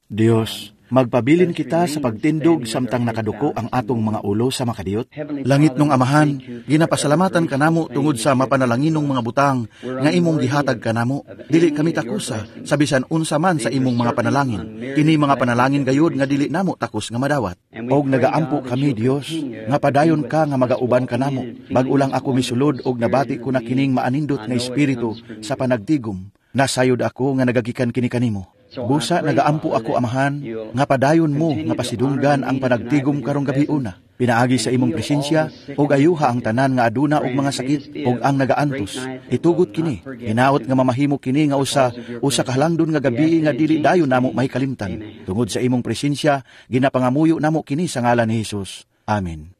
Dios, magpabilin kita sa pagtindog samtang nakaduko ang atong mga ulo sa makadiyot. Langitnong Amahan, ginapasalamatan kanamo tungod sa mapanalanginong mga butang nga imong gihatag kanamo. Dili kami takusa sa bisan unsa man sa imong mga panalangin. Kini mga panalangin gayud nga dili namo takos nga madawat. Og nagaampo kami, Dios, nga padayon ka nga magauban kanamo. Bag-o lang ako misulod og nabati ko na kining maanindot nga espiritu sa panagtigom. Nasayod ako nga nagagikan kini kanimo. Busa nagaampo ako, Amahan, nga padayon mo nga pasidunggan ang panagtigom karong gabiuna. Pinaagi sa imong presensya og ayuha ang tanan nga aduna og mga sakit og ang nagaantos. Itugot kini, hinaot nga mamahimo kini nga usa usa ka halangdon nga gabi nga dili dayon namo mahikalimtan. Tungod sa imong presensya, ginapangamuyo namo kini sa ngalan ni Hesus. Amen.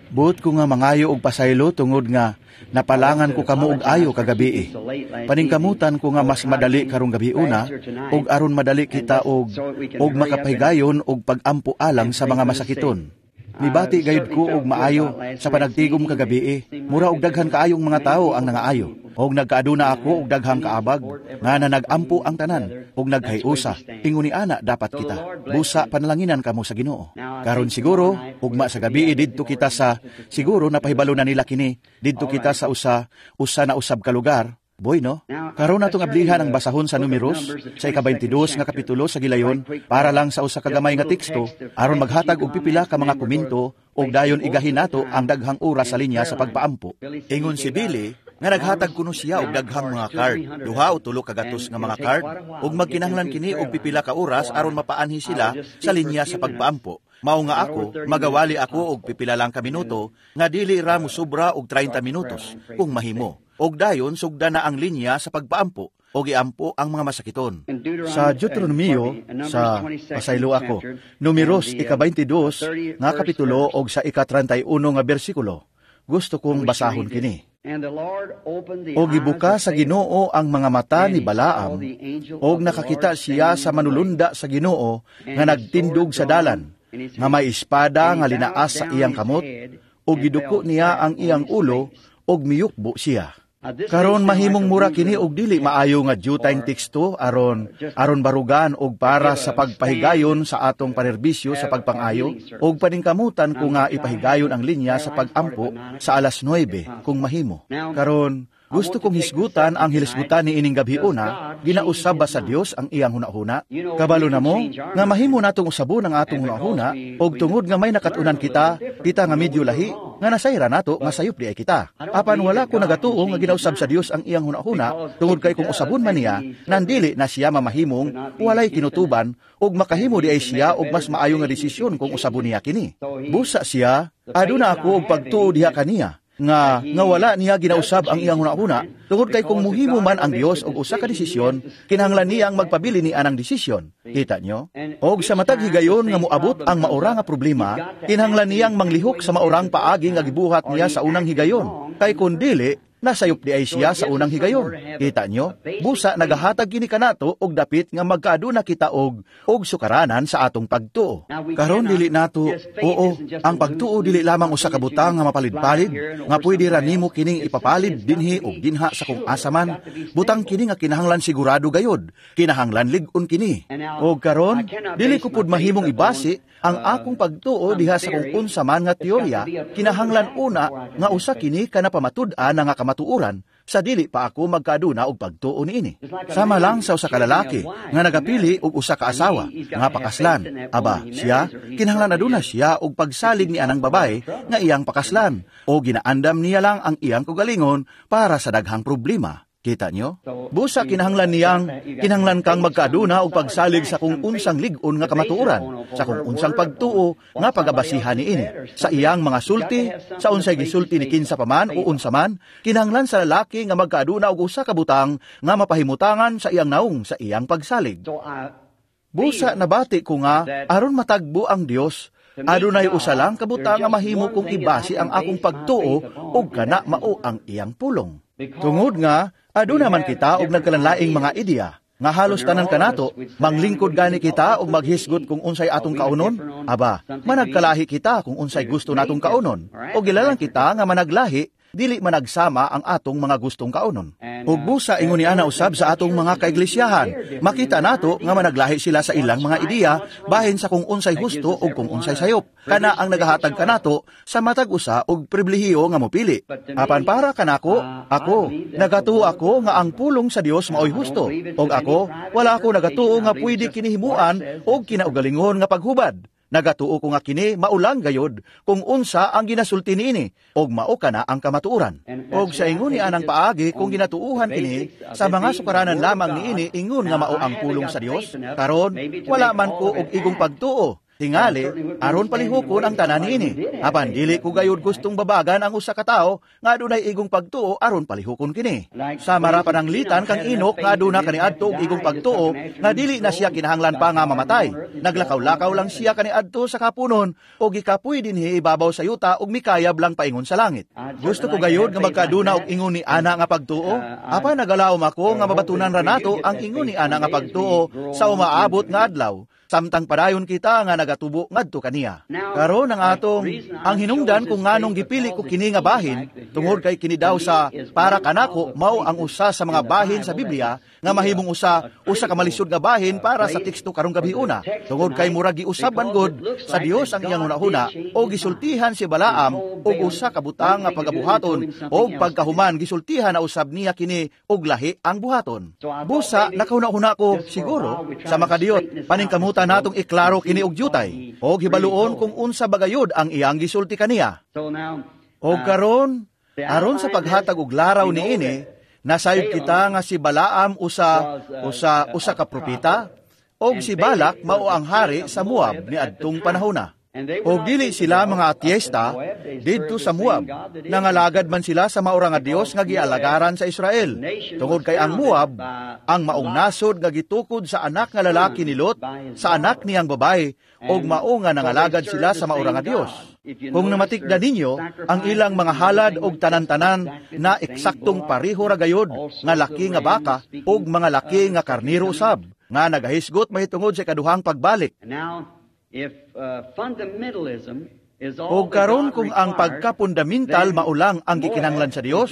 Buot ko nga mangayo og pasaylo tungod nga napalangan ko kamo og ayo kagabi. Paningkamutan ko nga mas madali karong gabiuna og aron madali kita og makapahigayon og pagampo alang sa mga masakiton. Mibati gayud ko og maayo sa panagtigom kagabi. Mura og daghan kaayong mga tawo ang nangaayo. Og nagkaaduna ako og daghang kaabag nga nanagampo ang tanan og nagkayusa. Ingon ni ana dapat kita. Busa panalanginan kamo sa Ginoo. Karon siguro ugma sa gabi didto kita sa siguro napahibalo na nila kini didto kita sa usa usa na usab ka lugar. Boy, no? Karon natong ablihan ang basahon sa Numeros sa ika-22 nga kapitulo sa gilayon para lang sa usa ka gamay nga teksto aron maghatag og pipila ka mga komento og dayon igahin nato ang daghang oras sa linya sa pagpaampo. Ingon si Billy nga naghatag kuno siya og daghang mga card, duha o tulo ka gatos nga mga card, ug magkinahanglan kini og pipila ka oras aron mapaanhi sila sa linya sa pagpaampo. Mao nga ako, magawali ako og pipila lang ka minuto nga dili ra mosobra og 30 minutos kung mahimo. Og dayon sugda na ang linya sa pagpaampo og iampo ang mga masakiton. Sa Deuteronomio, sa pasaylo ako, Numeros ika-22 nga kapitulo og sa ika-31 nga bersikulo. Gusto kong basahon kini. Og gibuka sa Ginoo ang mga mata ni Balaam, og nakakita siya sa manulunda sa Ginoo nga nagtindog sa dalan, nga may espada nga linaas sa iyang kamot, og giduko niya ang iyang ulo, og miyukbo siya. Karon mahimong mura kini og dili maayo nga dyutang teksto aron aron barugan og para sa pagpahigayon sa atong panerbisyo sa pagpangayo, og paningkamutan ko nga ipahigayon ang linya sa pagampo sa alas 9 kung mahimo. Karon gusto kong hisgutan ang hilisgutan ni ining gabiuna, ginausab ba sa Dios ang iyang hunahuna? Kabalo na mo nga mahimo natong usabon ang atong hunahuna og tungod nga may nakat-unan kita, kita nga medyo lahi, nga nasayra nato nga sayop di ay kita. Apan wala ko nagatuo nga ginausab sa Dios ang iyang hunahuna tungod kay kung usabon man niya, nandili na siya mamahimong walay kinutuban ug makahimo di ay siya og mas maayo nga desisyon kung usabon niya kini. Busa siya, aduna ako og pagtuo diha kaniya nga nga wala niya ginausab ang iyang hunahuna tungod kay kung muhimo man ang Dios og usa ka desisyon, kinahanglan niyang magpabili ni anang desisyon. Kita nyo? Og sa matag higayon nga moabot ang maura nga problema, kinahanglan niyang manglihok sa maurang paagi nga gibuhat niya sa unang higayon. Kay kun dili, nasayop di ay siya sa unang higayon. Kita nyo? Busa nagahatag kini kanato og dapit nga magkaaduna kita og sukaranan sa atong pagtuo. Karon dili nato, oo, ang pagtuo dili lamang usa ka butang nga mapalid-palid, nga pwede ra nimo kining ipapalid dinhi og dinha sa kung asa man. Butang kini nga kinahanglan sigurado gayod, kinahanglan lig-on kini. Og karon dili ko pud mahimong ibase ang akong pagtuo diha sa kung unsa man nga teorya, kinahanglan una nga usa kini ka napamatud-an nga kamatuoran sa dili pa ako magkaaduna og pagtuo niini. Sama lang sa usa ka lalaki nga nagapili og usa ka asawa nga pakaslan. Aba, siya kinahanglan aduna siya og pagsalig ni anang babae nga iyang pakaslan o ginaandam niya lang ang iyang kaugalingon para sa daghang problema. Kita nyo? Busa kinahanglan niyang, kinahanglan kang magkaaduna og pagsalig sa kung unsang lig-on nga kamatuoran, sa kung unsang pagtuo nga pagabasihan niini, sa iyang mga sulti, sa unsay gisulti ni kinsa pa man o unsa man, kinahanglan sa lalaki nga magkaaduna og usa ka butang nga mapahimutangan sa iyang naong sa iyang pagsalig. Busa nabati ko nga aron matagbo ang Dios, adunay usa lang ka butang nga mahimo kong ibase ang akong pagtuo ug kana mao ang iyang pulong. Tungod nga aduna man kita og nagkalanlaing mga ideya nga halos tanan kanato, manglingkod gani kita og maghisgot kung unsay atong kaunon, aba, managkalahi kita kung unsay gusto natong kaunon, o gilalang kita nga managlahi Dili managsama ang atong mga gustong kaunon. Ug busa ingon ni ana usab sa atong mga kaiglisyahan, makita nato nga managlahi sila sa ilang mga ideya bahin sa kung unsay husto ug kung unsay sayop. Kana ang nagahatag kanato sa matag usa og pribilehiyo nga mopili. Apan para kanako, ako nagatuo ako nga ang pulong sa Dios maoy husto. Og ako, wala ako nagatuo nga pwede kinihimuan og kinaugalingon nga paghubad. Nagatuo ko nga kini maulang gayod kung unsa ang ginasulti niini og mao kana ang kamatuoran. Og sa ingon ni anang paagi kung ginatuuhan kini sa mga sukaranan lamang niini ingon nga mao ang pulong sa Dios, karon wala man ko og igong pagtuo. Tingali, aron palihukon ang tanan niini. Apan dili ko gayud gustong babagan ang usa ka tawo nga adunay igong pagtuo aron palihukon kini. Sa mara pananglitan kang Enoch nga aduna kaniadto og igong pagtuo nga dili na siya kinahanglan pa nga mamatay. Naglakaw-lakaw lang siya kaniadto sa kapunon og gikapoy dinhi ibabaw sa yuta og mikayab lang paingon sa langit. Gusto ko gayud nga magkaduna og ingon ni ana nga pagtuo. Apan nagalaom ako nga mabatunan ra nato ang ingon ni ana nga pagtuo sa umaabot nga adlaw, samtang padayon kita nga nagatubo ngadto kaniya. Karon ang atong ang hinungdan kung nganong gipili ko kini nga bahin tungod kay kini daw sa para kanako mao ang usa sa mga bahin sa Biblia nga mahimong usa usa ka malisod nga bahin para sa teksto karong gabi una, tungod kay murag giusab man gud sa Dios ang iyang hunahuna o gisultihan si Balaam og usa ka butang nga pagabuhaton, og pagkahuman gisultihan na usab niya kini og lahi ang buhaton. Busa nakahuna-huna ko siguro sa makadiyot paningkamutan natong iklaro kini og jutay og hibaluon kung unsa bagayod ang iyang gisulti kaniya. Og karon aron sa paghatag og laraw niini, nasayod kita nga si Balaam usa usa usa ka propeta og si Balak mao ang hari sa Moab niadtong panahona. Og dili sila mga ateista didto sa Moab, nangalagad man sila sa maura nga Dios nga gialagaran sa Israel. Tungod kay ang Moab ang maong nasod nga gitukod sa anak nga lalaki ni Lot sa anak niyang babae, og mao nga nangalagad sila sa maura nga Dios. Kung namatikda ninyo ang ilang mga halad og tanan-tanan na eksaktong pareho ra gayod nga laki nga baka og mga laki nga karnero usab nga nagahisgot mahitungod sa ikaduhang pagbalik. Og karon kung ang pagkapundamental maulang ang gikinahanglan sa Dios,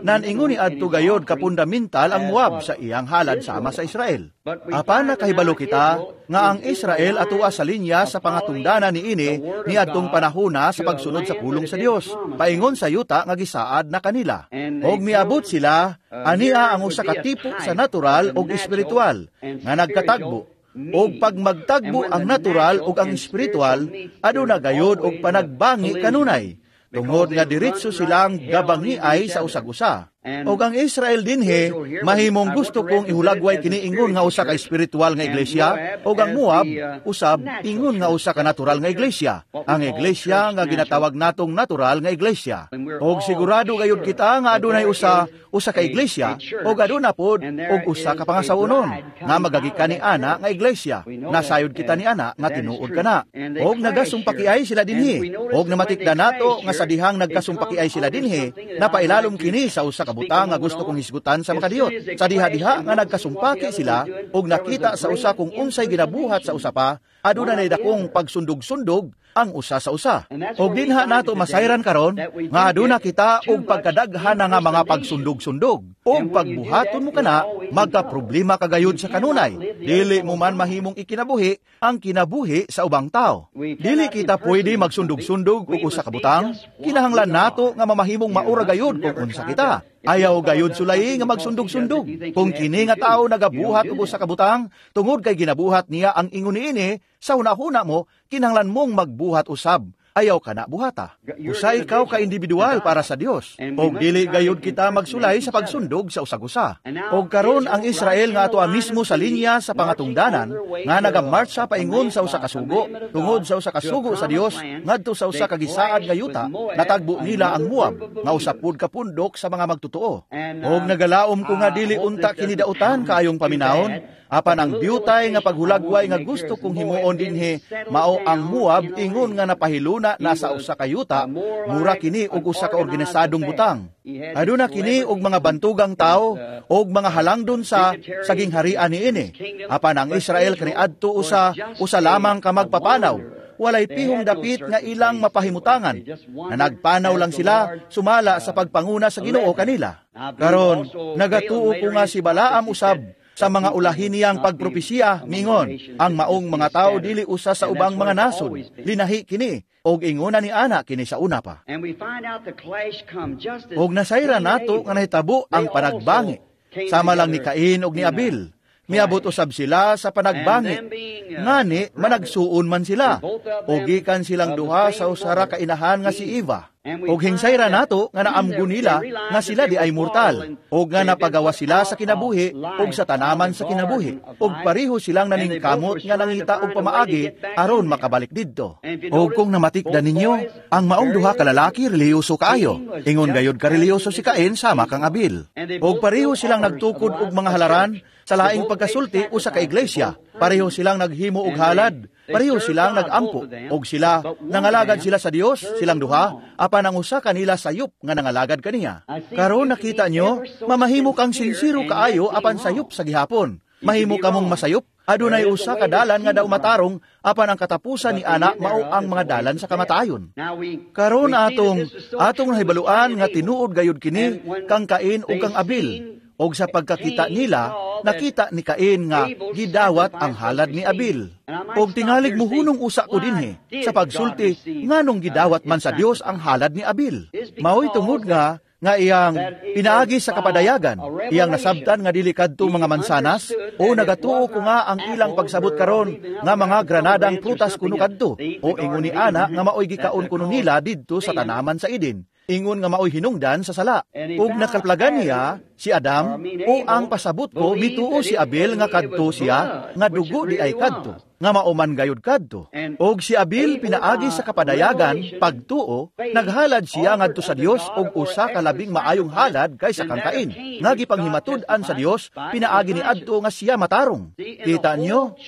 naningon ni adto gayod kapundamental ang Moab sa iyang halad sama sa Israel. Apan nakahibalo kita nga ang Israel atoa sa linya sa pangatungdanan niini niadtong panahona sa pagsunod sa pulong sa Dios, paingon sa yuta nga gisaad na kanila. Og miabot sila ania ang usa ka tipo sa natural ug espiritual nga nagkatagbo. Og pag magtagbo ang natural ug ang espiritual, aduna gayod og panagbangi kanunay, tungod nga diretso silang gabangiay sa usag-usa. Og ang Israel dinhi, mahimong gusto kong ihulagway kini ingon nga usa ka espiritual nga iglesia, og ang Moab usab ingon nga usa ka natural nga iglesia, ang iglesia nga ginatawag natong natural nga iglesia. Og sigurado gayud kita nga adunay usa usa ka iglesia, og aduna pod og usa ka pangasawonon nga magagikan ni ana nga iglesia. Nasayod kita ni ana nga tinuod kana. Og nagasumpakiay sila dinhi, og namatikda nato nga sa dihang nagkasumpakiay sila dinhi, napailalom kini sa usa ka butang nga gusto kong hisgutan sa makadiyot. Sa diha-diha nga nagkasumpaki sila og nakita sa usa kung unsay ginabuhat sa usa pa, aduna nay dakong pagsundog-sundog ang usa sa usa. Og dinha nato masayran karon nga aduna kita og pagkadaghan nga mga pagsundog-sundog. Og pagbuhaton mo kana, magka-problema kagayod sa kanunay. Dili mo man mahimong ikinabuhi ang kinabuhi sa ubang tao. Dili kita pwede magsundog-sundog og usa ka butang. Kinahanglan nato nga mamahimong maura gayod kung unsa kita. Ayaw gayod sulay nga magsundog-sundog. Kung kini nga tao nagabuhat og usa ka butang, tungod kay ginabuhat niya ang ingon niini, sa hunahuna mo, kinahanglan mong magbuhat usab. Ayaw ka na buhata. Usa ikaw ka individual para sa Dios. Og dili gayud kita magsulay sa pagsundog sa usag-usa. Og karon ang Israel nga atoa mismo sa linya sa pangatungdanan nga nagamartsa paingon sa usa ka sugo, tungod sa usa ka sugo sa Dios ngadto sa usa ka gisaad nga yuta, natagbo nila ang Moab nga usa pud ka pundok sa mga magtotoo. Og nagalaom ko nga dili unta kini dautan kaayong paminawon. Apan ang diyutay nga paghulagway nga gusto kong himuon dinhi mao ang Moab ingon nga napahiluna na sa usa ka yuta, mura kini og usa ka organisadong butang. Aduna kini og mga bantugang tao og mga halangdon sa sagingharian niini. Apan ang Israel kaniadto usa usa lamang ka magpapanaw. Walay pihong dapit nga ilang mapahimutangan. Na nagpanaw lang sila sumala sa pagpanguna sa Ginoo kanila. Karon, nagatuo ko nga si Balaam usab sa mga ulahin niyang pagpropesiya, mingon, ang maong mga tao dili usa sa ubang mga nasod. Linahi kini, og ingona ni ana kini sa una pa. Og nasayra nato nga nahitabo ang panagbangi. Sama lang ni Cain og ni Abel. Miabot usab sila sa panagbangi. Ngani, managsuon man sila. O gikan silang duha sa usara ka inahan nga si Eva. Og hingsayra nato nga naamgo nila nga sila di ay mortal, og nga napagawa sila sa kinabuhi og sa tanaman sa kinabuhi, og pareho silang naningkamot nga nangita og pamaagi aron makabalik didto. Og kung namatikdan ninyo, ang maong duha ka lalaki relihiyoso kaayo. Ingon gayod ka relihiyoso si Cain sama kang Abel. Og pareho silang nagtukod og mga halaran sa laing pagkasulti usa ka iglesia. Pareho silang naghimo og halad. Pareho silang nagampo, og sila nangalagad sila sa Dios, silang duha, apan ang usa kanila sayop nga nangalagad kaniya. Karon nakita nyo, mamahimo kang sinsiro kaayo apan sayop sa gihapon. Mahimo kamong masayop, adunay usa ka dalan nga daw matarong, apan ang katapusan ni ana mao ang mga dalan sa kamatayon. Karon atong nahibaluan nga tinuod gayud kini kang Cain ug kang Abel. Og sa pagkakita nila, nakita ni Cain nga gidawat ang halad ni Abel. Og tingalig muhunong usa ko dinhi sa pagsulti nganong gidawat man sa Dios ang halad ni Abel. Maoy tungod nga iyang pinaagi sa kapadayagan, iyang nasabtan nga dili kadto mga mansanas, o nagatuo ko nga ang ilang pagsabot karon nga mga granadang prutas kuno kadto, o ingon ni ana nga maoy gikaon kuno nila didto sa tanaman sa Eden. Ingon nga maoy hinungdan sa sala. Ug nakaplagan niya si Adam, o ang pasabot ko mituo si Abel nga kadto siya, nga dugo di ay kadto, nga mauman gayud kadto. Og si Abel pinaagi sa kapadayagan, pagtuo, naghalad siya ngadto sa Dios og usa ka labing maayong halad kaysa kang Cain, nga gipanghimatud-an sa Dios pinaagi ni adto nga siya matarong. Kita nyo?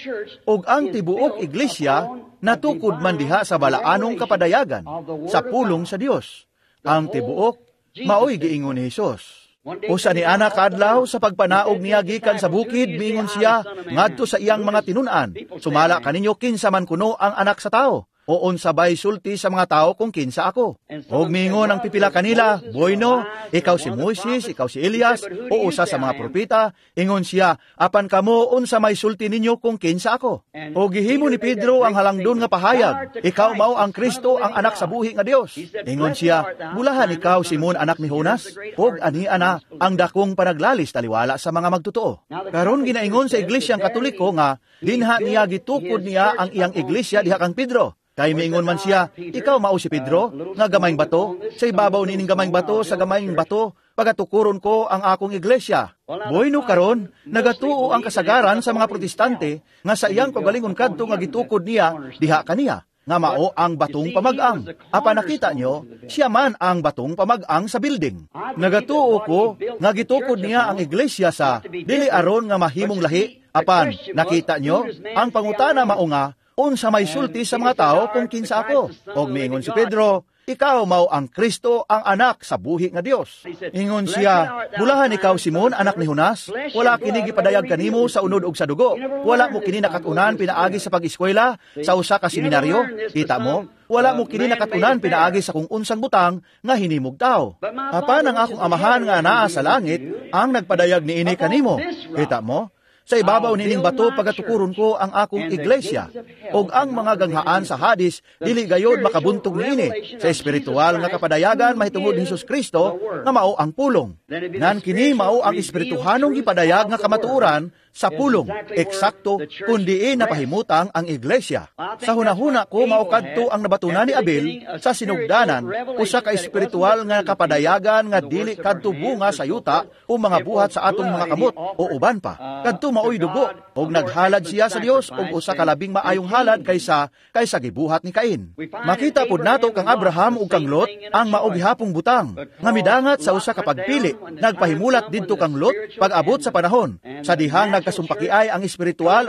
Og ang tibuok iglesia natukod man diha sa balaanong kapadayagan, sa pulong sa Dios. Ang tibuok, maoy giingon ni Hesus. Usa ni ana kaadlaw sa pagpanaog niya gikan sa bukid, miingon siya ngadto sa iyang mga tinun-an, sumala kaninyo kinsa man kuno ang anak sa tao, o unsabay sulti sa mga tao kung kinsa ako. Og miingon ang pipila kanila, "Bueno, ikaw si Moises, ikaw si Elias, o usa sa mga propeta." Ingon siya, "Apan kamo, unsa may sulti ninyo kung kinsa ako?" Og gihimo ni Pedro ang halangdon nga pahayag, "Ikaw mao ang Kristo, ang anak sa buhi nga Dios." Ingon siya, "Bulahan ikaw, Simon, anak ni Jonas, og ani ana ang dakong panaglalis taliwala sa mga magtotoo." Karon ginaingon sa Iglesyang Katoliko nga dinha niya gitukod niya ang iyang iglesia diha kang Pedro. Kay miingon man siya, "Ikaw mao si Pedro, nga gamayng bato, sa ibabaw nining gamayng bato, sa gamayng bato, pagatukuron ko ang akong iglesia." Bueno karon, nagatuo ang kasagaran sa mga Protestante nga sa iyang kagalingon kadto nga gitukod niya diha kaniya, nga mao ang batong pamag-ang. Apan nakita nyo, siya man ang batong pamag-ang sa building. Nagatuo ko nga gitukod niya ang iglesia sa dili aron nga mahimong lahi, apan nakita nyo, ang pangutana mao nga, unsa may sulti sa mga tao kung kinsa ako? Og miingon si Pedro, "Ikaw mao ang Kristo, ang anak sa buhi nga Dios." Ingon siya, "Bulahan ikaw, Simon, anak ni Jonas, wala kini gipadayag kanimo sa unod og sa dugo. Wala mo kini nakatunan pinaagi sa pag-eskwela sa usa ka seminaryo. Kita mo, wala mo kini nakatunan pinaagi sa kung unsang butang nga hinimog tao. Apan ang akong amahan nga anaa sa langit ang nagpadayag niini kanimo. Kita mo? Sa ibabaw nining bato pagatukuron ko ang akong iglesia, og ang mga ganghaan sa Hades dili gayod makabuntog niini sa espiritual nga kapadayagan mahitungod ni Hesus Kristo nga mao ang pulong. Nan kini mao ang espirituhanong gipadayag nga kamatuoran sa pulong, eksakto kun diin napahimutang ang iglesia. Sa hunahuna ko mao kadto ang nabatuna ni Abel sa sinugdanan, usa ka espiritual nga kapadayagan nga dili kadto bunga sa yuta o mga buhat sa atong mga kamot o uban pa. Kadto maoy dugo, og naghalad siya sa Dios og usa ka labing maayong halad kaysa gibuhat ni Cain. Makita pud nato kang Abraham ug kang Lot ang mao gihapong butang nga midangat sa usa ka pagpili. Nagpahimulat didto kang Lot pag-abot sa panahon sa dihang nagkasumpakiay ang espiritual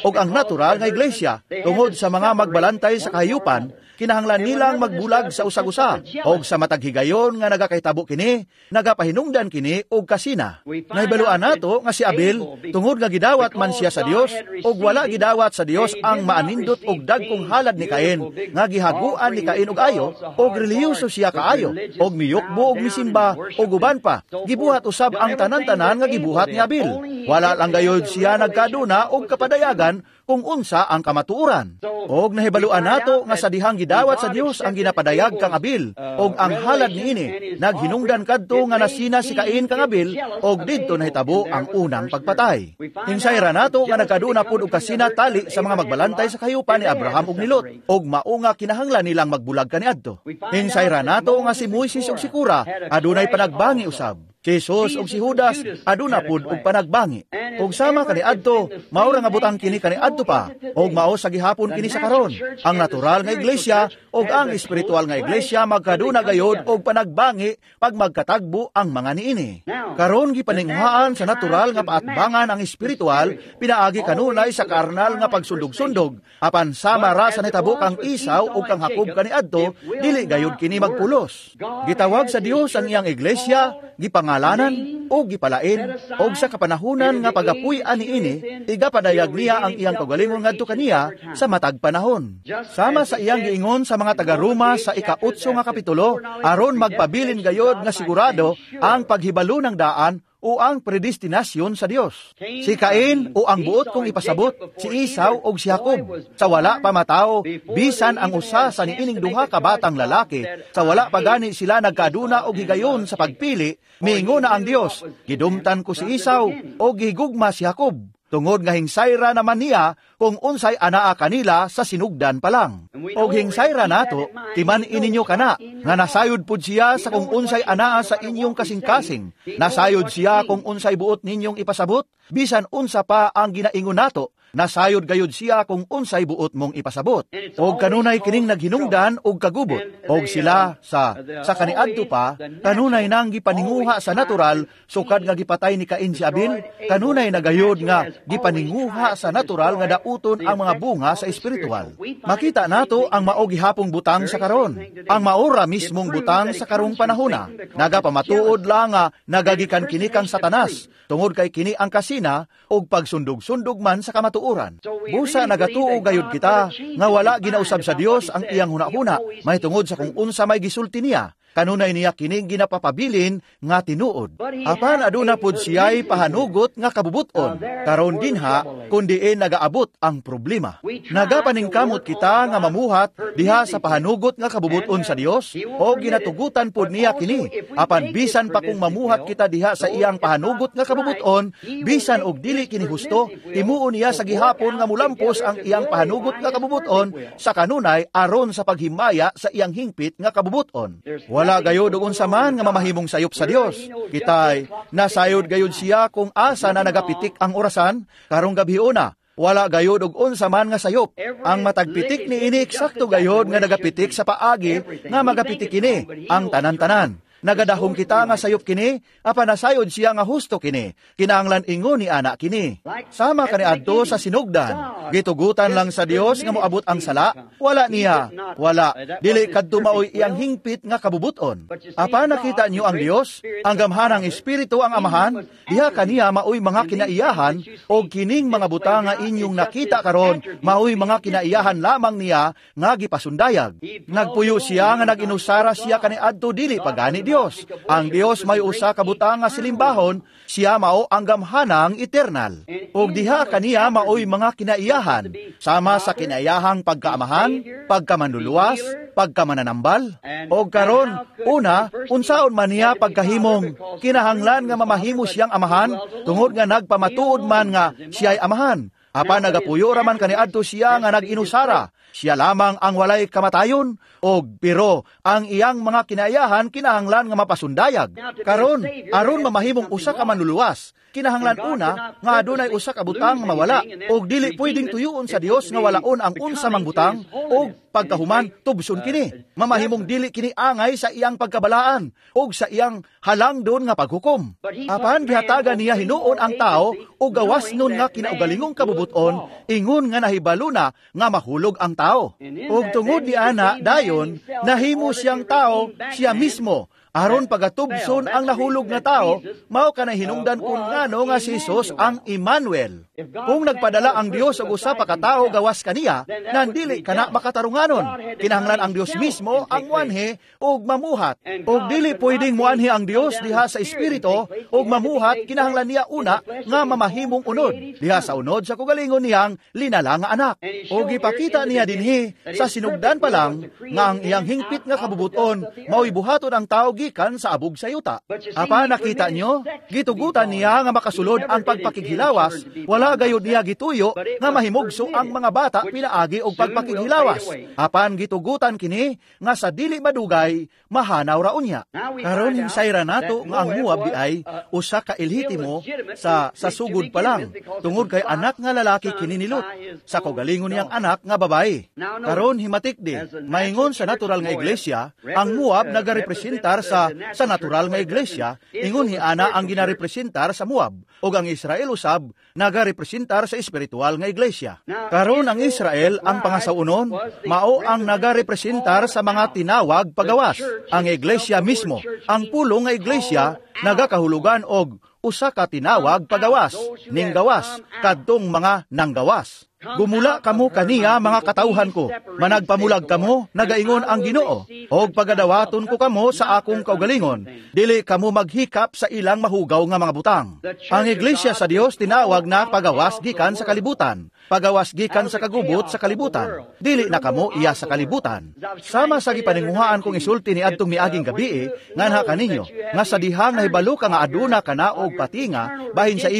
ug ang natural nga iglesia tungod sa mga magbalantay sa kahayupan. Kinahanglan nilang magbulag sa usag-usa. Og sa matag higayon nga nagakahitabo kini, nagapahinungdan kini og kasina. Nahibaluan nato nga si Abel, tungod nga gidawat man siya sa Dios, og wala gidawat sa Dios ang maanindot og dagkong halad ni Cain, nga gihaguan ni Cain og ayo, og relihiyoso siya kaayo, og miyukbo og misimba, og uban pa. Gibuhat usab ang tanan-tanan nga gibuhat ni Abel. Wala lang gayod siya nagkaduna og kapadayagan kung unsa ang kamatuoran. Og nahibaluan nato nga sa dihang gidawat sa Dios ang ginapadayag kang Abel og ang halad niini, naghinungdan kadto nga nasina si Cain kang Abel og didto nahitabo ang unang pagpatay. Hinsay ra nato nga nagkaduna pud og kasina tali sa mga magbalantay sa kahayupan ni Abraham ug ni Lot og mao nga kinahanglan nilang magbulag kaniadto. Hinsay ra nato nga si Moises ug si Cora adunay panagbangi usab. Si Jesus ug si Judas aduna pud og panagbangi. Ug sama kaniadto, mao ra nga butang kini kaniadto pa, ug mao sa gihapon kini sa karon. Ang natural nga iglesia ug ang espiritual nga iglesia magkaduna gayod og panagbangi pag magkatagbo ang mga niini. Karon gipaninguhaan sa natural nga paatbangan ang espiritual pinaagi kanunay sa karnal nga pagsundog-sundog. Apan sama ra sa nitabo kang Esau ug kang Jacob kaniadto, dili gayod kini magpulos. Gitawag sa Dios ang iyang iglesia, gipangalanan o gipalain, og sa kapanahunan nga pagapuy-an niini, igapadayag niya ang iyang kaugalingon ngadto kaniya sa matag panahon. Sama sa iyang giingon sa mga taga-Roma sa ika-8 nga kapitulo, aron magpabilin gayod nga sigurado ang paghibalo ng daan o ang predestinasyon sa Dios. Si Cain o ang buot kong ipasabot, si Esau o si Jacob, sa wala pa matao, bisan ang usa sa niining duha ka batang lalaki, sa wala pa gani sila nagkaduna og higayon sa pagpili, miingon na ang Dios, gidumtan ko si Esau o gihigugma si Jacob, tungod nga hingsayra naman niya kung unsay anaa kanila sa sinugdan pa lang. Og hingsayra nato, timan-i ninyo kana, nga nasayod pud siya sa kung unsay anaa sa inyong kasing-kasing. Nasayod siya kung unsay buot ninyong ipasabot, bisan unsa pa ang ginaingon nato, nasayod gayud siya kung unsay buot mong ipasabot. Og kanunay kining naghinungdan og kagubot, og sila sa kaniadto pa, kanunay nang gipaninguha sa natural, sukad nga gipatay ni Cain si Abel, kanunay na gayud nga gipaninguha sa natural nga dauton ang mga bunga sa espiritual. Makita nato ang mao gihapong butang sa karon, ang maora mismong butang sa karong panahona. Nagapamatuod lang nga nagagikan kini kang Satanas, tungod kay kini ang kasina og pagsundog-sundog man sa kamatuoran. Busa nagatuo gayud kita nga wala ginausab sa Dios ang iyang hunahuna mahitungod sa kung unsa may gisulti niya. Kanunay niya kining ginapapabilin nga tinuod. Apan aduna pud siya'y pahanugot nga kabubuton. Karon dinha kun diin nagaabot ang problema. Nagapaningkamot kita nga mamuhat diha sa pahanugot nga kabubuton sa Dios o ginatugutan pud niya kini. Apan bisan pa kung mamuhat kita diha sa iyang pahanugot nga kabubuton, bisan og dili kini husto, himuon niya sa gihapon nga mulampos ang iyang pahanugot nga kabubuton sa kanunay aron sa paghimaya sa iyang hingpit nga kabubuton. Wala gayod og unsa man nga mamahimong sayop sa Dios. Kitay nasayod gayod siya kung asa na nagapitik ang orasan karong gabhiona. Wala gayod og unsa man nga sayop. Ang matagpitik niini eksakto gayod nga nagapitik sa paagi nga magapitik kini ang tanan-tanan. Nagadahom kita nga sayop kini, apan nasayod siya nga husto kini. Kinahanglan ingon ni ana kini. Sama kaniadto sa sinugdan. Gitugutan lang sa Dios nga moabot ang sala, wala niya, wala. Dili kadto maoy iyang hingpit nga kabubuton. Apan nakita niyo ang Dios, ang gamhanang espiritu ang Amahan, diha kaniya maoy mga kinaiyahan og kining mga butang nga inyong nakita karon, maoy mga kinaiyahan lamang niya nga gipasundayag. Nagpuyo siya nga nag-inusara siya kaniadto dili pagani Dios. Ang Dios may usa ka butang nga silimbahon, siya mao ang gamhanang eternal. Og diha kaniya maoy mga kinaiyahan, sama sa kinaiyahang pagkaamahan, pagkamanluluwas, pagkamananambal. Og karon, una, unsaon man niya pagkahimong kinahanglan nga mamahimo siyang amahan, tungod nga nagpamatuod man nga siya'y amahan. Apan nagapuyo raman kaniadto siya nga nag-inusara. Siya lamang ang walay kamatayon, og pero ang iyang mga kinaiyahan kinahanglan nga mapasundayag. Karon, aron mamahimong usa ka manluluwas, kinahanglan una nga adunay usa ka butang nga mawala, og dili pwedeng tuyuon sa Dios nga walaon ang unsa mang butang, og pagkahuman tubson kini. Mamahimong dili kini angay sa iyang pagkabalaan og sa iyang halangdon nga paghukom. Apan gihatagan niya hinuon ang tao og gawas nun nga kinaugalingong kabubuton kabubut-on, ingon nga nahibalo na nga mahulog ang tao. Ug tungod ni ana dayon nahimo siyang tao siya mismo aron pagatubson ang nahulog nga tao, mao kanay hinungdan kun ngano nga si Jesus ang Emmanuel. Kung nagpadala ang Dios og usa pa ka tawo gawas kaniya, nandili kana makatarunganon. Kinahanglan ang Dios mismo ang muanhi og mamuhat. Og dili pwedeng muanhi ang Dios diha sa espiritu og mamuhat, kinahanglan niya una nga mamahimong unod diha sa unod sa kugalingon niyang linala nga anak. Og gipakita niya dinhi sa sinugdan pa lang nga ang iyang hingpit nga kabubuton mao'y buhaton ang tao gikan sa abog sa yuta. Apa nakita nyo, gitugutan niya nga makasulod ang pagpakighilawas, wala gayud niya gituyo nga mahimugso ang mga bata pinaagi og pagpakighilawas. Apan gitugutan kini nga sa dili madugay mahanaw ra unya. Karon hinsayra nato nga ang Moab di ay usa ka ilhitimo sa sugod pa lang, tungod kay anak nga lalaki kini ni Lot sa kaugalingon niyang anak nga babae. Karon himatik di, maingon sa natural nga iglesia, ang Moab nagarepresentar sa natural nga iglesia, ingon hiana ang ginarepresentar sa Moab, ug ang Israel usab nagarepresentar sa espiritual nga iglesia. Karon ang Israel ang pangasaunon, mao ang nagarepresentar sa mga tinawag pagawas. Ang iglesia mismo, ang pulong nga iglesia nagakahulugan og usa ka tinawag pagawas, ning gawas kadtong mga nanggawas. Gumula kamo kaniya mga katawhan ko, managpamulag kamo, nagaingon ang Ginoo, og pagadawaton ko kamo sa akong kaugalingon, dili kamo maghikap sa ilang mahugaw nga mga butang. Ang iglesia sa Dios tinawag na pagawas gikan sa kalibutan, pagawas gikan sa kagubot sa kalibutan, dili na kamo iya sa kalibutan. Sama sa gipaninguhaan kong isulti ni adtong miaging gabi, nganha kaninyo, nga sa dihang nahibalo ka nga aduna ka na og patinga, bahin sa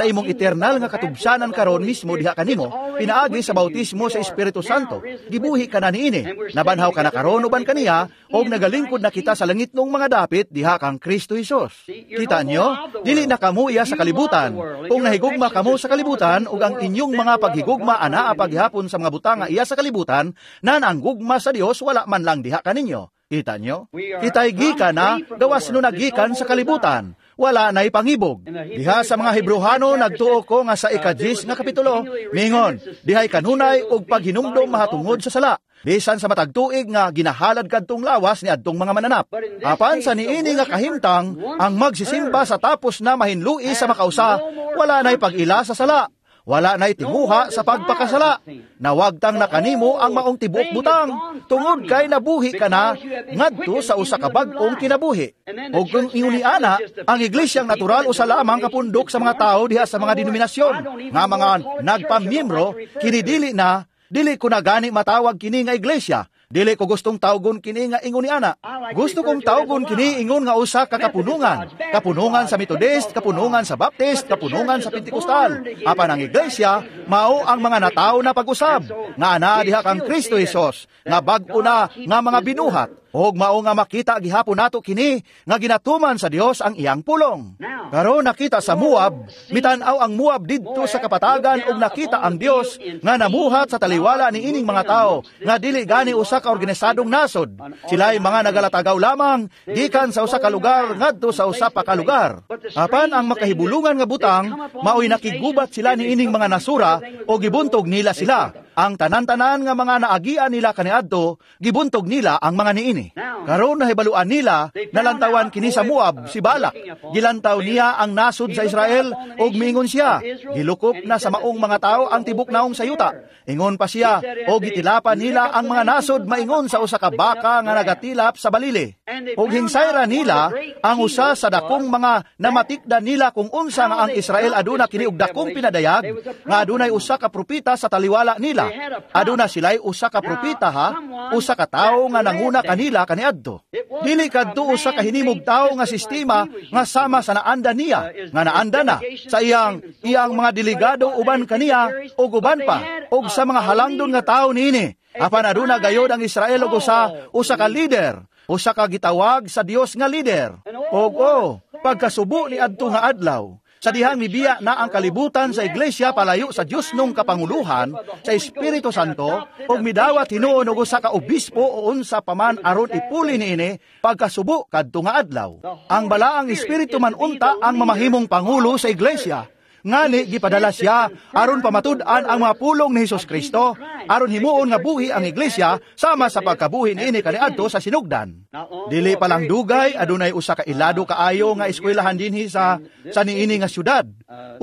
imong eternal nga katubsanan karon mismo diha kanimo, pinaagi sa bautismo sa Espiritu Santo, gibuhi ka na niini, nabanhaw ka na karon uban kaniya, og nagalingkod na kita sa langitnong mga dapit diha kang Kristo Hesus. Kita nyo, dili na kamo iya sa kalibutan. Kung nahigugma kamo sa kalibutan, ug ang inyong mga paghigugma anaa paghihapon sa mga butang nga iya sa kalibutan, nan ang gugma sa Dios wala man lang diha kaninyo. Kita nyo? Kita'y gikan na, gawas no nagikan sa kalibutan. Wala na'y pangibog. Diha sa mga Hebrohano nagtuo ko nga sa 10 nga kapitulo, mingon, dihay kanunay og paghinumdom mahatungod sa sala, bisan sa matag tuig nga ginahalad kadtong lawas ni adtong mga mananap. Apan sa niini nga kahimtang, ang magsisimba sa tapos na mahinlui sa makausa, wala na'y pag-ila sa sala. Wala na'y tinguha sa pagpakasala. Nawagtang na kanimo ang maong tibuok butang, tungod kay nabuhi ka na ngadto sa usa ka bag-ong kinabuhi. Og kung ingon ana, ang iglesyang natural usa lamang kapundok sa mga tao diha sa mga denominasyon, nga mga nagpamiyembro, kini dili na, dili ko na gani matawag kini nga iglesia. Dili ko gustong tawgon kini nga ingon ni ana. Gusto kong tawgon kini ingon nga usa ka kapunungan. Kapunungan sa Methodist, kapunungan sa Baptist, kapunungan sa Pentecostal. Apan ang iglesia, mao ang mga natawo na pag-usab, nga ana diha kang Kristo Hesus, nga bag-o na nga mga binuhat. Og mao nga makita gihapon nato kini nga ginatuman sa Dios ang iyang pulong. Karon nakita sa Moab, mitan-aw ang Moab didto sa kapatagan og nakita ang Dios nga namuhat sa taliwala ni ining mga tawo nga dili gani usa ka organisadong nasod. Sila'y mga nagalatagaw lamang gikan sa usa ka lugar ngadto sa usa pa ka lugar. Apan ang makahibulungan nga butang, maoy nakigubat sila ni ining mga nasura o gibuntog nila sila. Ang tanan-tanan nga mga naagian nila kaniadto, gibuntog nila ang mga niini. Karon nahibaluan nila, nalantawan kini sa Moab si Balak. Gilantaw niya ang nasod sa Israel ug miingon siya, gilukop na sa maong mga tao ang tibok naong sa yuta. Ingon pa siya, og gitilapan nila ang mga nasod maingon sa usa ka baka nga nagatilap sa balili. Ug hinsayra nila ang usa sa dakong mga namatikdan nila kung unsa nga ang Israel aduna kini og dakong pinadayag, nga adunay usa ka propeta sa taliwala nila. Aduna sila'y usa ka propeta ha, usa ka tawo nga nanguna kanila kaniadto. Dili kadto usa ka hinimog tawo nga sistema nga sama sa naanda niya, nga naanda na sa iyang iyang mga delegado uban kaniya ug uban pa ug sa mga halangdon nga tawo niini. Apan aduna gayod ang Israel og usa ka lider, usa ka gitawag sa Dios nga lider. Og oh, pagkasubo ni adto nga adlaw, sa dihang mibiya na ang kalibutan sa iglesia palayo sa Dios nung kapanguluhan sa Espiritu Santo, ug midawat hinuon og usa ka obispo o unsa paman aron ipuli niini pagkasubo kadto nga adlaw. Ang balaang Espiritu man unta ang mamahimong pangulo sa iglesia. Ngani gipadala siya aron pamatud-an ang mga pulong ni Hesus Kristo, aron himuon nga buhi ang iglesia sama sa pagkabuhi niini kaniadto sa sinugdan. Dili pa lang dugay adunay usa ka ilado kaayo nga eskwelahan dinhi sa niini nga syudad,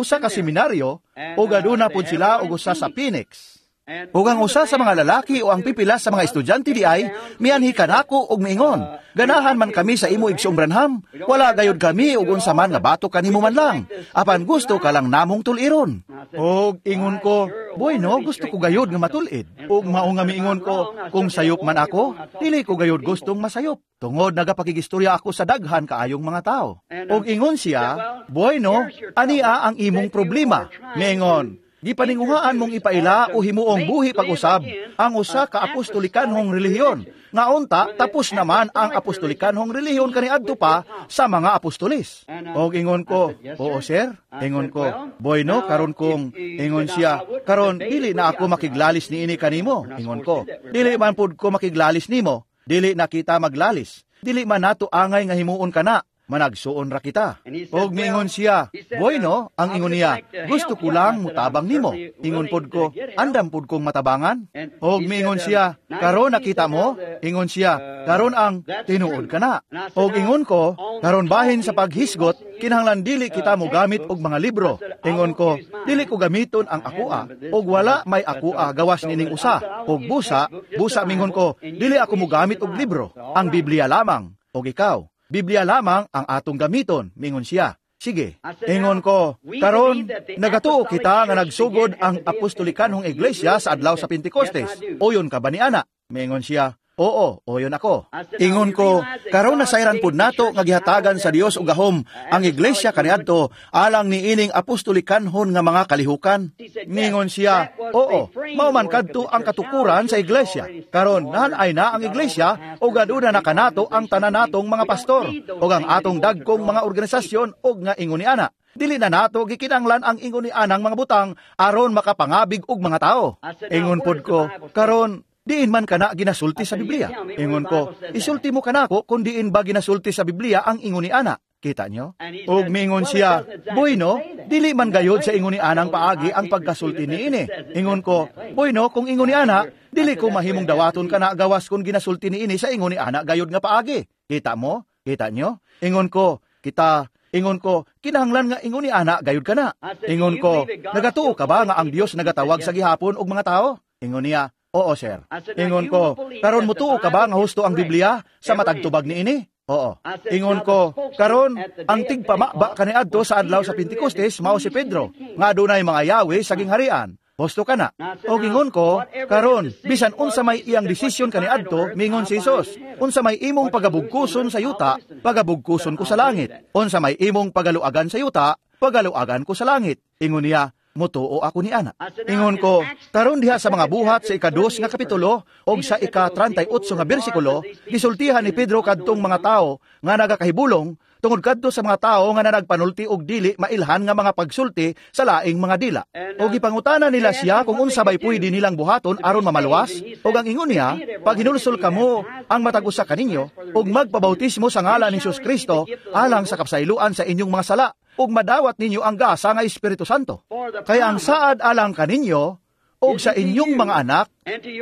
usa ka seminaryo, ug aduna pud sila og usa sa Phoenix. Ug ang usa sa mga lalaki o ang pipila sa mga estudyante di ay mianhi kanako og miingon, "Ganahan man kami sa imo, Igsoong Branham. Wala gayud kami og unsa man nga bato kanimo man lang. Apan gusto ka lang namong tuliron." Og ingon ko, "Boy no, gusto ko gayud nga matulid." Og mao nga miingon ko, "Kung sayop man ako, dili ko gayud gustong masayop. Tungod nagapakigistorya ako sa daghan kaayong mga tao." Og ingon siya, "Boy no, ania ang imong problema." Miingon, "Gipaninguhaan mong ipaila o himuong buhi pag-usab ang usa ka apostolikanhong relihiyon. Nga unta, tapos naman ang apostolikanhong relihiyon kaniadto pa sa mga apostolis." Og ingon ko, "Oo sir." Ingon ko, "Boy no, karon kung," ingon siya, "karon dili na ako makiglalis niini kanimo." Ingon ko, "Dili man pud ko makiglalis nimo, dili na kita maglalis. Dili man nato angay nga himuon kana. Managsuon ra kita." Og miingon siya, "Boy no," ang ingon niya, "gusto ko lang mutabang nimo." Ingon pod ko, "Andam pod kong matabangan." Og miingon siya, "Karon nakita mo," ingon siya, "karon ang tinuod ka na." Og ingon ko, "Karon bahin sa paghisgot, kinahanglan dili kita mogamit og mga libro." Ingon ko, "Dili ko gamiton ang akoa, og wala may akoa gawas nining usa. Og busa, busa," mingon ko, "dili ako mogamit og libro, ang Biblia lamang, og ikaw. Biblia lamang ang atong gamiton," mingon siya. "Sige." Ingon ko, "Karon, nagatuo kita nga nagsugod ang apostolikanhong iglesia sa adlaw sa Pentecostes. Oyon ka ba ni ana?" Mingon siya, "Oo, oyon ako." Ingon ko, "Karon nasayran pud nato nga gihatagan sa Dios og gahom ang iglesia kaniadto alang niining apostolikanhon nga mga kalihukan." Mingon siya, "Oo, mao man kadto ang katukuran sa iglesia. Karon nahanay na ang iglesia ug aduna na kanato ang tanan natong mga pastor ug ang atong dagkong mga organisasyon og nga ingon ni ana. Dili na nato gikinahanglan ang ingon ni anang mga butang aron makapangabig og mga tao." Ingon pod ko, "Karon diin man kana ginasulti sa Biblia?" Ingon ko, "Isulti mo kanako kung diin ba ginasulti sa Biblia ang ingon ni ana." Kita nyo? Og mingon siya, "Boy no, dili man gayod sa ingon ni anang paagi ang pagkasulti niini." Ingon ko, "Boy no, kung ingon ni ana, dili ko mahimong dawaton kana gawas kung ginasulti niini sa ingon ni ana gayod nga paagi. Kita mo? Kita nyo? Ingon ko, kita, ingon ko, "Kinahanglan nga ingon ni ana gayod kana." Ingon ko, "Nagatuo ka ba nga ang Dios nagatawag sa gihapon og mga tao?" Ingon niya, "Oo, sir." Ingon ko, "Karon mutuo ka ba nga husto ang Biblia sa matag tubag niini?" "Oo." Ingon ko, "Karon ang tigpamaba kaniadto sa adlaw sa Pentecostes mao si Pedro, nga adunay mga yawi sa gingharian. Husto ka na?" Og ingon ko, "Karon bisan unsa may iyang desisyon kaniadto, mingon si Hesus, unsa may imong pagabugkuson sa yuta, pagabugkuson ko sa langit. Unsa may imong pagaluagan sa yuta, pagaluagan ko sa langit." Ingon niya, "Mutuo ako ni ana." Ingon ko, "Karon diha sa mga Buhat sa 2 nga kapitulo og sa ika-38 nga bersikulo, gisultihan ni Pedro kadtong mga tawo nga nagakahibulong tungod kadto sa mga tawo nga nanagpanulti og dili mailhan nga mga pagsulti sa laing mga dila. Og gipangutana nila siya kung unsa bay pwede nilang buhaton aron mamaluwas, og ang ingon niya, paghinulsol kamo ang matag usa kaninyo og magpabautismo sa ngalan ni Hesus Kristo alang sa kapsayloan sa inyong mga sala, ug madawat ninyo ang gasa nga Espiritu Santo. Kaya ang saad alang kaninyo og sa inyong mga anak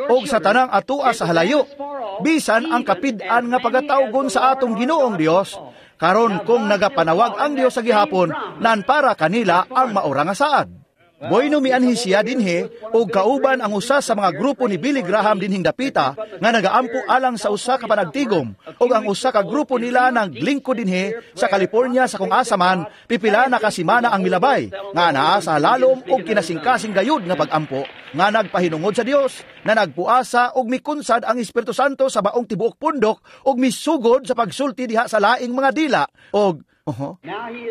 og sa tanang atua sa halayo, bisan ang kapid-an nga pagatawgon sa atong Ginoong Dios. Karon kung nagapanawag ang Dios sa gihapon, nan para kanila ang maura nga saad." Boy no mianhi siya dinhi og kauban ang usa sa mga grupo ni Billy Graham dinhing dapita nga nagaampo alang sa usa ka panagtigom, ug ang usa ka grupo nila naglingkod dinhi sa California sa kung asa man pipila na ka semana ang milabay nga naa sa lalom og kinasingkasing gayud nga pag-ampo nga nagpahinungod sa Dios, na nagpuasa og mikunsad ang Espiritu Santo sa baong tibuok pundok og misugod sa pagsulti diha sa laing mga dila og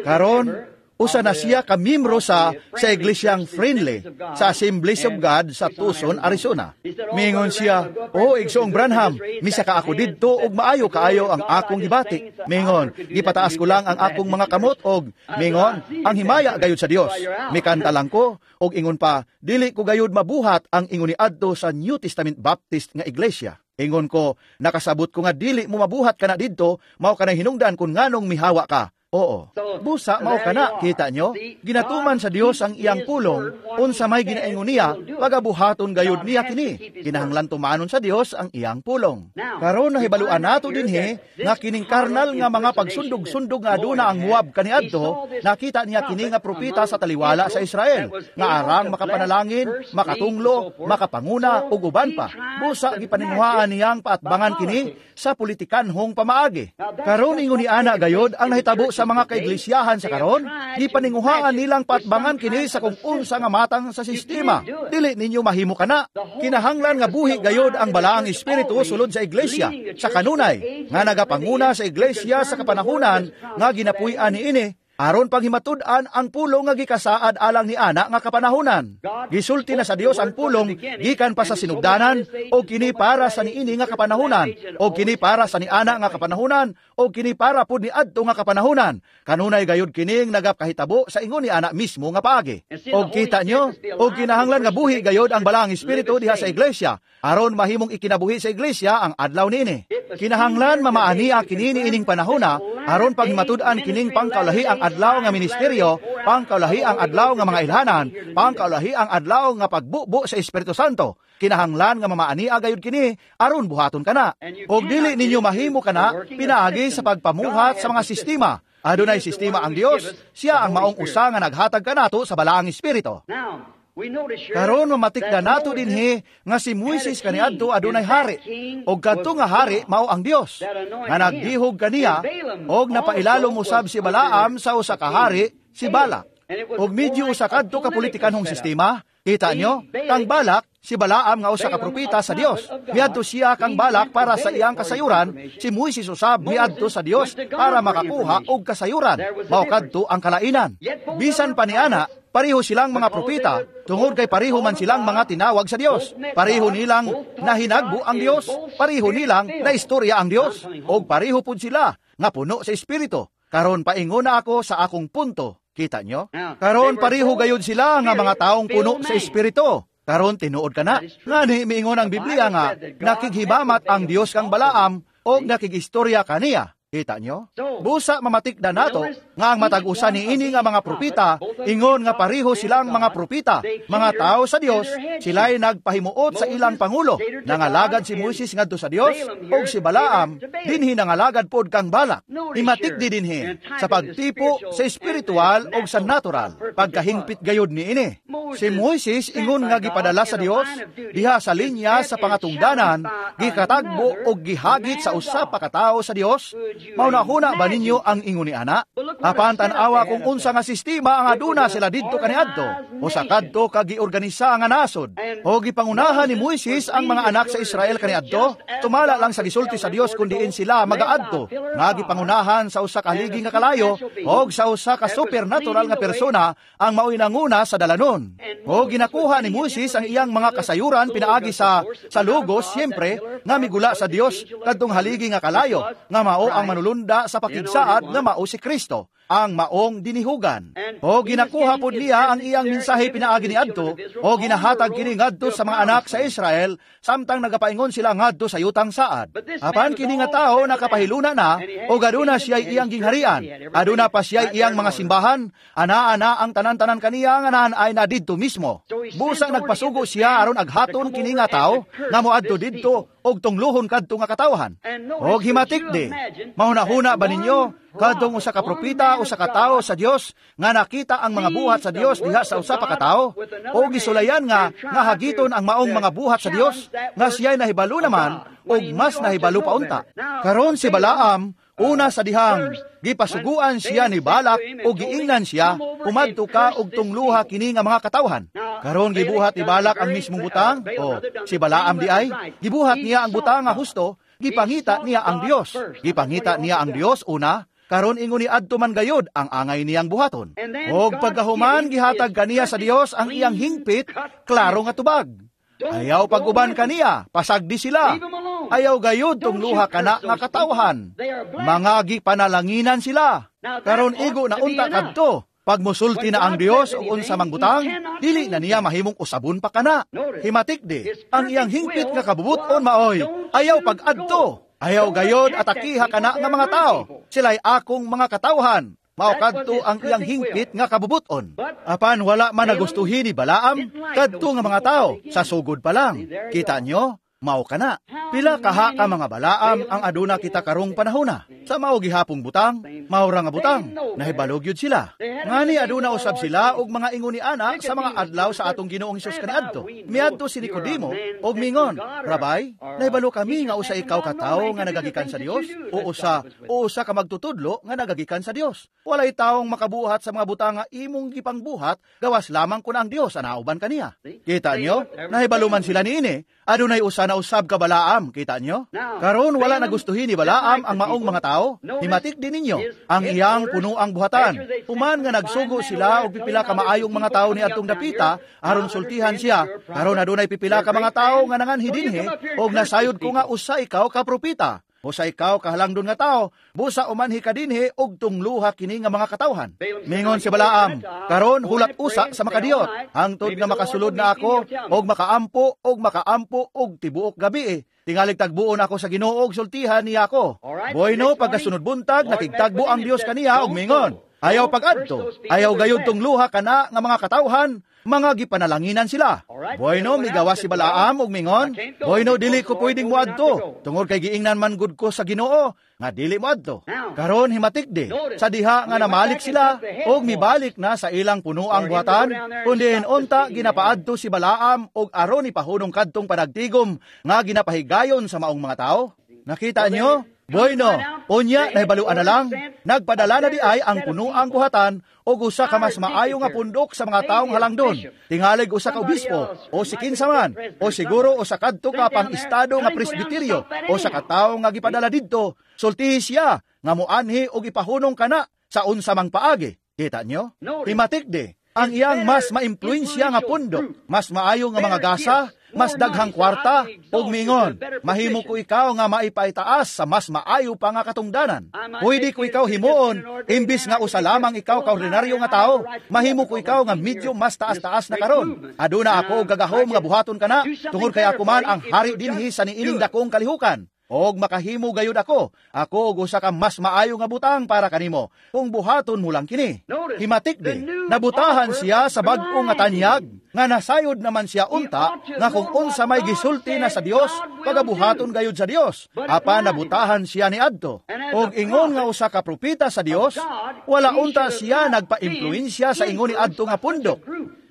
karon usa na siya ka miyembro sa Iglesyang Friendly sa Assemblies of God sa Tucson, Arizona. Mingon siya, "Oh, Igsoong Branham, misa ka ako didto og maayo kaayo ang akong gibati." Mingon, "Gipataas ko lang ang akong mga kamot og mingon, ang himaya gayud sa Dios. Mikanta lang ko og ingon pa, dili ko gayud mabuhat ang ingon ni adto sa New Testament Baptist nga iglesia." Ingon ko, "Nakasabot ko nga dili mo mabuhat kana didto, mao kanang hinungdan kun nganong mihawa ka." Oo. Busa mao kana, kita nyo? Ginatuman sa Dios ang iyang pulong, unsa may ginaingon niya, pagabuhaton gayud niya kini. Kinahanglan tumanon sa Dios ang iyang pulong. Karon nahibaluan nato dinhi nga kining karnal nga mga pagsundog-sundog nga aduna ang Moab kaniadto, nakita niya kini nga propeta sa taliwala sa Israel, nga arang makapanalangin, makatunglo, makapanguna ug uban pa. Busa gipaninguhaan niyang paatbangan kini sa politikanhong pamaagi. Karon ingon ni ana gayod ang nahitabo sa mga kaiglisyahan sa karon, gipaninguhaan nilang paatbangan kini sa kung unsa nga matang sa sistema. Dili ninyo mahimo kana. Kinahanglan nga buhi gayod ang Balaang Espiritu sulod sa iglesia, sa kanunay nga nagapanguna sa iglesia sa kapanahunan nga ginapuy-an niini, aron paghimatud-an ang pulong nga gikasaad alang ni ana nga kapanahunan. Gisulti na sa Dios ang pulong gikan pa sa sinugdanan, o kini para sa niini nga kapanahunan, o kini para sa niana nga kapanahunan, o kini para pud niadto nga kapanahunan. Kanunay gayud kining nagapakahitabo sa ingon ni ana mismo nga paagi. Og kita nyo, og kinahanglan nga buhi gayud ang Balaang Espiritu diha sa iglesia, aron mahimong ikinabuhi sa iglesia ang adlaw niini. Kinahanglan mamaania kini niining panahona, aron paghimatud-an kining pangkaulahi ang adlaw nga ministeryo, pangkaulahi ang adlaw nga mga ilhanan, pangkaulahi ang adlaw nga pagbubo sa Espiritu Santo. Kinahanglan nga mamaania gayud kini aron buhaton kana. Og dili ninyo mahimo kana pinaagi sa pagpamuhat sa mga sistema. Adunay sistema ang Dios, siya ang maong usa nga naghatag kanato sa Balaang Espiritu. Karon mamatikda nato dinhi nga si Moises kaniadto adunay hari, og kadto nga hari mao ang Dios nga nagdihog kaniya, og napailalom usab si Balaam sa usa ka hari, si Balak. Og medyo usa kadto ka politikanhong sistema. Kita nyo, kang Balak, si Balaam nga usa ka propeta sa Dios. Miadto siya kang Balak para sa iyang kasayuran, si Moises usab miadto sa Dios para makakuha og kasayuran. Mao kadto ang kalainan. Bisan pa niana, pareho silang mga propeta, tungod kay pareho man silang mga tinawag sa Dios. Pareho nilang nahinagbo ang Dios, pareho nilang naistorya ang Dios, og pareho pud sila nga puno sa Espiritu. Karon paingon na ako sa akong punto. Kita nyo? Karon pareho gayud sila nga mga taong puno sa Espiritu. Karon tinuod ka na. Ngani miingon ang Biblia nga nakighibamat ang Dios kang Balaam og nakigistorya kaniya. Kita nyo? Busa mamatikda nato nga ang matag usa niini nga mga propeta ingon nga pareho silang mga propeta, mga tao sa Dios, sila'y nagpahimuot sa ilang pangulo. Nangalagad si Moises ngadto sa Dios og si Balaam dinhi nangalagad pod kang Balak. Imatikdi dinhi sa pagtipo sa espiritual og sa natural, pagkahingpit gayud niini. Si Moises ingon nga gipadala sa Dios diha sa linya sa pangatungdanan, gikatagbo og gihagit sa usa pa ka tawo sa Dios. Maunahuna ba ninyo ang ingon ni ana? Apan tan-awa kung unsa nga sistema ang aduna sila didto kaniadto, o sa kadto ka giorganisa nga nasod. O gipangunahan ni Moises ang mga anak sa Israel kaniadto, tumala lang sa gisulti sa Dios kun diin sila magaadto, nga gipangunahan sa usa ka haligi nga kalayo og sa usa ka supernatural nga persona ang maoy nanguna sa dalanon. O ginakuha ni Moises ang iyang mga kasayuran pinaagi sa logos, siyempre, nga migula sa Dios kadtong haligi nga kalayo, nga mao ang manulunda sa pakigsaad nga mao si Kristo, ang maong dinihugan. O ginakuha pod niya ang iyang mensahe pinaagi niadto, o ginahatag kini ngadto sa mga anak sa Israel samtang nagapaingon sila ngadto sa yutang saad. Apan kini nga tawo nakapahiluna na, o aduna siya iyang gingharian, aduna pa siya iyang mga simbahan, ana-ana ang tanan-tanan kaniya nga naan ay na didto mismo. Busa nagpasugo siya aron aghaton kini nga tawo nga moadto didto og tungluhon kadto nga katawhan. Og himatik di, mahunahuna ba ninyo kadtong usa ka propeta, usa ka tawo sa Dios nga nakita ang mga buhat sa Dios diha sa usa pa ka tawo, o gisulayan nga nga hagiton ang maong mga buhat sa Dios nga siya'y nahibalo naman og mas nahibalo pa unta? Karon si Balaam, una sa dihang gipasuguan siya ni Balak o giingnan siya, kumadto ka og tungluha kini nga mga katawhan. Karon gibuhat ni Balak ang mismong butang, o si Balaam di ay gibuhat niya ang butang nga husto, gipangita niya ang Dios. Gipangita niya ang Dios una. Karon ingon ni adto man gayod ang angay niyang buhaton. Og pagkahuman gihatag kaniya sa Dios ang iyang hingpit, klaro nga tubag. Ayaw pag-uban kaniya, pasagdi sila. Ayaw gayod tungluha kana nga katawhan. Mga gipanalanginan sila. Karon igo na unta kadto. Pag musulti na ang Dios og unsa mang butang, dili na niya mahimong usabon pa kana. Himatik di, ang iyang hingpit nga kabubuton maoy, ayaw pag-adto. Ayaw gayod atakiha kana nga mga tao. Sila'y akong mga katawhan. Mao kadto ang iyang hingpit nga kabubuton. Apan wala man nagustuhin ni Balaam kadto nga mga tao sa sugod pa lang. Kita nyo? Mao kana. Pila kaha ka mga Balaam ang aduna kita karong panahona. Sa mao gihapong butang, mao ra nga butang, nahibalog yud sila. Ngani aduna usab sila og mga ingon ni ana sa mga adlaw sa atong Ginoong Hesus kaniadto. Miadto si Nicodemo og mingon, "Rabay, nahibalo kami nga usa ikaw ka tawo nga nagagikan sa Dios o usa ka magtutudlo nga nagagikan sa Dios. Walay taong makabuhat sa mga butang nga imong gipangbuhat gawas lamang kun ang Dios anauban kaniya." Kita nyo? Nahibalo man sila niini. Adunay usa na usab ka Balaam, kita nyo? Karon wala nagustuhin ni Balaam ang maong mga tao. Himatik din ninyo ang iyang punuang buhatan. Human nga nagsugo sila og pipila ka maayong mga tao ni adtong dapita aron sultihan siya. Karon adunay pipila ka mga tao nga nanganhi dinhi og nasayod ko nga usa ikaw ka propeta. Usa ikaw kahalangdon nga tao, busa umanhi ka dinhi og tungluha kini nga mga katawhan. Mingon si Balaam, "Karon hulat usa sa makadiyot, hangtod nga makasulod na ako og makaampo og makaampo og tibuok gabi. Tingalig tagbuon ako sa Ginoo og sultihan niya ako." Bueno, pagkasunod buntag nakigtagbo ang Dios kaniya og mingon, "Ayaw pagadto, ayaw gayud tungluha kana nga mga katawhan, mga gipanalanginan sila." Bueno, migawas si Balaam og mingon, "Bueno, dili ko pwedeng moadto, tungod kay giingnan man gud ko sa Ginoo nga dili moadto." Karon himatik di, sa diha nga namalik sila og mibalik na sa ilang punuang buhatan, kundi unta ginapaadto si Balaam og aron ipahunong kadtong panagtigom nga ginapahigayon sa maong mga tao. Nakita nyo? Bueno, unya nahibaluan na lang, nagpadala na di ay ang punuang buhatan og usa ka mas maayo nga pundok sa mga taong halangdon. Tingalig usa ka obispo o si kinsa man o siguro usa kadto ka pang-estado nga presbiteryo o sa ka tawo nga gipadala didto, sultihi siya nga moanhi og ipahunong kana sa unsa mang paagi. Kita nyo? Himatik di, ang iyang mas maimpluwensya nga pundok, mas maayo nga mga gasa, mas daghang kwarta, ug mingon, "Mahimo ko ikaw nga maipaitaas sa mas maayo pa nga katungdanan. Pwede ko ikaw himuon, imbis nga usa lamang ikaw ka ordinaryo nga tao, mahimo ko ikaw nga medyo mas taas-taas na karon. Aduna ako og gagahom nga buhaton kana, tungod kay ako man ang hari dinhi sa niining dakong kalihukan. Og makahimo gayud ako, ako og usa ka mas maayo nga butang para kanimo, kung buhaton mo lang kini." Himatik di, nabutahan siya sa bag-o nga tanyag, nga nasayod naman siya unta, nga kung unsa may gisulti na sa Dios, pagabuhaton gayud sa Dios. Apan nabutahan siya ni adto. Og ingon nga usa ka propeta sa Dios, wala unta siya nagpaimpluwensya sa ingon ni adto nga pundok.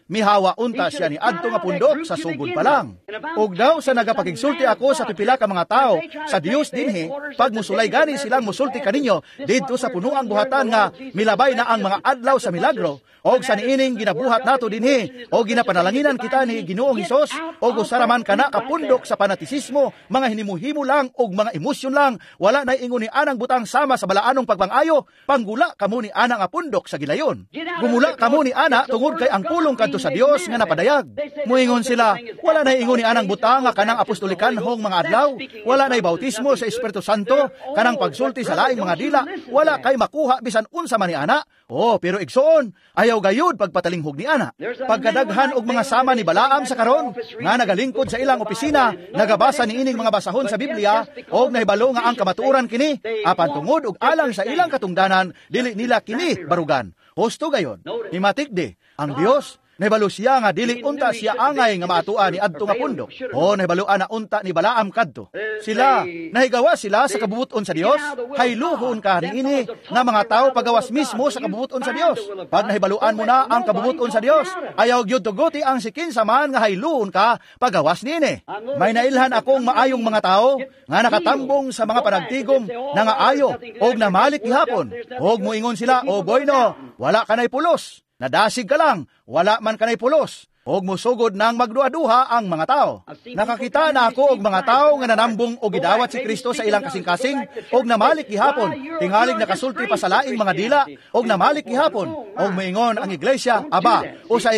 Mihawa unta siya ni adto nga pundok sa sugod pa lang. Og daw sa nagapakigsulti ako sa pipila ka mga tao sa Dios dinhi, pag musulay gani silang musulti kaninyo didto sa punuang buhatan nga milabay na ang mga adlaw sa milagro, og sa niining ginabuhat nato dinhi, og ginapanalanginan kita ni Ginoong Hesus, og usara man kana kapundok sa panatisismo, mga hinimuhimo lang og mga emosyon lang, wala nay ingon ni anang butang sama sa balaanong pagpangayo, panggula kamo ni ana nga pundok sa gilayon. Gumula kamo ni ana tungod kay ang pulong kadto sa Dios nga napadayag. Muingon sila, "Wala nay ingon ni anang butang nga kanang apostolikanhong mga adlaw, wala nay bautismo sa Espiritu Santo, kanang pagsulti sa laing mga dila, wala kay makuha bisan unsa man ni ana." Oh, pero igsoon, ayaw gayud pagpatalinghog ni ana. Pagkadaghan og mga sama ni Balaam sa karon nga nagalingkod sa ilang opisina, nagabasa niining mga basahon sa Biblia og nahibalo nga ang kamatuoran kini, apan tungod og alang sa ilang katungdanan, dili nila kini barugan. Husto gayon. Himatik di, ang Dios nahibalo siya nga dili unta siya angay nga maatua ni adto nga pundok. O nahibaluan na unta ni Balaam kadto. Sila nahigawa sila sa kabubuton sa Dios, hayluhon ka niini nga mga tao pagawas mismo sa kabubuton sa Dios. Pag nahibaluan mo na ang kabubuton sa Dios, ayaw gyud tuguti ang sikinsa man nga hayluhon ka pagawas niini. May nailhan akong maayong mga tao nga nakatambong sa mga panagtigom na nga ayo og namalik gihapon. Og moingon sila, "O boyno, wala kanay pulos. Nadasig ka lang, wala man kanay pulos." Og musugod nang magduha-duha ang mga tao. Nakakita na ako og mga tao nga nanambong og gidawat si Kristo sa ilang kasing-kasing og namalik gihapon, tingalig nakasulti pa sa laing mga dila og namalik gihapon, og moingon ang iglesia, "Aba, usa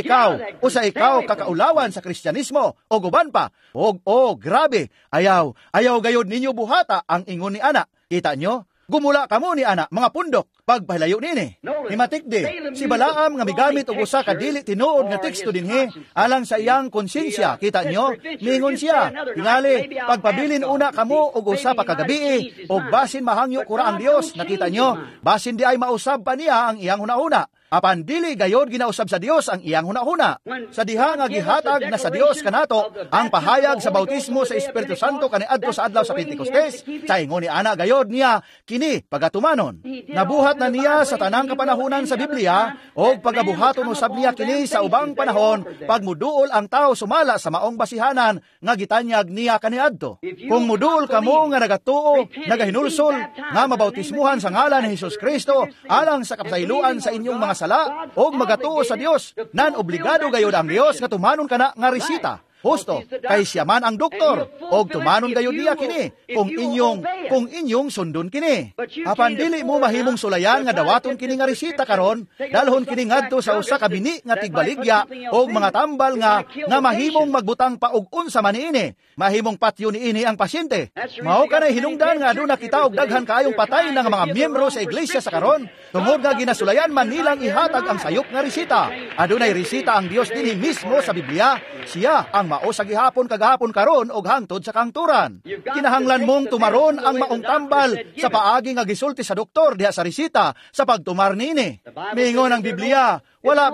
ikaw kakaulawan sa Kristyanismo og uban pa." Og oh, grabe, ayaw, ayaw gayod ninyo buhata ang ingon ni ana. Kita nyo? Gumula kamo ni ana, mga pundok. pagpahilayo niini. Himatikdi, si Balaam nga migamit og usa ka dili tinuod nga teksto dinhi alang sa iyang konsensya. Kita nyo, miingon siya, tingali, pagpabilin una kamo og usa pa kagabii, og basin mahangyo kura ang Dios. Nakita nyo, basin di ay mausab pa niya ang iyang hunahuna. Apan dili gayod ginausab sa Dios ang iyang hunahuna. Sa diha nga gihatag na sa Dios kanato ang pahayag sa bautismo sa Espiritu Santo kaniadto sa adlaw sa Pentecostes, sa ingon ni ana gayod niya kini pagatumanon. Nabuhat na niya sa tanang kapanahunan sa Biblia og pagabuhaton usab niya kini sa ubang panahon pagmuduol ang tao sumala sa maong basihanan nga gitanyag niya kaniadto. Kung muduol kamo nga nagatuo, nagahinulsol nga mabautismuhan sa ngalan ni Hesus Kristo alang sa kapasayloan sa inyong mga sala og magatuo sa Dios, nan obligado gayod ang Dios nga tumanon kana nga resita. Husto, kay siya man ang doktor, og tumanon gayod niya kini kung inyong sundon kini. Apan dili mo mahimong sulayan nga dawaton kini nga resita karon, dalhon kini ngadto sa usa ka bini nga tigbaligya og mga tambal nga mahimong magbutang pa og unsa man niini, mahimong patyo niini ang pasyente. Mao kanay hinungdan nga aduna kita og daghan kaayong patay nga mga miyembro sa iglesia sa karon, tungod nga ginasulayan man nilang ihatag ang sayop nga resita. Adunay resita ang Dios dinhi mismo sa Biblia, siya ang mao sa gihapon kagahapon karon og hangtod sa kangturan. Kinahanglan mong tumaron ang maong tambal sa paagi nga gisulti sa doktor diha sa resita sa pagtumar niini. Miingon ang Biblia, wala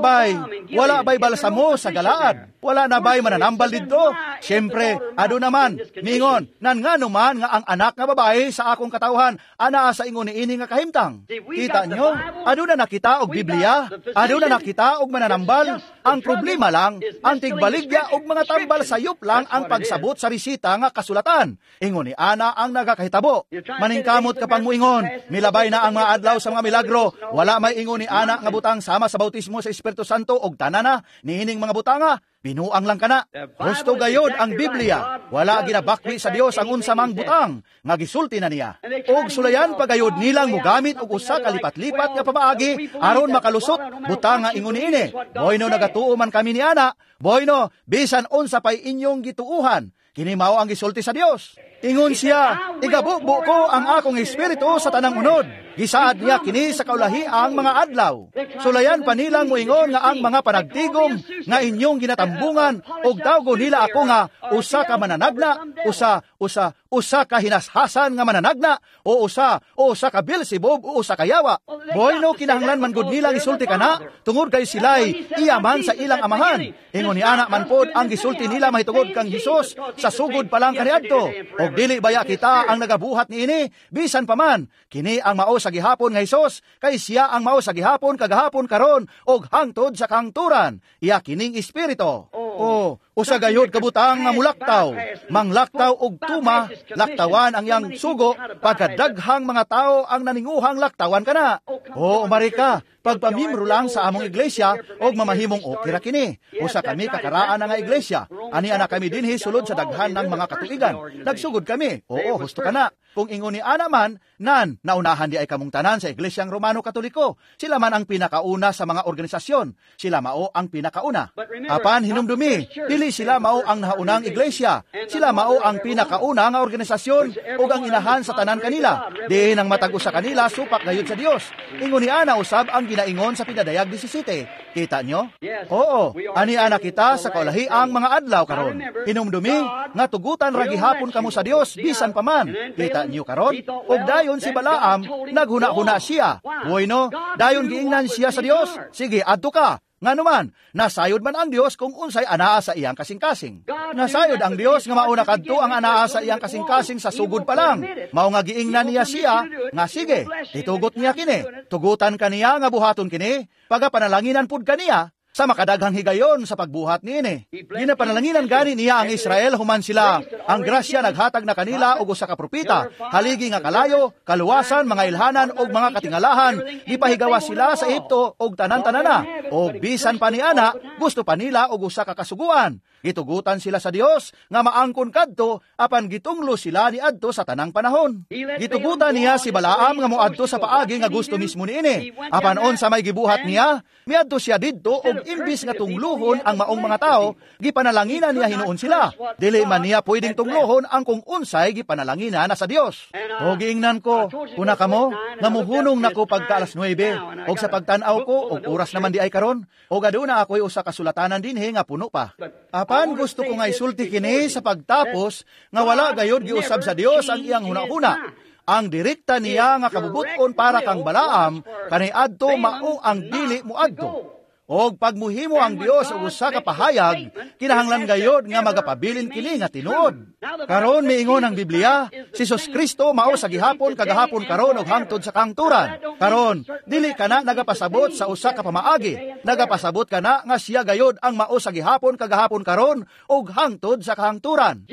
bay balsamo sa Galaad? Wala na bay mananambal didto? Siyempre, aduna man, miingon, nan ngano man nga ang anak nga babae sa akong katawhan anaa sa ingon niini nga kahimtang. Kita nyo, aduna na kita og Biblia, aduna na kita og mananambal. Ang problema lang, ang tigbaligya og mga tambal sayop lang ang pagsabot sa resita nga kasulatan. Ingon ni ana ang nagakahitabo. Maningkamot ka pang muingon, milabay na ang mga adlaw sa mga milagro. Wala may ingon ni ana nga butang sama sa bautismo sa Espiritu Santo og tanana niining mga butanga. Binuang lang kana. Husto gayod ang Biblia. Wala ginabakwi sa Dios ang unsa mang butang nga gisulti na niya. Og sulayan pagayod nilang mugamit og usa ka lipat-lipat nga pamaagi aron makalusot butang nga ingon niini. Boyno nagatuo man kami ni ana, boyno bisan unsa pay inyong gituuhan, kini mao ang gisulti sa Dios. Ingon siya, igabubo ko ang akong espiritu sa tanang unod. Gisaad niya kini sa kaulahi ang mga adlaw. Sulayan pa nilang moingon nga ang mga panagtigom nga inyong ginatambungan og tawgo nila ako nga usa ka mananagna, usa usa usa ka hinashasan nga mananagna, o usa o usa ka Beelzebub o usa ka yawa. Bueno, kinahanglan man gud nilang isulti kana tungod kay sila'y iya man sa ilang amahan. Ingon ni ana man pod ang gisulti nila mahitungod kang Hesus sa sugod pa lang kaniadto. Og dili baya kita ang nagabuhat niini, bisan pa man kini ang mao sa gihapon nga Hesus, kay siya ang mao sa gihapon kagahapon karon og hangtod sa kangturan. Iya kining espiritu. O usa gayod kabutang nga mulaktaw, manglaktaw og tuma, laktawan ang iyang sugo, pagkadaghang mga tao ang naninguhang laktawan kana. O umari ka, pagpamimro lang sa among iglesia og mamahimong okay ra kini. Usa kami kakaraan na nga iglesia. Ani ana kami dinhi sulod sa daghan ng mga katuigan. Nagsugod kami. Oo, husto kana. Kung ingon ni ana man, nan naunahan di ay kamong tanan sa Iglesyang Romano Katoliko. Sila man ang pinakauna sa mga organisasyon. Sila mao ang pinakauna. Apan hinumdumi, dili sila mao ang naunang iglesia. Sila mao ang pinakauna nga organisasyon ug ang inahan sa tanan kanila. Diin ang matag usa kanila supak gayud sa Dios. Ingon ni ana usab ang ginaingon sa Pinadayag 17. Kita nyo? Oo, ani ana kita sa kaulahiang mga adlaw karon. Hinumdumi nga tugutan ra gihapon kamo sa Dios bisan pa man. Kita niyo karon? Og dayon si Balaam naghuna-huna siya. Bueno, dayon giingnan siya sa Dios. Sige, adto ka. Nganuman, nasayod man ang Dios kung unsay anaa sa iyang kasing-kasing. Nasayod ang Dios nga mauna kadto ang anaa sa iyang kasing-kasing sa sugod pa lang. Mao nga giingnan niya siya nga sige, itugot niya kini. Tugutan kaniya nga buhaton kini, pagapanalanginan pud kaniya sa makadaghang higayon sa pagbuhat niini. Ginapanalanginan gani niya ang Israel human sila. Ang grasya naghatag na kanila og usa ka propeta, haligi nga kalayo, kaluwasan, mga ilhanan og mga katingalahan. Gipahigawas sila sa Ehipto og tanan-tanana. Og bisan pa ni ana, gusto pa nila og usa ka kasuguan. Gitugutan sila sa Dios nga maangkon kadto apan gitunglo sila niadto sa tanang panahon. Gitugutan niya si Balaam nga moadto sa paagi nga gusto mismo niini. Apan unsa may gibuhat niya, miadto siya didto og Ug imbis nga tungluhon ang maong mga tao, gipanalanginan niya hinuon sila. Dili man niya pwedeng tungluhon ang kung unsay gipanalanginan na sa Dios. O giingnan ko, kuna kamo, nga muhunong nako pagka alas 9, og sa pagtan-aw ko, og oras naman di ay karon, og aduna ako'y usa ka sulatanan dinhi nga puno pa. Apan gusto ko nga isulti kini sa pagtapos nga wala gayod giusab sa Dios ang iyang hunahuna. Ang direkta niya nga kabubuton para kang Balaam kaniadto mao ang dili moadto. Og pagmuhimo ang Dios og usa ka pahayag, kinahanglan gayod nga magapabilin kini nga tinuod. Karon miingon ang Biblia, si Jesus Kristo mao sa gihapon kagahapon karon og hangtod sa kangturan. Karon, dili kana nagapasabot sa usa ka pamaagi, nagapasabot kana nga siya gayod ang mao sa gihapon kagahapon karon og hangtod sa kahangturan.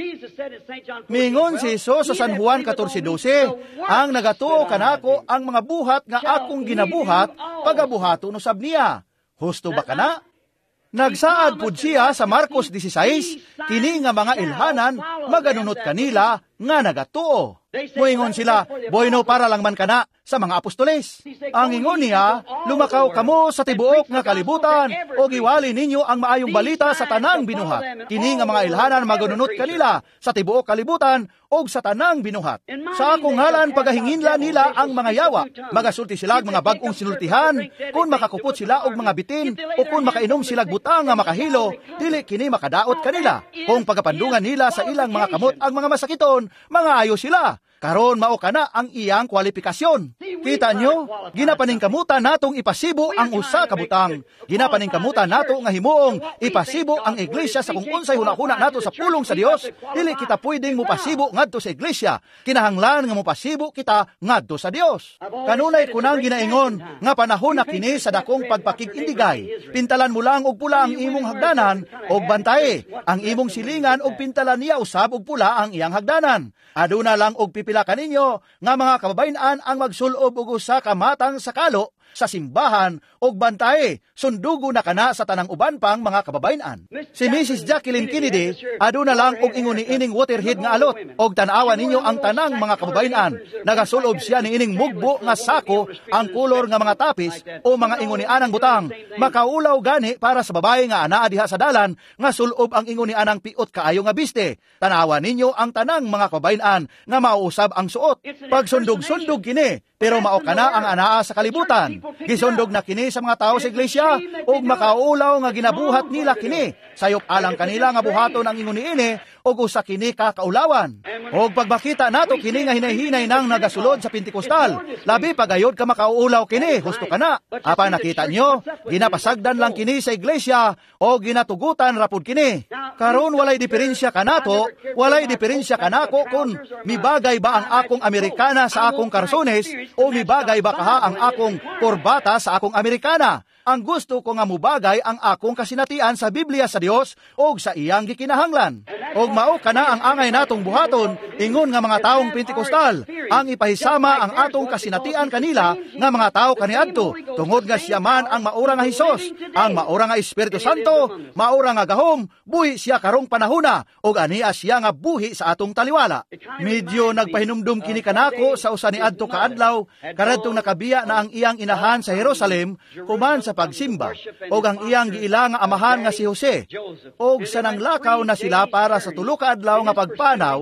Miingon si Jesus sa San Juan 14:12, ang nagatuo kanako ang mga buhat nga akong ginabuhat, pagabuhaton usab niya. Husto ba kana? Nagsaad pud siya sa Marcos 16, kini nga mga ilhanan maganunot kanila nga nagatuo. Moingon sila, "Bueno, para lang man kana sa mga apostoles." Ang ingon niya, "Lumakaw kamo sa tibuok nga kalibutan o giwali ninyo ang maayong balita sa tanang binuhat. Kini nga mga ilhanan maganunot kanila sa tibuok kalibutan og sa tanang binuhat. Sa akong ngalan pagahinginla nila ang mga yawa. Magasulti sila og mga bag-ong sinultihan, kung makakupot sila og mga bitin o kung makainom sila butang nga makahilo, dili kini makadaot kanila. Kung pagapandungan nila sa ilang mga kamot ang mga masakiton, mga ayo sila." Karon mao kana ang iyang kwalifikasyon. Kita nyo, ginapaningkamutan natong ipasibo ang usa ka butang. Ginapaningkamutan nato nga himuong ipasibo ang iglesia sa kung unsay hunahuna nato sa pulong sa Dios. Dili kita pwedeng mopasibo ngadto sa iglesia. Kinahanglan nga mopasibo kita ngadto sa Dios. Kanunay kunang ginaingon nga panahon na kini sa dakong pagpakig-indigay. Pintalan mo lang og pula ang imong hagdanan og bantay ang imong silingan og pintalan niya usab og pula ang iyang hagdanan. Aduna lang og pipila kaninyo nga mga kababayen-an ang magsulob og usa ka matang sa kalo sa simbahan og bantay sundugo na kana sa tanang uban pang mga kababayen-an. Si Mrs. Jacqueline Kennedy aduna lang og ingon niining waterhead nga alot og tan-awa ninyo ang tanang mga kababayen-an. Nagasulob siya niining mugbo nga sako ang kolor nga mga tapis o mga ingon nianang butang. Makaulaw gani para sa babae nga anaa diha sa dalan nga sulob ang ingon nianang piot kaayo nga biste. Tan-awa ninyo ang tanang mga kababayen-an nga mauusab ang suot. Pagsundog-sundog kini, pero mao kana ang anaa sa kalibutan. Gisundog na kini sa mga tao sa iglesia ug makaulaw nga ginabuhat nila kini. Sayop alang kanila nga buhaton ang ingon niini ug usa kini ka kaulawan. Og pagmakita nato kini nga hinay-hinay nang nagasulod sa Pentecostal, labi pagayod ka makaulaw kini, husto kana. Apan nakita nyo, ginapasagdan lang kini sa iglesia o ginatugutan rapod kini. Karon walay diferensya kanato, walay diferensya kanako kung mibagay ba ang akong Amerikana sa akong karsones o mibagay ba kaha ang akong korbata sa akong Amerikana. Ang gusto ko nga mubagay ang akong kasinatian sa Biblia sa Dios og sa iyang gikinahanglan. Og mao kana ang angay natong buhaton ingon nga mga taong Pentecostal, ang ipahisama ang atong kasinatian kanila nga mga tao kaniadto, tungod nga siya man ang maura nga Hesus, ang maura nga Espiritu Santo, maura nga gahom, buhi siya karong panahona og ania siya nga buhi sa atong taliwala. Medyo nagpahinumdum kini kanako sa usa niadto kaadlaw karadtong nakabiya na ang iyang inahan sa Jerusalem human sa pagsimba og ang iyang giila nga amahan nga si Jose, og sa nanglakaw na sila para sa tulo ka adlaw nga pagpanaw,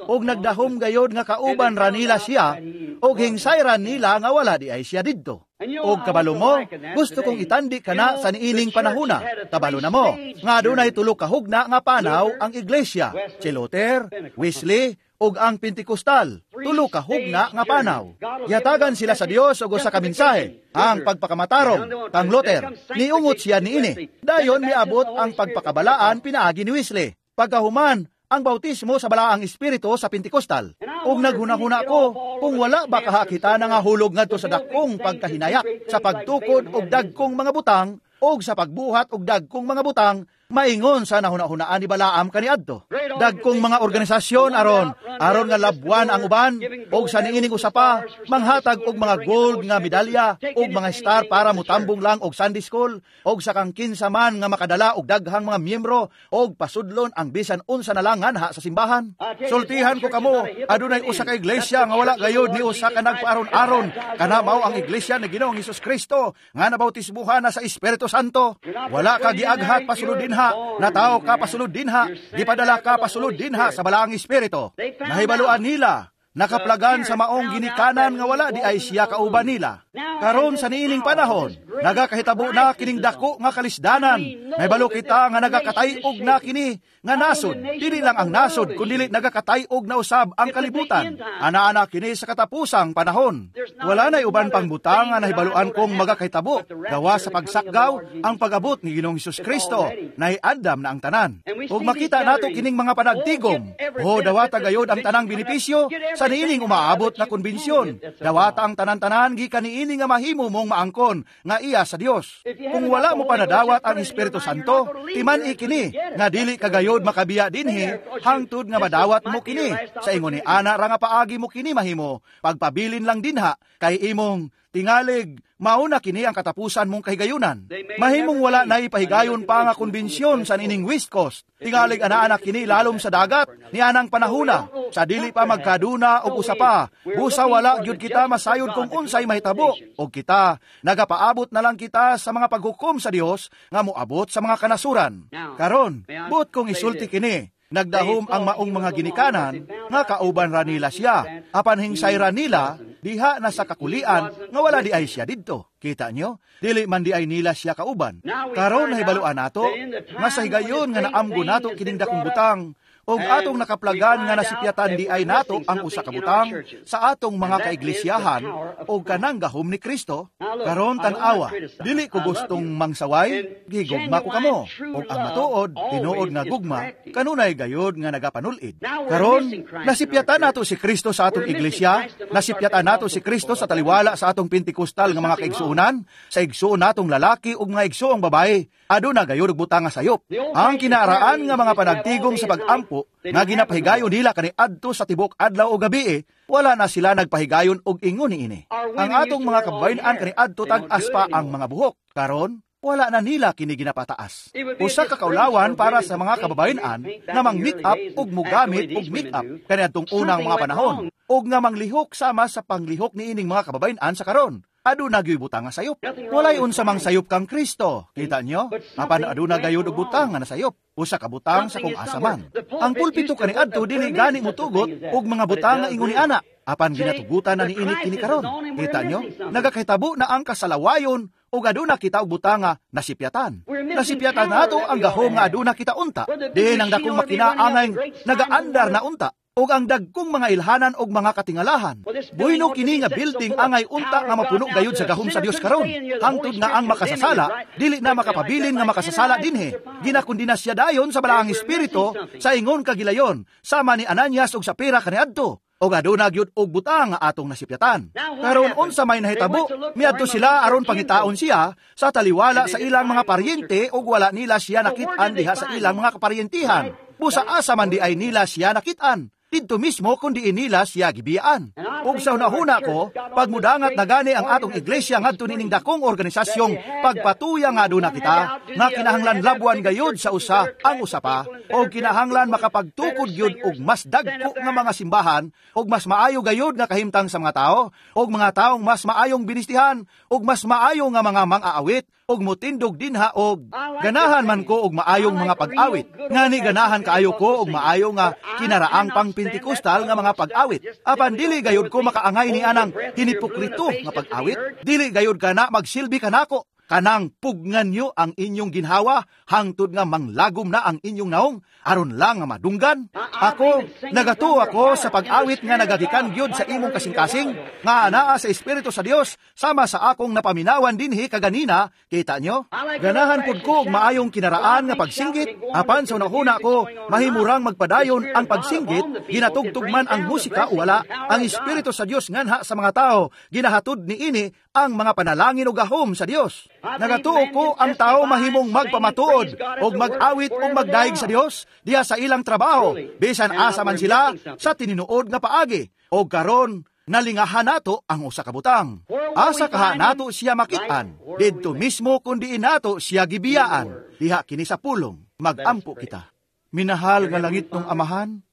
og nagdahom gayod nga kauban ra nila siya og hingsayran nila nga wala di ay siya didto. Og kabalo mo, gusto kong itandi kana sa niining panahona. Kabalo na mo nga adunay tulo ka hugna nga panaw ang iglesia, si Luther, Wesley ug ang Pentecostal. Tulo ka hugna nga panaw. Yatagan sila sa Dios og usa ka mensahe, ang pagpakamatarong kang Luther. Niungot siya niini. Dayon miabot ang pagpakabalaan pinaagi ni Wesley. Pagkahuman, ang bautismo sa Balaang Espiritu sa Pentecostal. Ug naghunahuna ko kung wala ba kaha kita na nga hulog ngadto sa dakong pagkahinayak sa pagtukod og dagkong mga butang og sa pagbuhat og dagkong mga butang, maingon sa nahunahunaan ni Balaam kaniadto. Dagkong mga organisasyon aron aron nga labwan ang uban og sa niining usa pa manghatag og mga gold nga medalya og mga star para motambong lang og Sunday school og sa kang kinsa man nga makadala og daghang mga miyembro og pasudlon ang bisan unsa na lang nganha sa simbahan. Sultihan ko kamo, adunay usa ka iglesia nga wala gayod ni usa ka nagpaaron-aron. Kana mao ang iglesia ni Ginoong Hesus Kristo nga nabautismuhan na sa Espiritu Santo. Wala ka giaghat pasulod dinha, natawo ka pasulod dinha, gipadala ka pasulod dinha sa Balaang Espiritu. Nahibaluan nila, nakaplagan sa maong ginikanan nga wala di ay siya kauban nila. Karon sa niining panahon, nagakahitabo na kining dako nga kalisdanan. Nahibalo kita nga nagakatay-og na kini nga nasod. Dili lang ang nasod, kundi nagakatay-og na usab ang kalibutan. Ana-ana kini sa katapusang panahon. Wala na'y uban pang butang nga nahibaluan kong magakahitabo. Gawa sa pagsakgaw ang pag-abot ni Ginoong Hesus Kristo, nahiandam na ang tanan. Ug makita nato kining mga panagtigom. O dawata gayod ang tanang benepisyo sa niining umaabot na konbensyon. Dawata ang tanan-tanan gikan niini nga mahimo mong maangkon nga iya sa Dios. Kung wala mo panadawat ang Espiritu Santo, timan-i kini nga dili kagayod makabiya dinhi hangtod nga madawat mo kini. Sa ingon ni ana ra nga paagi mo kini mahimo, pagpabilin lang dinha kay imong tingalig mauna kini ang katapusan mong kahigayunan. Mahimong wala na ipahigayon pa nga konbensyon sa nining West Coast. Tingalig ana-ana kini lalom sa dagat ni anang panahuna. Sa dili pa magkaduna og usa pa, busa wala gyud kita masayod kung unsay mahitabo. Og kita nagapaabot na lang kita sa mga paghukom sa Dios nga moabot sa mga kanasuran. Karon, buot kong isulti kini. Nagdahom ang maong mga ginikanan nga kauban ra nila siya. Apan hingsay ra nila diha na sa kakulian nga wala di ay siya didto. Kita nyo? Dili man di ay nila siya kauban. Karon nahibaluan nato nga sa higayon nga naamgo nato kining dakong butang og atong nakaplagan nga nasipyatan di ay nato ang usa ka butang sa atong mga kaiglisyahan og kanang gahom ni Kristo. Karon tan-awa, dili ko gustong mangsaway, gigugma ko kamo. Og ang matuod, tinuod nga gugma, kanunay gayod nga nagapanul-id. Karon nasipyatan nato si Kristo sa atong iglesia, nasipyatan nato si Kristo sa taliwala sa atong Pentecostal nga mga kaigsuonan, sa igsuon natong lalaki ug mga igsuong babae. Aduna gayod og butang nga sayop. Ang kinaaraan nga mga panagtigom sa pag-ampo nga ginapahigayon nila kaniadto sa tibok adlaw o gabi, wala na sila nagpahigayon og ingon niini. Ang atong mga kababayen-an kaniadto tag-as pa ang mga buhok. Karon wala na nila kini ginapataas. Usa ka kaulawan para sa mga kababayen-an nga mang-make-up ug mogamit og make-up kaniadtong unang mga panahon ug nga manglihok sama sa panglihok niining mga kababayen-an sa karon. Aduna gyud butang nga sayop. Walay unsa mang sayop kang Kristo. Kita nyo? Apan aduna gayud og butang nga nasayop. Usa ka butang sa kung asa man. Ang pulpito kaniadto dili gani motugot og mga butang nga ingon ni ana. Apan ginatugutan na niini kini karon. Kita nyo? Nagakahitabo na ang kasalawayon ug aduna kita og butang nga nasipyatan. Nasipyatan nato ang gahom nga aduna kita unta. Diin ang dakong makina angay nagaandar na unta ug ang dagkong mga ilhanan og mga katingalahan. Buhino kini nga building angay unta nga mapuno gayud sa gahom sa Dios karon. Hangtod nga ang makasasala dili na makapabilin nga makasasala dinhi. Ginakondena siya dayon sa Balaang Espiritu sa ingon kagilayon sama ni Ananias ug Sapira kaniadto. Og aduna gyud og butang nga atong nasipyatan. Karon unsa may nahitabo, miadto sila aron pangitaon siya sa taliwala sa ilang mga paryente ug wala nila siya nakit-an diha sa ilang mga kaparyentihan. Busa asa man di ay nila siya nakit-an. Didto mismo kundi nila siya gibiyaan. Ug sa hunahuna ko, pagmudangat na gani ang atong iglesia ngadto nining dakong organisasyong pagpatuya nga aduna kita, nga kinahanglan labuan gayud sa usa ang usa pa, og kinahanglan makapagtukod gyud og mas dagko nga mga simbahan, og mas maayo gayud nga kahimtang sa mga tao, og mga taong mas maayong binistihan, og mas maayo nga mga mang-aawit, og motindog dinha og ganahan man ko og maayong mga pag-awit. Ngani ganahan kaayo ko og maayo nga kinaraang pang Pentecostal nga mga pag-awit. Apan dili gayud ko makaangay ni anang hinipokrito nga pag-awit. Dili gayud kana magsilbi kanako. Kanang pugnan nyo ang inyong ginhawa, hangtod nga manglagom na ang inyong naong, aron lang nga madunggan. Ako, nagatuo ako sa pag-awit nga nagagikan gyud sa imong kasing-kasing, nga anaa sa Espiritu sa Dios, sama sa akong napaminawan dinhi kaganina, kita nyo? Ganahan pud ko og maayong kinaraan nga pagsinggit, apan sa unahuna ko, mahimurang magpadayon ang pagsinggit, ginatugtog man ang musika o wala, ang Espiritu sa Dios nganha sa mga tao, ginahatod niini ang mga panalangin o gahom sa Dios. Nagatuo ko ang tao mahimong magpamatuod og mag-awit og magdayeg sa Dios diha sa ilang trabaho, bisan asa man sila sa tininuod nga paagi. Og karon nalingahan nato ang usa ka butang. Asa kaha nato siya makit-an? Didto mismo kun diin nato siya gibiyaan. Diha kini sa pulong, magampo kita. Minahal nga langit ng Amahan,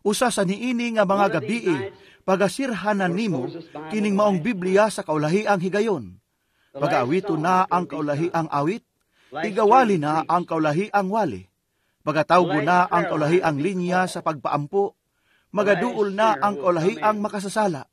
usa sa niini nga mga gabii, pagasirhanan nimo kining maong Biblia sa kaulahiang higayon. Pagaawito na ang kaulahiang awit, igawali na ang kaulahiang wali. Pagatawgo na ang kaulahiang linya sa pagpaampo, magaduol na ang kaulahiang makasasala.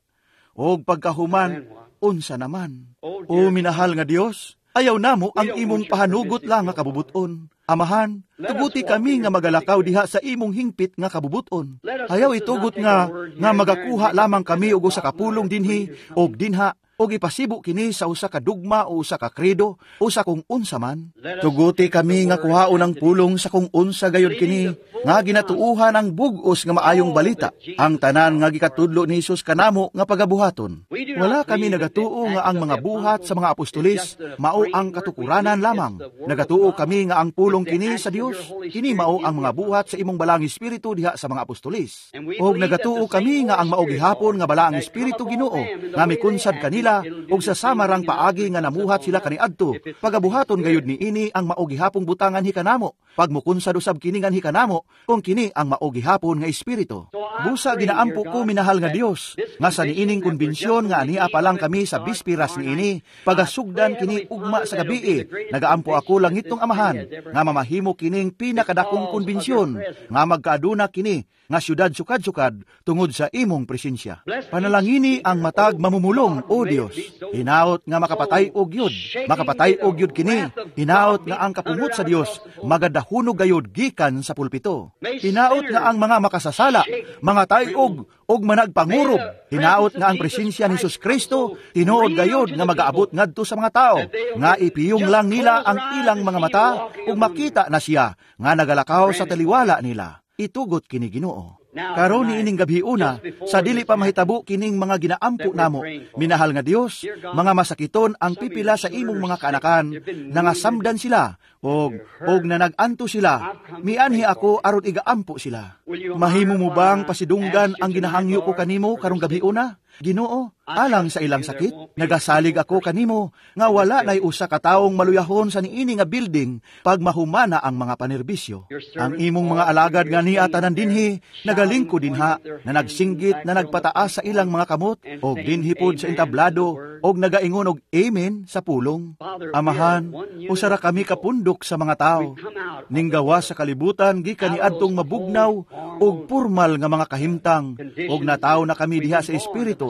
Og pagkahuman, unsa naman? O minahal nga Dios, ayaw namo ang imong pahanugot lang nga kabubuton. Amahan, tuguti kami nga magalakaw diha sa imong hingpit nga kabubuton. Ayaw itugot nga magakuha lamang kami og usa ka pulong dinhi og dinha, og ipasibo kini sa usa ka dugma o usa ka kredo o sa kung unsa man. Tuguti kami nga kuhaon ang pulong sa kung unsa gayud kini nga ginatuuhan ang bug-os nga maayong balita, ang tanan nga gikatudlo ni Hesus kanamo nga pagabuhaton. Wala kami nagatuo nga ang mga buhat sa mga apostolis mao ang katukuranan lamang. Nagatuo kami nga ang pulong kini sa Dios, kini mao ang mga buhat sa imong balaang espiritu diha sa mga apostolis. Og nagatuo kami nga ang mao gihapon nga balaang espiritu Ginoo nga mikunsad kanila og sa samarang paagi nga namuhat sila kaniadto, pagabuhaton gayud niini ang mao gihapong butangan hikanamo, pagmukunsad usab kini ngan hikanamo kung kini ang mao gihapon nga espiritu. Busa ginaampo ko, minahal nga Dios, nga sa niining konbensyon nga ania pa lang kami sa bispiras niini, pagasugdan kini ugma sa gabii, nagaampo ako langitong Amahan nga mamahimo kining pinakadakong konbensyon nga magkaaduna kini nga syudad sukad-sukad tungod sa imong presensya. Panalangini ang matag mamumulong, o Dios. Hinaot nga makapatay og yud, makapatay og yud kini. Hinaot nga ang kapungot sa Dios magadahunog gayud gikan sa pulpito. Hinaot nga ang mga makasasala, mga tayog og managpangurob. Hinaot nga ang presensya ni Jesus Kristo tinuod gayud nga magaabot ngadto sa mga tao, nga ipiyong lang nila ang ilang mga mata ug makita na siya nga nagalakaw sa taliwala nila. Itugot kini Ginoo. Karon niining gabi una, sa dili pa mahitabo kining mga ginaampo namo, minahal nga Dios, mga masakiton ang pipila sa imong mga kaanakan, nangasamdan sila og nanaganto sila. Mianhi ako aron igaampo sila. Mahimo mo bang pasidunggan ang ginahangyo ko kanimo karong gabi una? Ginoo, alang sa ilang sakit, nagasalig ako kanimo nga wala nay usa ka taong maluyahon sa niini nga building pag mahumana ang mga panerbisyo. Ang imong mga alagad nga niya tanan dinhi, nagalingko dinha, na nagsinggit, na nagpataas sa ilang mga kamot, og dinhi pod sa entablado, og nagaingon og amen sa pulong. Amahan, usa ra kami kapundok sa mga tao. Ninggawa sa kalibutan gikan niadtong mabugnaw og formal nga mga kahimtang, og nataw na kami diha sa espiritu.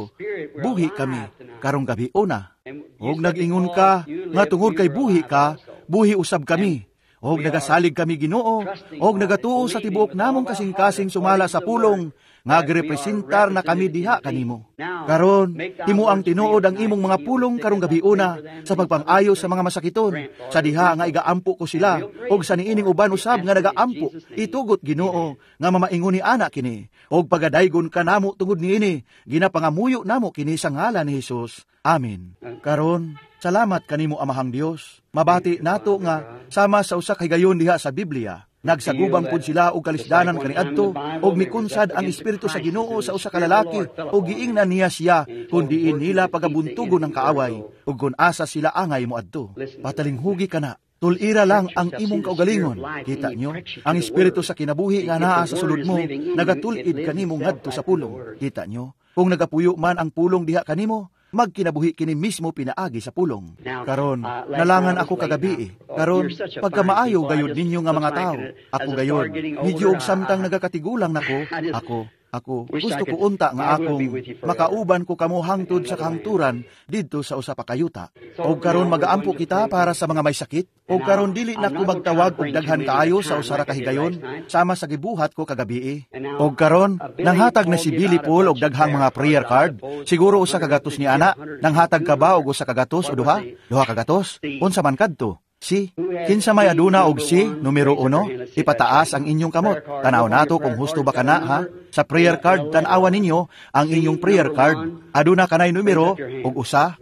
Buhi kami karong gabi una. Og nag-ingon ka nga tungod kay buhi ka, buhi usab kami. Og nagasalig kami Ginoo, og nagatuo sa tibuok namong kasing-kasing sumala sa pulong nga girepresentar na kami diha kanimo. Karon, himo ang tinuod ang imong mga pulong karong gabi una sa pagpang-ayo sa mga masakiton, sa diha nga igaampo ko sila, og sa niining uban usab nga nagaampo. Itugot Ginoo nga mamaingon ni ana kini, og pagadaygon ka namo tungod niini, ginapangamuyo namo kini sa ngalan ni Hesus. Amen. Karon, salamat kanimo Amahang Dios. Mabati nato nga sama sa usa ka higayon diha sa Biblia, nagsagubang pud sila og kalisdanan kaniadto, og mikunsad ang espiritu sa Ginoo sa usa ka lalaki, og giingnan niya siya kun diin nila pagabuntugon ang kaaway, ug kun asa sila angay moadto. Patalinghugi kana. Tulira lang ang imong kaugalingon. Kita nyo, ang espiritu sa kinabuhi nga naa sa sulod mo, nagatulid kanimo ngadto sa pulong. Kita nyo, kung nagapuyo man ang pulong diha kanimo, magkinabuhi kini mismo pinaagi sa pulong. Karon, nalangan ako kagabi. Karon, pagkamaayo gayud ninyo nga mga tao, ako gayud, medyo og samtang nagakatigulang nako, ako, gusto ko unta nga akong makauban ko kamo hangtod sa kahangturan didto sa usa pa kayuta. Og karon magaampo kita para sa mga may sakit. Og karon dili na ko magtawag og daghan kaayo sa usa ra ka higayon sama sa gibuhat ko kagabii. Og karon nanghatag na si Billy Paul og daghang mga prayer card. Siguro usa ka gatos ni ana. Nanghatag ka ba og usa ka gatos o duha? Duha ka gatos? Unsa man kadto? Si, kinsa may aduna og si numero 1, ipataas ang inyong kamot. Tanaw nato kung husto ba kana ha. Sa prayer card, tan-awan ninyo ang inyong prayer card. Aduna kanay numero og usa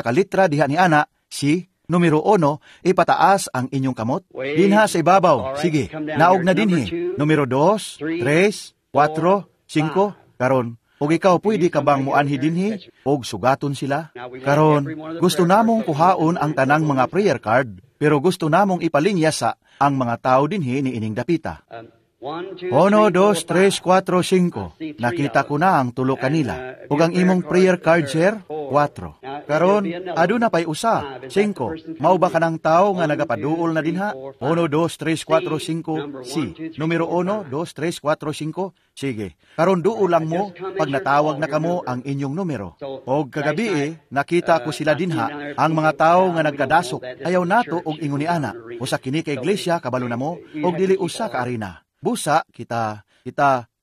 ka litra diha ni ana, si. Numero 1, ipataas ang inyong kamot. Dinha sa ibabaw. Sige, naog na dinhi. Numero 2, 3, 4, 5, karon. Og ikaw, pwede ka bang muanhi dinhi og sugaton sila? Karon, gusto namong kuhaon ang tanang mga prayer card, pero gusto namong ipalinya sa ang mga tao dinhi ni ining dapita. 1, 2, 3, 4, 5. Nakita ko na ang tulo kanila. Ug ang imong prayer card, sir? 4. Karon, aduna pay usa. 5. Mao ba kanang tao nga nagapaduol na dinha? 1, 2, 3, 4, 5, C. Numero 1, 2, 3, 4, 5. Sige. Karon duol lang mo pag natawag na kamo ang inyong numero. Og kagabi nakita ko sila dinha, ang mga tao nga nagkadasok. Ayaw nato og ingon ni ana. Usa kini ka iglesia, kabalo na mo, og dili usa ka arena. Busa, kita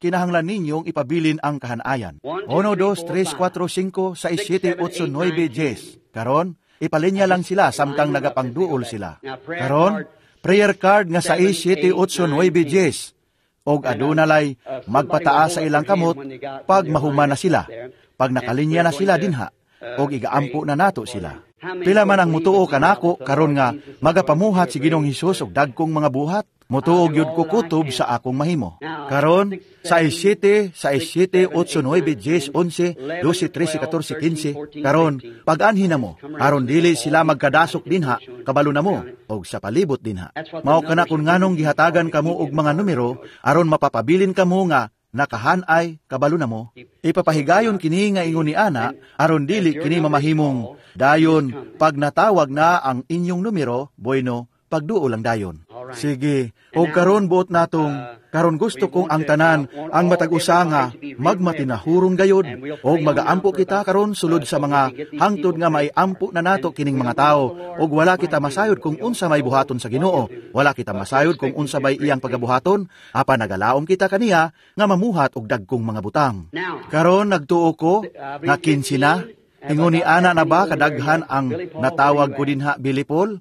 kinahanglan ninyong ipabilin ang kahanayan. 1, 2, 3, 4, 5, 6, 7, 8, 9, 10. Karon, ipalinya lang sila samtang nagapangduol sila. Karon, prayer card nga 6, 7, 8, 9, 10. Og aduna lay magpataas sa ilang kamot pag mahuman na sila, pag nakalinya na sila dinha, og igaampo na nato sila. Pila man ang mutuo kanako karon nga magapamuhat si Ginoong Hesus og dagkong mga buhat? Mutuo gyud ko kutob sa akong mahimo. Karon, 6, 7, 6, 7, 8, 9, 10, 11, 12, 13, 14, 15. Karon, pag-anhi na mo, aron dili sila magkadasok dinha, kabalo na mo, og sa palibot dinha. Mao kana kun nganong gihatagan kamo og mga numero, aron mapapabilin kamo nga nakahanay, kabalo na mo. Ipapahigayon kini nga ingon ni ana, aron dili kini mamahimong dayon pag natawag na ang inyong numero, bueno, pagduol lang dayon. Sige, o karon buot natong, karon gusto kong ang tanan, ang matag usa nga magmatinahuron gayod, og magaampo kita karon sulod sa mga hangtod nga maiampo na nato kining mga tao, og wala kita masayod kung unsa may buhaton sa Ginoo, wala kita masayod kung unsa may iyang pagabuhaton, apan nagalaom kita kaniya nga mamuhat og dagkong mga butang. Karon nagtuo ko nga 15 na, ingon ni ana na ba kadaghan ang natawag ko dinha, Billy Paul?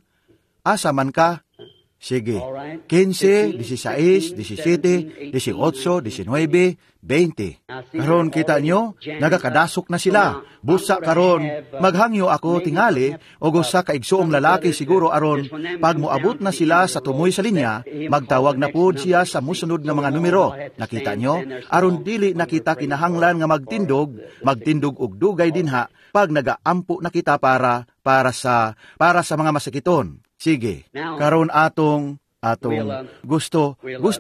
Asa man ka? Sige, 15, 16, 17, 18, 19, 20. Karon kita nyo, nagakadasok na sila. Busa karon, maghangyo ako tingali, o usa ka igsuong lalaki siguro aron, pag moabot na sila sa tumoy sa linya, magtawag na pod siya sa musunod nga mga numero. Nakita nyo, aron dili nakita kinahanglan nga magtindog, magtindog og dugay dinha, pag nagaampo na kita para sa mga masakiton. Sige, karon atong gusto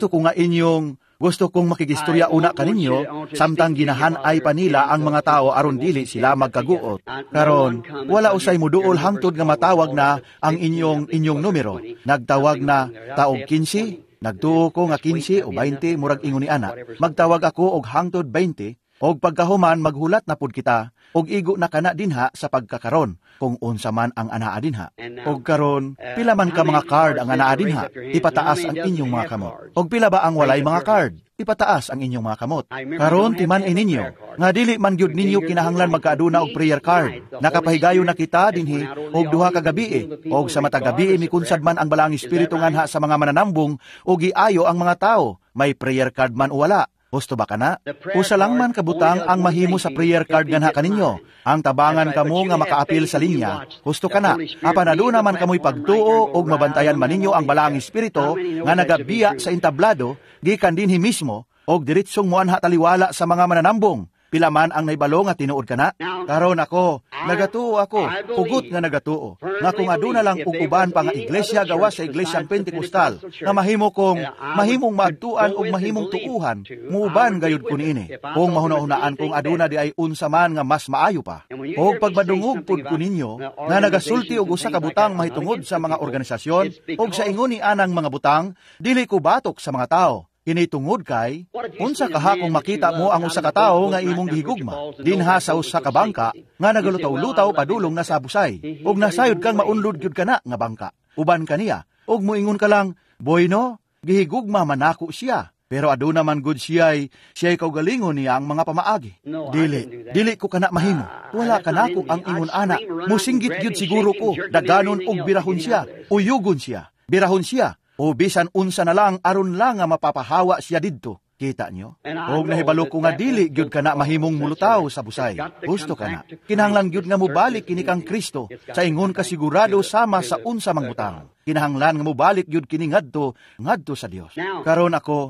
ko nga inyong gusto kong makigistorya una kaninyo samtang ginahan-ay pa nila ang mga tao aron dili sila magkaguot. Karon, wala usay muduol hangtod nga matawag na ang inyong numero. Nagtawag na taog 15, nagtuo ko nga 15 o 20 murag ingon ni ana. Magtawag ako og hangtod 20 og pagkahuman maghulat na pud kita og igo na kana dinha sa pagkakaron kung unsa man ang anaa dinha. Og karon, pila man ka mga card ang anaa dinha, ipataas ang inyong mga kamot. Og pila ba ang walay mga card, ipataas ang inyong mga kamot. Karon timan-i ninyo nga dili man gyud ninyo kinahanglan magkaaduna og prayer card. Nakapahigayon na kita dinhi og duha ka gabii, og sa matag gabii mikunsad man ang Balaang Espiritu nganha sa mga mananambong og giayo ang mga tao, may prayer card man o wala. Gusto ba kana? Usa lang man kabutang ang mahimo sa prayer card ganha kaninyo. Ang tabangan kamo nga makaapil sa linya. Husto kana. Apan aduna man kamoy pagtuo og mabantayan man ninyo ang Balaang Espiritu nga nagabiya sa entablado gikan dinhi mismo og diretsong moanha taliwala sa mga mananambong. Pila man ang naibalo nga tinuod kana? Karon ako, nagatuo ako, hugot nga nagatuo, nga kung aduna lang og uban pa nga iglesia gawas sa iglesyang Pentecostal, nga mahimo kong, mahimong maadtuan og mahimong tuuhan, muuban gayud ko niini. Kung mahuna-hunaan kung aduna di ay unsa man nga mas maayo pa. Og pagmadungog pud ko ninyo, nga nagasulti og usa ka butang mahitungod sa mga organisasyon, og sa ingon ni anang mga butang, dili ko batok sa mga tao. Kini tungod kay, unsa kaha kung makita mo ang usa ka tawo nga imong gihigugma, dinha sa usa ka bangka, nga nagalutaw-lutaw padulong na sa busay, ug nasayod kang maunlod gyud kana nga bangka. Uban kaniya, ug moingon ka lang, "Boyno, gihigugma man nako siya." Pero aduna man gud siya'y kaugalingon niya ang mga pamaagi. Dili, dili ko kana mahimo. Wala kanako ang ingon ana. Musinggit gyud siguro ko, daganon og birahon siya, uyugon siya, birahon siya. O bisan unsa na lang aron lang nga mapapahawa siya didto. Kita nyo? Og nahibalo ko nga dili gyud kana mahimong mulutaw sa busay. Gusto kana. Kinahanglan gyud nga mobalik kini kang Kristo sa ingon ka sigurado sama sa unsa mang butang. Kinahanglan nga mobalik gyud kini ngadto ngadto sa Dios. Karon ako,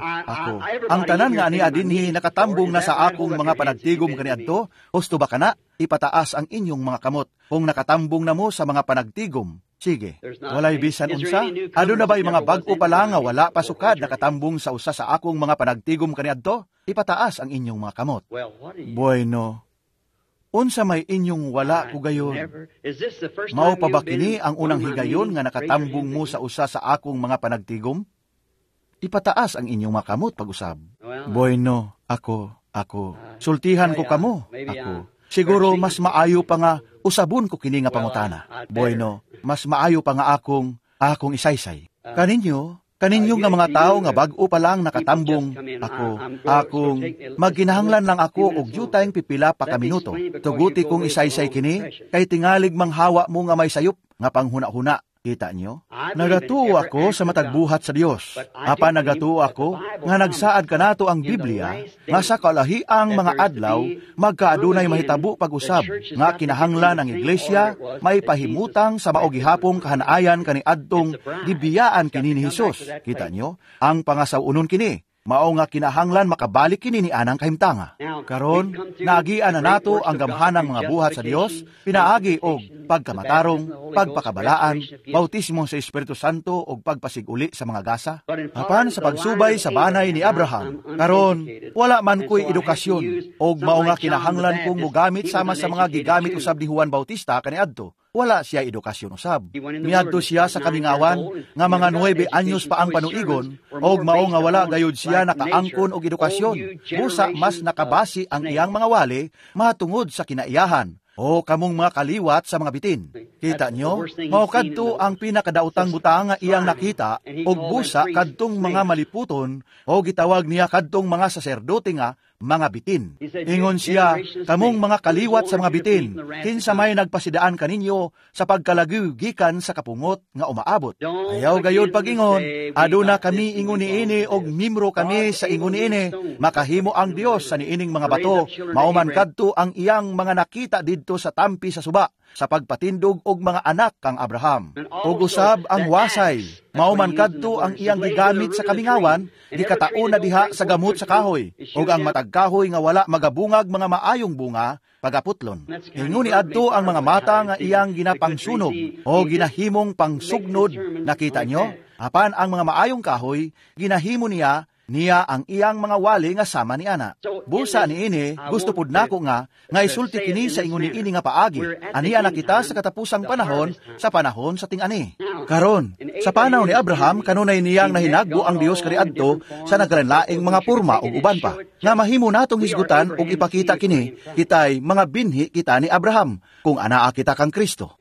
ang tanan nga ani dinhi nakatambong na sa akong mga panagtigom kaniadto, husto ba kana? Ipataas ang inyong mga kamot kung nakatambong na mo sa mga panagtigom. Sige, walay bisan unsa? Aduna ba'y mga bag-o pa lang nga wala pa sukad nakatambong sa usa sa akong mga panagtigom kaniadto? Ipataas ang inyong mga kamot. Bueno, unsa may inyong wala ko gayon? Mao pa ba kini ang unang higayon nga nakatambong mo sa usa sa akong mga panagtigom? Ipataas ang inyong mga kamot pag-usab. Bueno, ako. Sultihan ko kamo, ako. Siguro mas maayo pa nga usabon ko kini nga pangutana. Bueno, mas maayo pa nga akong isaysay. Kaninyo nga mga tao nga bag-o pa lang nakatambong, akong magginahanglan lang ako og jutayng pipila pa ka minuto. Tuguti kong isaysay kini, kay tingalig manghawa mo nga may sayop nga panghuna-huna. Kita nyo? Nagatuo ako sa matagbuhat sa Dios. Apan nagatuo ako nga nagsaad kanato ang Biblia nga sa kalahiang mga adlaw magkaadunay mahitabo pag-usab nga kinahanglan ang iglesia may pahimutang sa mao gihapong kahanaayan kaniadtong gibiyaan kini ni Hesus. Kita nyo? Ang pangasaw-unon kini. Mao nga kinahanglan makabalik kini ni anang kahimtanga. Karon, naagian na nato ang gamhanang mga buhat sa Dios, pinaagi og pagkamatarong, pagpakabalaan, bautismo sa Espiritu Santo og pagpasiguli sa mga gasa. Apan sa pagsubay sa banay ni Abraham, karon wala man ko'y edukasyon og mao nga kinahanglan kong mogamit sama sa mga gigamit usab ni Juan Bautista kaniadto. Wala siya edukasyon usab. Miadto siya sa kamingawan nga mga 9 anyos pa ang panuigon, og mao nga wala gayud siya nakaangkon og edukasyon. Busa mas nakabasi ang iyang mga wali matungod sa kinaiyahan o kamong mga kaliwat sa mga bitin. Kita nyo, mao kadto ang pinakadaotang butang nga iyang nakita, og busa kadtong mga maliputon, o gitawag niya kadtong mga saserdote nga mga bitin. Ingon siya, kamong mga kaliwat sa mga bitin, kinsa may nagpasidaan kaninyo sa pagkalagiw gikan sa kapungot nga umaabot. Ayaw gayod pagingon, aduna kami ingon niini og mimro kami sa ingon niini, makahimo ang Dios sa niining mga bato, mao man kadto ang iyang mga nakita didto sa tampi sa suba, sa pagpatindog og mga anak kang Abraham. Og usab ang wasay, mao man kadto ang iyang gigamit sa kamingawan, gikataon na diha sa gamot sa kahoy, og ang matag kahoy nga wala magabungag mga maayong bunga, pagaputlon. Ingon ni adto ang mga mata nga iyang ginapangsunog o ginahimong pangsugnod, nakita nyo? Apan ang mga maayong kahoy, ginahimo niya niya ang iyang mga wali nga sama ni ana. Busa niini, gusto pud nako nga isulti kini sa ingon niini nga paagi. Aniya na kita sa katapusang panahon, sa panahon sa ting-ani. Karon, sa panaw ni Abraham, kanunay niyang nahinagbo ang Dios kaniadto sa nagkalanlaing mga porma ug uban pa. Nga mahimo natong hisgutan ug ipakita kini, kitay mga binhi kita ni Abraham, kung anaa kita kang Kristo.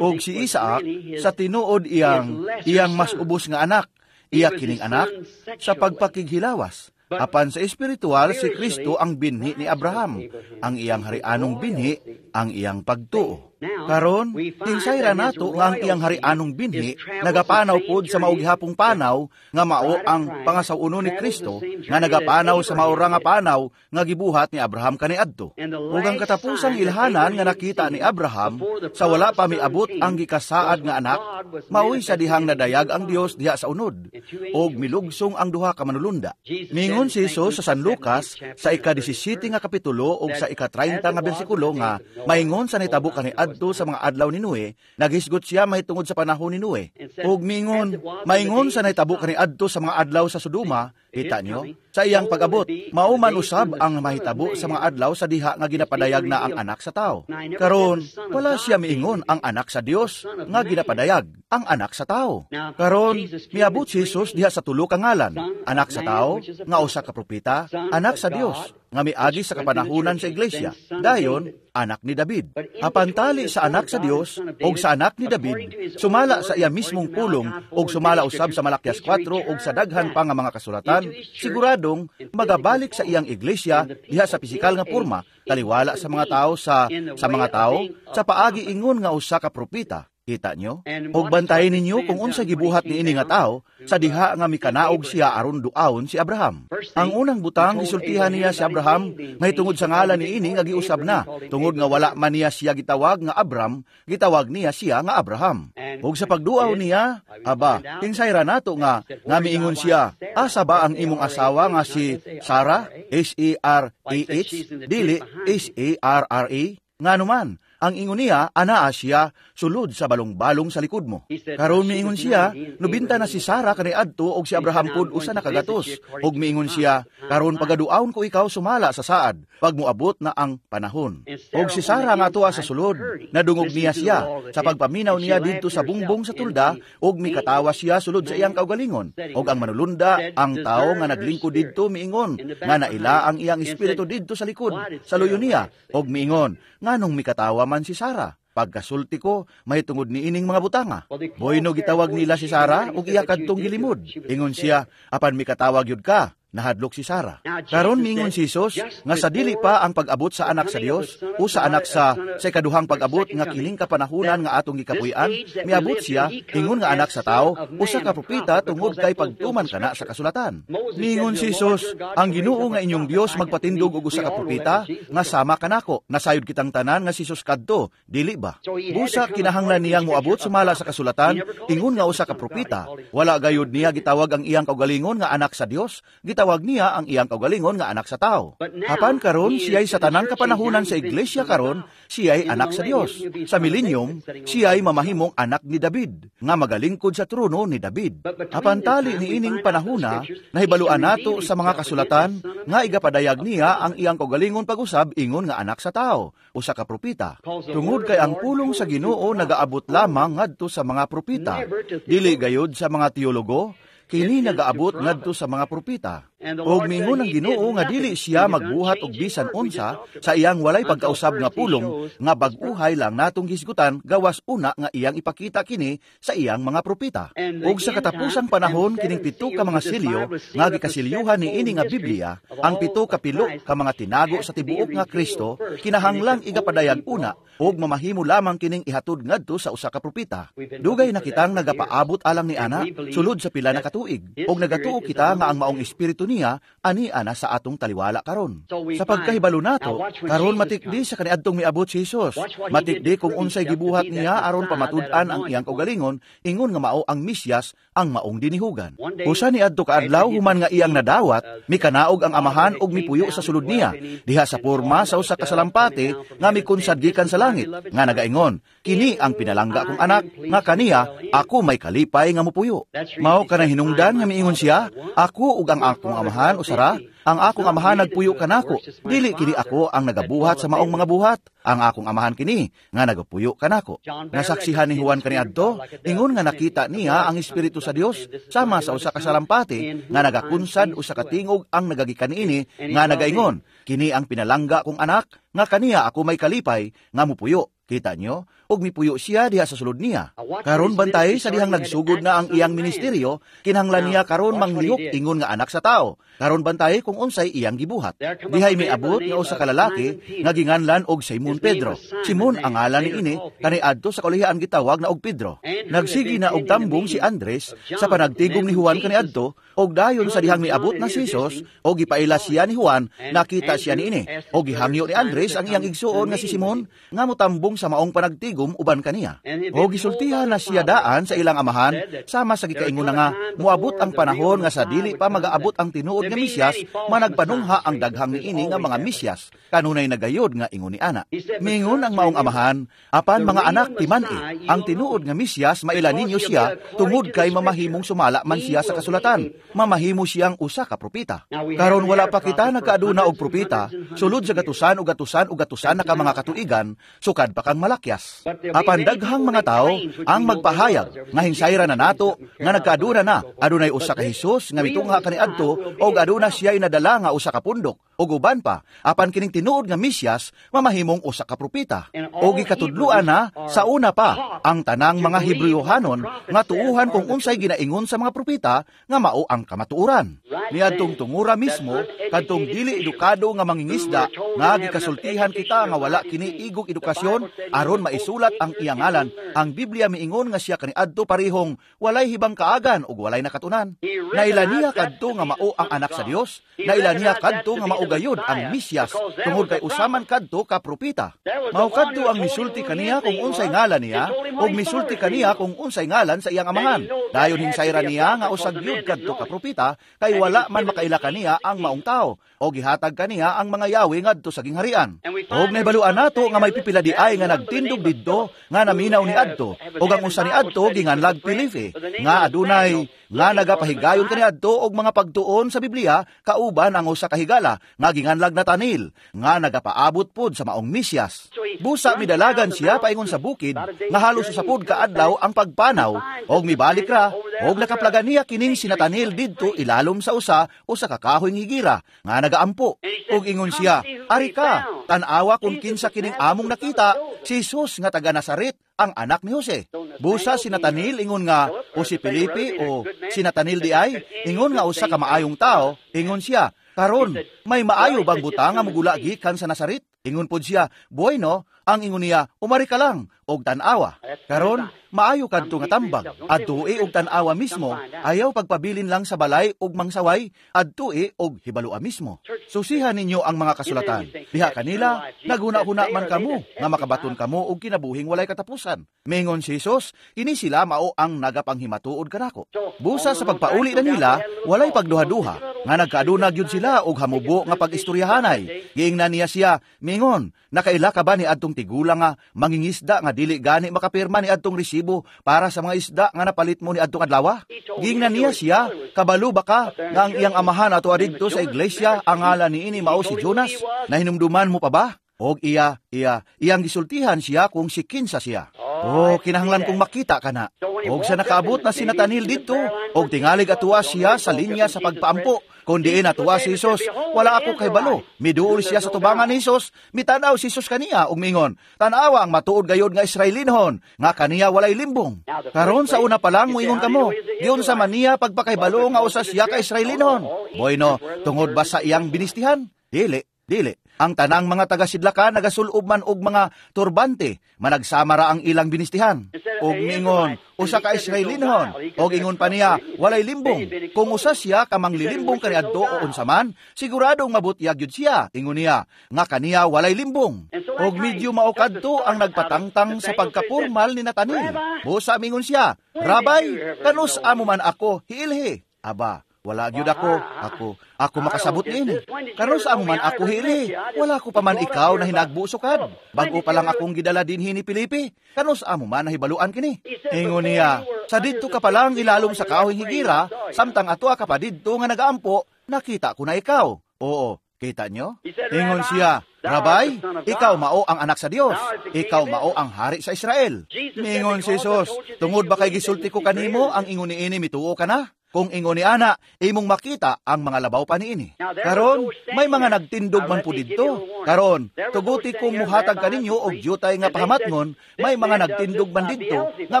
Og si Isaac, sa tinuod iyang mas ubos nga anak, iya kining anak sa pagpakighilawas. Apan sa espiritual, si Kristo ang binhi ni Abraham, ang iyang harianong binhi, ang iyang pagtuo. Karon, tinsayra nato nga ang iyang harianong binhi nagapanaw pod sa maugihapong panaw nga mao ang pangasaw-uno ni Kristo nga nagapanaw sa maura nga panaw nga gibuhat ni Abraham kaniadto. Ug ang katapusang ilhanan nga nakita ni Abraham sa wala pa miabot ang gikasaad nga anak, maoy sa dihang nadayag ang Dios diha sa unod ug milugsong ang duha ka manulunda. Mingon si Jesus sa San Lucas sa ika-17 nga kapitulo ug sa ika-30 nga bersikulo nga maingon sa nahitabo kaniadto sa mga adlaw ni Noe, naghisgot siya mahitungod sa panahon ni Noe. Ug mingon, maingon sa nahitabo kaniadto sa mga adlaw sa Sodoma, kita nyo, sa iyang pag-abot, mao man usab ang mahitabo sa mga adlaw sa diha nga ginapadayag na ang anak sa tao. Karon, wala siya miingon ang anak sa Dios nga ginapadayag, ang anak sa tao. Karon, miabot si Jesus diha sa tulo ka ngalan, anak sa tao, nga usa ka propeta, anak sa Dios, nga miagi sa kapanahunan sa iglesia, dayon anak ni David. Apan tali sa anak sa Dios og sa anak ni David, sumala sa iya mismong pulong og sumala usab sa Malakias 4 og sa daghan pa nga mga kasulatan, siguradong magabalik sa iyang iglesia diha sa pisikal nga porma, taliwala sa mga tao sa mga tao sa paagi ingon nga usa ka propeta. Kita nyo? Og bantayin ninyo kung unsa gibuhat niini nga tawo sa diha nga mikanaog siya aron duawon si Abraham. Ang unang butang, gisultihan niya si Abraham mahitungod sa ngalan niini nga giusab na. Tungod nga wala man niya siya gitawag nga Abram, gitawag niya siya nga Abraham. Ug sa pagduaw niya, aba, kinsay ra nato nga nga miingon siya, "Asa ba ang imong asawa nga si Sarah?" S-A-R-A-H, dili S-A-R-R-A. Nganuman, ang ingon niya, anaa siya, sulod sa balong-balong sa likod mo. Karon miingon siya, 90 na si Sarah kaniadto og si Abraham pud usa na kagatos. Og miingon siya, "Karon pagaduawon ko ikaw sumala sa saad, pag moabot na ang panahon." Og si Sarah nga tuwa sa sulod, nadungog niya siya sa pagpaminaw niya didto sa bungbong sa tulda, og mikatawa siya sulod sa iyang kaugalingon. Og ang manulunda, ang tawo nga naglingkod didto, miingon nga naila ang iyang espiritu didto sa likod sa luyo niya, og miingon, "Nganong mikatawa man si Sarah? Pagkasulti ko mahitungod niining mga butanga." Boyno gitawag nila si Sarah ug iya kadtong gilimod. Ingon siya, "Apan mikatawag yud ka." Nahadlok si Sarah. Karon miingon si Jesus nga sa dili pa ang pag-abot sa anak sa Dios o sa anak sa ikaduhang pag-abot nga kining kapanahunan nga atong gikapuy-an, miabot siya ingon nga anak sa tawo, usa ka propeta, tungod kay pagtuman kana sa kasulatan. Miingon si Jesus, "Ang Ginoo nga inyong Dios magpatindog og usa ka propeta nga sama kanako." Nasayod kitang tanan nga si Jesus kadto, dili ba? Busa kinahanglan niyang moabot sumala sa kasulatan ingon nga usa ka propeta. Wala gayud niya gitawag ang iyang kaugalingon nga anak sa Dios, gitawag niya ang iyang kaugalingon nga anak sa tao. Apan karon siya'y sa tanang kapanahunan sa iglesia karon, siya'y anak sa Dios. Sa millennium, siya'y mamahimong anak ni David, nga magalingkod sa trono ni David. Apan tali niining panahuna, nahibaluan nato sa mga kasulatan nga igapadayag niya ang iyang kaugalingon pag-usab ingon nga anak sa tao, usa ka propeta. Tungod kay ang pulong sa Ginoo nagaabot lamang ngadto sa mga propeta, dili gayod sa mga teologo, kini nagaabot ngadto sa mga propeta. Og mingon ang Ginoo nga dili siya magbuhat og bisan unsa sa iyang walay pagkausab nga pulong nga bag-uhay lang natong hisgutan gawas una nga iyang ipakita kini sa iyang mga propeta. Og sa katapusang panahon, kining 7 ka mga silyo nga gikasilyuhan niini nga Biblia, ang 7 ka pilo ka mga tinago sa tibuok nga Kristo, kinahanglang igapadayag una og mamahimo lamang kining ihatod ngadto sa usa ka propeta. Dugay na kitang nagapaabot alang ni ana sulod sa pila na katuig, og nagatuo kita nga ang maong espiritu niya ani ana sa atong taliwala karon. Sa pagkahibalo nato, karon matikdi sa kaniadtong miabot si Jesus. Matikdi kung unsay gibuhat niya aron pamatud-an ang iyang kaugalingon ingon nga mao ang Mesiyas, ang maong dinihugan. Usa niadto ka adlaw, human nga iyang nadawat, mikanaog ang Amahan og mipuyo sa sulod niya diha sa porma sa usa ka salampati nga mikunsad gikan sa langit nga nagaingon, "Kini ang pinalangga kong anak nga kaniya ako may kalipay nga mupuyo." Mao kanang hinungdan nga miingon siya, "Ako ug ang akong Amahan usara, ang akong Amahan nagpuyo kanako. Dili kini ako ang nagabuhat sa maong mga buhat, ang akong Amahan kini nga nagapuyo kanako." Nasaksihan ni Juan kaniadto, ingon nga nakita niya ang Espiritu sa Dios sama sa usa ka salampati nga nagakunsad, usa ka tingog ang nagagikan niini nga nagaingon, "Kini ang pinalangga kong anak nga kaniya ako may kalipay nga mupuyo." Kita nyo? Og mipuyo siya diha sa sulod niya. Karon bantay sa dihang nagsugod na ang iyang ministeryo, kinahanglan niya karon manglihok ingon nga anak sa tao. Karon bantay kung unsay iyang gibuhat. Dihay miabot nga usa ka lalaki nga ginganlan og Simon Pedro. Simon ang ngalan niini, kaniadto sa kaulihaan gitawag na og Pedro. Nagsigi na og tambong si Andres sa panagtigom ni Juan kaniadto, og dayon sa dihang miabot na si Jesus og gipaila siya ni Juan, nakita siya niini. Og gihangyo ni Andres ang iyang igsuon nga si Simon nga motambong sa maong panagtigom uban kaniya. O gisultihan na siya daan sa ilang amahan sama sa gikaingon na nga moabot ang panahon nga sa dili pa magaabot ang tinuod nga Mesiyas, managpanungha ang daghang niini nga mga Mesiyas kanunay nagayod nga ingon ni ana. Mingon ang maong amahan, "Apan mga anak, timan-i, ang tinuod nga Mesiyas maila ninyo siya tungod kay mamahimong sumala man siya sa kasulatan. Mamahimo siyang usa ka propeta." Karon wala pa kita nagkaaduna og propeta sulod sa gatusan o gatusan o gatusan na ka mga katuigan, sukad pa kang Malakias. Apan daghang mga tao ang magpahayag nga hinsayra na nato nga nagkaaduna na, adunay usa ka Hesus nga mitungha kaniadto og aduna siya'y nadala nga usa ka pundok. ug uban pa. Apan kining tinuod nga Mesiyas mamahimong usa ka propeta. O gikatudloan na sa una pa ang tanang mga Hebreohanon nga tuuhan kung unsay ginaingon sa mga propeta nga mao ang kamatuoran. Niadtong tungura mismo kadtong dili edukado nga mangingisda nga gikasultihan kita nga wala kini igog edukasyon aron maisulat ang iyang ngalan. Ang Biblia miingon nga siya kaniadto parehong walay hibang kaagan ug walay nakatunan. Naila niya kadto nga mao ang anak sa Dios, naila niya kadto nga mao gayud ang Mesiyas tungod kay usaman kadto ka propeta. Mao kadto ang misulti kaniya kung unsay ngalan niya ug misulti kaniya kung unsay ngalan sa iyang amahan. Dayon hinsayra niya nga usag gyud kadto ka propeta kay wala man makaila kaniya ang maong tawo o gihatag kaniya ang mga yawi ngadto sa gingharian. Og nahibaluan nato nga may pipila di ay nga nagtindog didto nga naminaw ni adto og ang usa ni adto ginganlag Felipe nga adunay nga nagapahigayon kaniadto og mga pagtuon sa Biblia kauban ang usa ka higala nga ginganlag Natanil nga nagapaabot pod sa maong Mesiyas. Busa midalagan siya paingon sa bukid nga halos usa pod ka adlaw ang pagpanaw og mibalik ra og nakaplagan niya kining si Natanil didto ilalom sa usa usa ka kahoy nga higira nga nagaampo. Og ingon siya, "Ari ka, tan-awa kung kinsa kining among nakita, si Jesus nga taga Nazaret, ang anak ni Jose." Busa si Natanil ingon nga o si Felipe o si Natanil di ay ingon nga usa ka maayong tao, ingon siya, "Karon, may maayo bang butang nga mugula gikan sa Nazaret?" Ingon pod siya, "Bueno," ang ingon niya, "umari ka lang og tan-awa." Karon, maayo kadto nga tambag. Adtui og tan-awa mismo, ayaw pagpabilin lang sa balay og mangsaway, adtui og hibalua mismo. Susihan ninyo ang mga kasulatan. Diha kanila, naghuna-huna man kamo nga makabaton kamo og kinabuhing walay katapusan. Mingon si Jesus, kini sila mao ang nagapanghimatuod kanako. Busa sa pagpauli na nila, walay pagduha-duha, nga nagkaadunag yun sila og hamubo nga pag-istoryahanay. Giingnan niya siya, mingon, "Nakaila ka ba ni adtong tigulang nga mangingisda nga dili gani makapirma ni adtong resibo para sa mga isda nga napalit mo ni adtong adlaw?" Giingnan niya siya, "Kabalo ba ka nga ang iyang amahan ato didto sa iglesia, ang ngalan niini mao si Jonas? Nahinumduman mo pa ba?" Og iyang gisultihan siya kung si kinsa siya. Oh, kinahanglan kong makita kana. Og sa nakaabot na si Natanil didto, og tingalig atuwa siya sa linya sa pagpaampo. Kung diin atuwa si Jesus, wala ako kahibalo. Miduol siya sa tubangan ni Jesus, mitanaw si Jesus kaniya ug mingon, "Tanawa ang matuod gayod nga Israelinhon, nga kaniya walay limbong." Karon sa una pa lang moingon kamo, giunsa man niya pagpakahibalo nga usa siya ka Israelinhon? Bueno, tungod ba sa iyang binistihan? Dili, dili. Ang tanang mga taga-sidlakan nagasulob man og mga turbante, managsama ra ang ilang binistihan. Og miingon, usa ka Israelinhon, og ingon pa niya, walay limbong. Kung usa siya ka manglilimbong kaniadto o unsa man, siguradong mabutyag yun siya. Ingon niya, nga kaniya walay limbong. Og medyo mao kadto ang nagpatangtang sa pagkapurmal ni Natanil. Busa mingon siya, "Rabay, kanus amo man ako hiilhi?" Aba, wala gyud ako makasabot niini. Karon sa amo man ako hili, wala ko pa man ikaw na hinagbuso kad. Bag-o pa lang akong gidala dinhi ni Felipe. Kanos amo man nahibaluan kini? Ingon niya, "Sa didto ka pa lang ilalom sa kahoy higira, samtang ato ka pa didto nga nagaampo, nakita ko na ikaw." Oo, kita nyo? Ingon siya, "Rabay, ikaw mao ang anak sa Dios. Ikaw mao ang hari sa Israel." Mingon si Jesus, "Tungod ba kay gisulti ko kanimo ang ingon niini mituo ka na? Kung ingon ni ana, imong makita ang mga labaw pa niini." Karon, may mga nagtindog man po didto. Karon, tuguti kong muhatag kaninyo og dyutay nga pahamatngon, may mga nagtindog man didto nga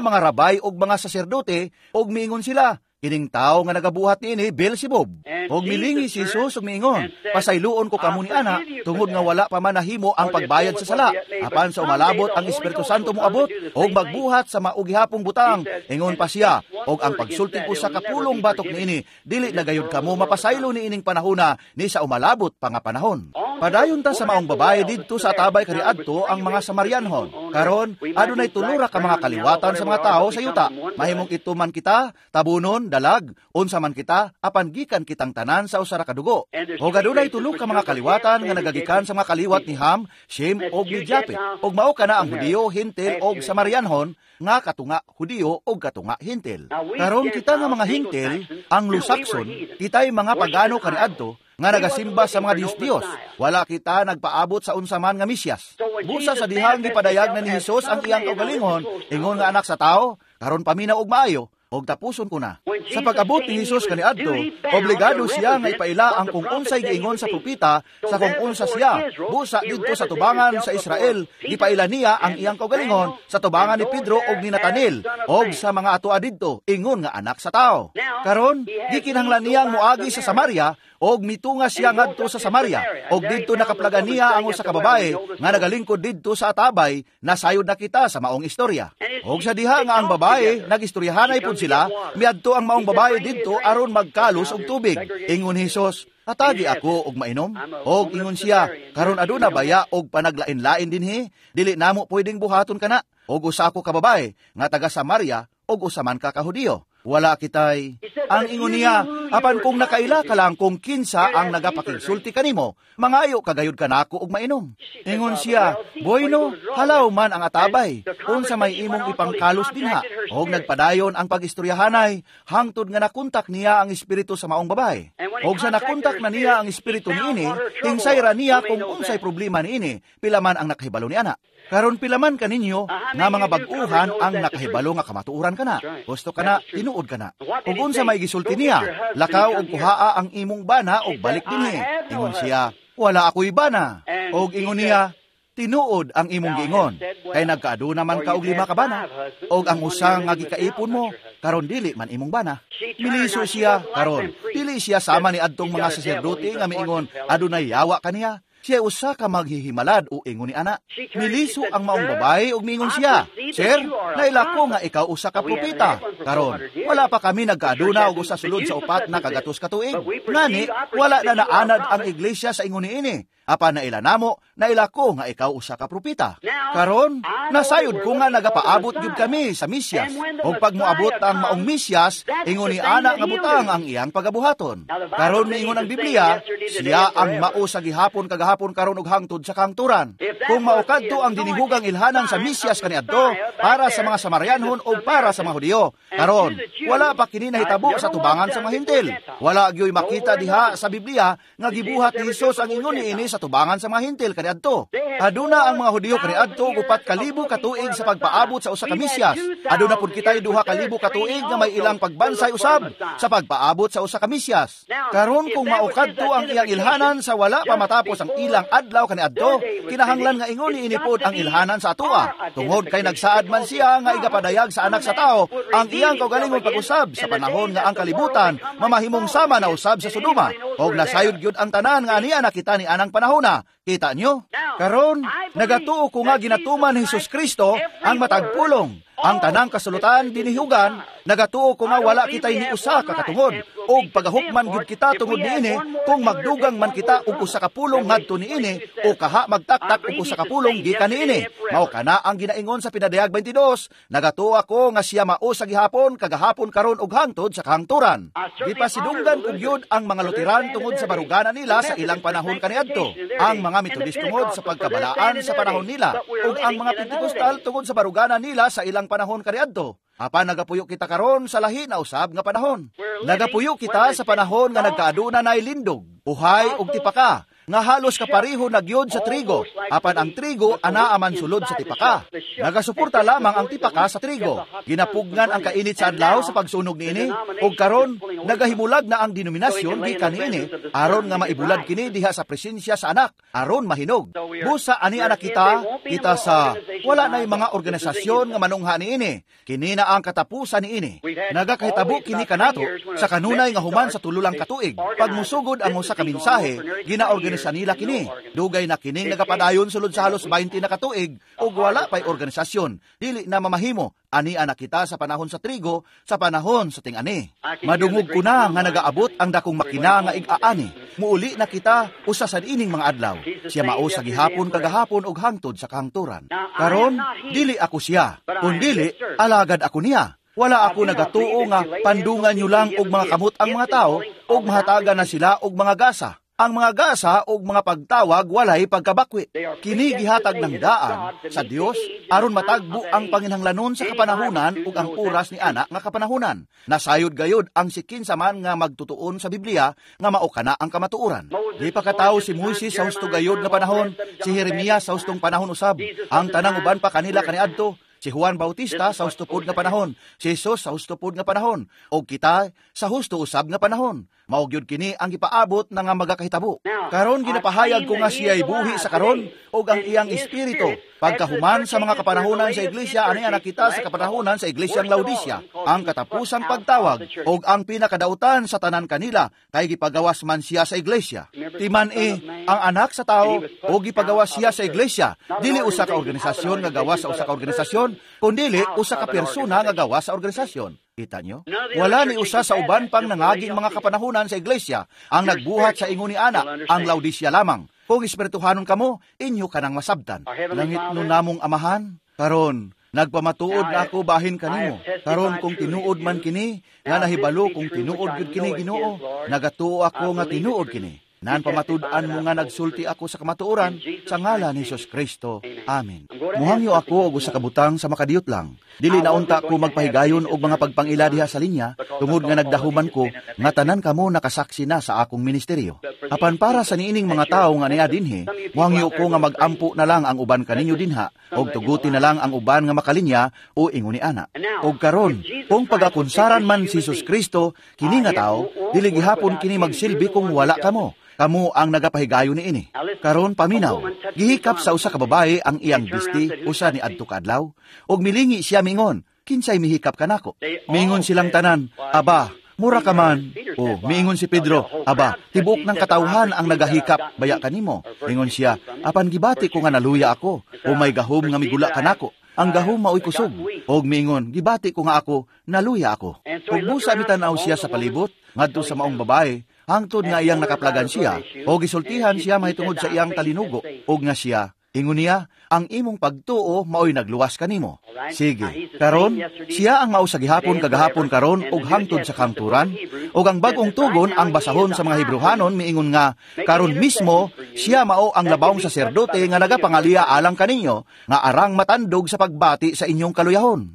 mga rabay og mga saserdote og miingon sila, "Kining tao nga nagabuhat niini Beelzebub." Og milingi si Jesus ug miingon, "Pasayloon ko kamo ni ana tungod nga wala pa man nahimo ang pagbayad sa sala. Apan sa umalabot ang Espiritu Santo moabot og magbuhat sa maugihapong butang." Ingon pa siya, "Og ang pagsulti ko sa kapulong batok niini, dili na gayud kamo mapasaylo niining panahona ni sa umalabot pa nga panahon." Padayon ta sa maong babae didto sa atabay kaniadto ang mga Samarianhon. Karon, adunay tulura ka mga kaliwatan sa mga tao sa yuta. Mahimong ito man kita, tabunon, dalag, unsa man kita, apan gikan kitang tanan sa usa ra ka dugo. Og adunay tulo ka mga kaliwatan nga nagagikan sa mga kaliwat ni Ham, Shem og ni Japet. Og mao kana ang Hudiyo, Hintil og Samarianhon nga katunga Hudiyo og katunga Hintil. Karon kita nga mga Hintil, ang Lusakson, kita'y mga pagano kaniadto nga nagasimba sa mga Diyos-Diyos. Wala kita nagpaabot sa unsa man nga Mesiyas. Busa sa dihang gipadayag na ni Hesus ang iyang kaugalingon, ingon nga anak sa tao, karon paminaw og maayo. Og tapuson ko na. Sa pag-abot ni Hesus kaniadto, obligado siya nga ipaila ang kung unsay giingon sa propeta sa kung unsa siya. Busa didto sa tubangan sa Israel, gipaila niya ang iyang kaugalingon sa tubangan ni Pedro og ni Natanel og sa mga atoa didto, ingon nga anak sa tao. Karon, gikinahanglan niyang moagi sa Samaria og mitunga siya ngadto sa Samaria, og didto nakaplagan niya ang usa ka babae nga nagalingkod didto sa atabay, nasayod na kita sa maong istorya. Og sa diha nga ang babae nagistoryahanay pud sila, miadto ang maong babae didto aron magkalos og tubig. Ingon ni Hesus, "Hatagi ako og mainom." Og ingon siya, "Karon aduna baya og panaglain-lain dinhi? Dili namo pwedeng buhaton kana. Og usa ako ka babae nga taga Samaria og usa man ka ka Hudiyo. Wala kitay." Ang ingon niya, "Apan kung nakaila ka lang kung kinsa ang nagapakigsulti kanimo, mangayo kagayod kanako og mainom." Ingon siya, "Bueno, halaw man ang atabay, unsa may imong ipangkalos dinha." Og nagpadayon ang pagistoryahanay, hangtod nga nakontak niya ang espiritu sa maong babae. Og sa nakontak na niya ang espiritu niini, hingsay ra niya kung unsay problema niini, pila man ang nakahibalo ni ana? Karon pila man kaninyo nga mga bag-uhan ang nakahibalo nga kamatuoran kana? Gusto kana, tinuod kana. Ug unsa may gisulti niya, "Lakaw og kuhaa ang imong bana og balik dinhi." Ingon siya, "Wala ako'y bana." Og ingon niya, "Tinuod ang imong giingon, kay nagkaaduna man ka og 5 ka bana, og ang usa nga gikaipon mo karon dili man imong bana." Miliso siya karon, dili siya sama ni adtong mga saserdote nga miingon adunay yawa kaniya. Siya usa ka maghihimalad o ingon ni ana. Miliso ang maong babae og miingon siya, "Sir, naila ko nga ikaw usa ka propeta. Karon, wala pa kami nagkaaduna og usa sulod sa 4 na kagatos ka tuig. Ngani, wala na naanad ang iglesia sa ingon niini. Apan naila namo, naila ko nga ikaw usa ka propeta. Karon, nasayod ko nga nagapaabot gyud kami sa Mesiyas. Og pag moabot ang maong Mesiyas, ingon ni ana nga butang ang iyang pagabuhaton. Karon miingon ang Biblia, siya ang mao sa gihapon kagahapon karon ug hangtod sa kahangturan. Kung mao kadto ang dinihugang ilhanan sa Mesiyas kaniadto para sa mga Samarianhon o para sa mga Hudiyo. Karon, wala pa kini nahitabo sa tubangan sa mga Hintil. Wala gyoy makita diha sa Biblia nga gibuhat ni Hesus ang ingon niini sa tubangan sa mga Hintil kaniadto. Aduna ang mga Hudiyo kaniadto og 4,000 ka tuig sa pagpaabot sa usa ka Mesiyas. Aduna pud kitay 2,000 ka tuig nga may ilang pagbansay usab sa pagpaabot sa usa ka Mesiyas. Karon kung mao kadto ang iyang ilhanan sa wala pa matapos ang ilang adlaw kaniadto, kinahanglan nga ingon niini pod ang ilhanan sa atoa. Tungod kay nagsaad man siya nga igapadayag sa anak sa tao ang iyang kaugalingong pag-usab sa panahon nga ang kalibutan mamahimong sama na usab sa Sodoma. Og nasayod gyud ang tanan nga aniya nakita ni anang panahona. Kita nyo? Karon, nagatuo ko nga ginatuman ni Hesus Kristo ang matag pulong. Ang tanang kasulutan dinihugan, nagatuo ko nga wala kita'y ni usa ka katungod, og pagahukman gyud kita tungod niini kung magdugang man kita og usa ka pulong ngadto niini o kaha magtaktak og usa ka pulong gikan niini. Mao kana ang ginaingon sa Pinadayag 22, nagatuo ako nga siya mao sa gihapon kagahapon karon ug hangtod sa kahangturan. Gipasidunggan ko gyud ang mga Luteran tungod sa barugana nila sa ilang panahon kaniadto, ang mga Metodist tungod sa pagkabalaan sa panahon nila, ug ang mga Pentecostal tungod sa barugana nila sa ilang panahon kaniadto. Apan nagapuyo kita karon sa lahi na usab nga panahon. Nagapuyo kita sa panahon nga nagkaaduna nay lindog, uhay ug tipaka, nga halos kapareho na gyud sa trigo, apan ang trigo anaa man sulod sa tipaka. Nagasuporta lamang ang tipaka sa trigo. Ginapugnan ang kainit sa adlaw sa pagsunog niini, ug karon nagahimulag na ang denominasyon gikan niini aron nga maibulad kini diha sa presensya sa anak aron mahinog. Busa ani anak kita, kita sa wala nay mga organisasyon nga manungha niini. Kini na ang katapusan niini. Nagakahitabo kini kanato sa kanunay nga human sa 3 lang katuig. Pag musugod ang usa ka mensahe, ginaorganisasyon nila kini. Dugay na kining nagapadayon sulod sa halos 20 na katuig ug wala pay organisasyon. Dili na mamahimo. Ani anak kita sa panahon sa trigo, sa panahon sa ting-ani. Madungog ko na nga nagaabot ang dakong makina nga ig-aani. Muuli na kita usa sa ining mga adlaw. Siya mao sa gihapon kagahapon ug hangtod sa kahangturan. Karon, dili ako siya, kundili alagad ako niya. Wala ako nagatuo nga pandungan nyo lang og mga kamot ang mga tao ug mahatagan na sila og mga gasa. Ang mga gasa og mga pagtawag walay pagkabakwi. Kini gihatag ng daan sa Dios aron matagbo ang panginhanglanon sa kapanahunan ug ang oras ni ana nga kapanahunan. Nasayod gayod ang sikinsa man nga magtutuon sa Biblia nga mao kana ang kamatuoran. Di pa katawo si Moises sa husto gayod nga panahon, si Jeremias sa hustong panahon usab, ang tanang uban pa kanila kaniadto. Si Juan Bautista sa husto pod nga panahon, si Jesus sa husto pod nga panahon, ug kita sa husto usab nga panahon. Mao gyud kini ang gipaabot na nga magakahitabo. Karon ginapahayag ko nga siya'y buhi sa karon ug ang iyang espiritu. Pagkahuman sa mga kapanahonan sa iglesia, ani nakita sa kapanahonan sa iglesyang Laodicea, ang katapusang pagtawag ug ang pinakadautan sa tanan kanila kay gipagawas man siya sa iglesia. Timan-i ang anak sa tao ug gipagawas siya sa iglesia. Dili usa ka organisasyon nga gawas sa usa ka organisasyon, kundili usa ka persona nga gawas sa organisasyon. Kita nyo? Wala ni usa sa uban pang nangaging mga kapanahunan sa iglesia ang nagbuhat sa ingon ni ana, ang Laodicea lamang. Kung espirituhanon kamo, inyo kanang masabtan. Langit no namong Amahan, karon nagpamatuod na ako bahin kanimo. Karon kung tinuod man kini, nga nahibalo kung tinuod gyud kini Ginoo, nagatuo ako nga tinuod kini. Nan pamatud-an mo nga nagsulti ako sa kamatuoran sa ngalan ni Hesus Kristo. Amen. Muhangyo ako og usa ka butang sa makadiyot lang. Dili na unta ko magpahigayon og mga pagpangila diha sa linya tungod nga nagdahuman ko nga tanan kamo nakasaksi na sa akong ministeryo. Apan para sa niining mga tawo nga niya dinhi, muhangyo ko nga magampo na lang ang uban kaninyo dinha og tuguti na lang ang uban nga makalinya o ingon ni ana. Og karon, kung pagakunsaran man si Hesus Kristo kini nga tawo, dili gihapon kini magsilbi kung wala kamo. Kamo ang nagapahigayon niini. Karon paminaw, gihikap sa usa ka babae ang iyang bisti usa ni adto ka adlaw, ug milingi siya mingon, "Kinsay mihikap kanako?" Mingon silang tanan, "Aba, mura ka man." O miingon si Pedro, "Aba, tibuok ng katawhan ang nagahikap baya kanimo." Ingon siya, "Apan gibati ko nga naluya ako, o may gahom nga migula kanako. Ang gahom maoy kusog." Og miingon, "Gibati ko nga ako, naluya ako." Ug busa mitan-aw siya sa palibot ngadto sa maong babae, hangtod nga iyang nakaplagan siya, o gisultihan siya mahitungod sa iyang talinugo, og nga siya, ingon niya, "Ang imong pagtuo maoy nagluwas kanimo." Sige, karon siya ang mao sa gihapon kagahapon karon ug hangtod sa kangturan, ug ang bagong tugon ang basahon sa mga Hebreohanon miingon nga karon mismo siya mao ang labawng saserdote nga nagapangaliya alang kaninyo, nga arang matandog sa pagbati sa inyong kaluyahon.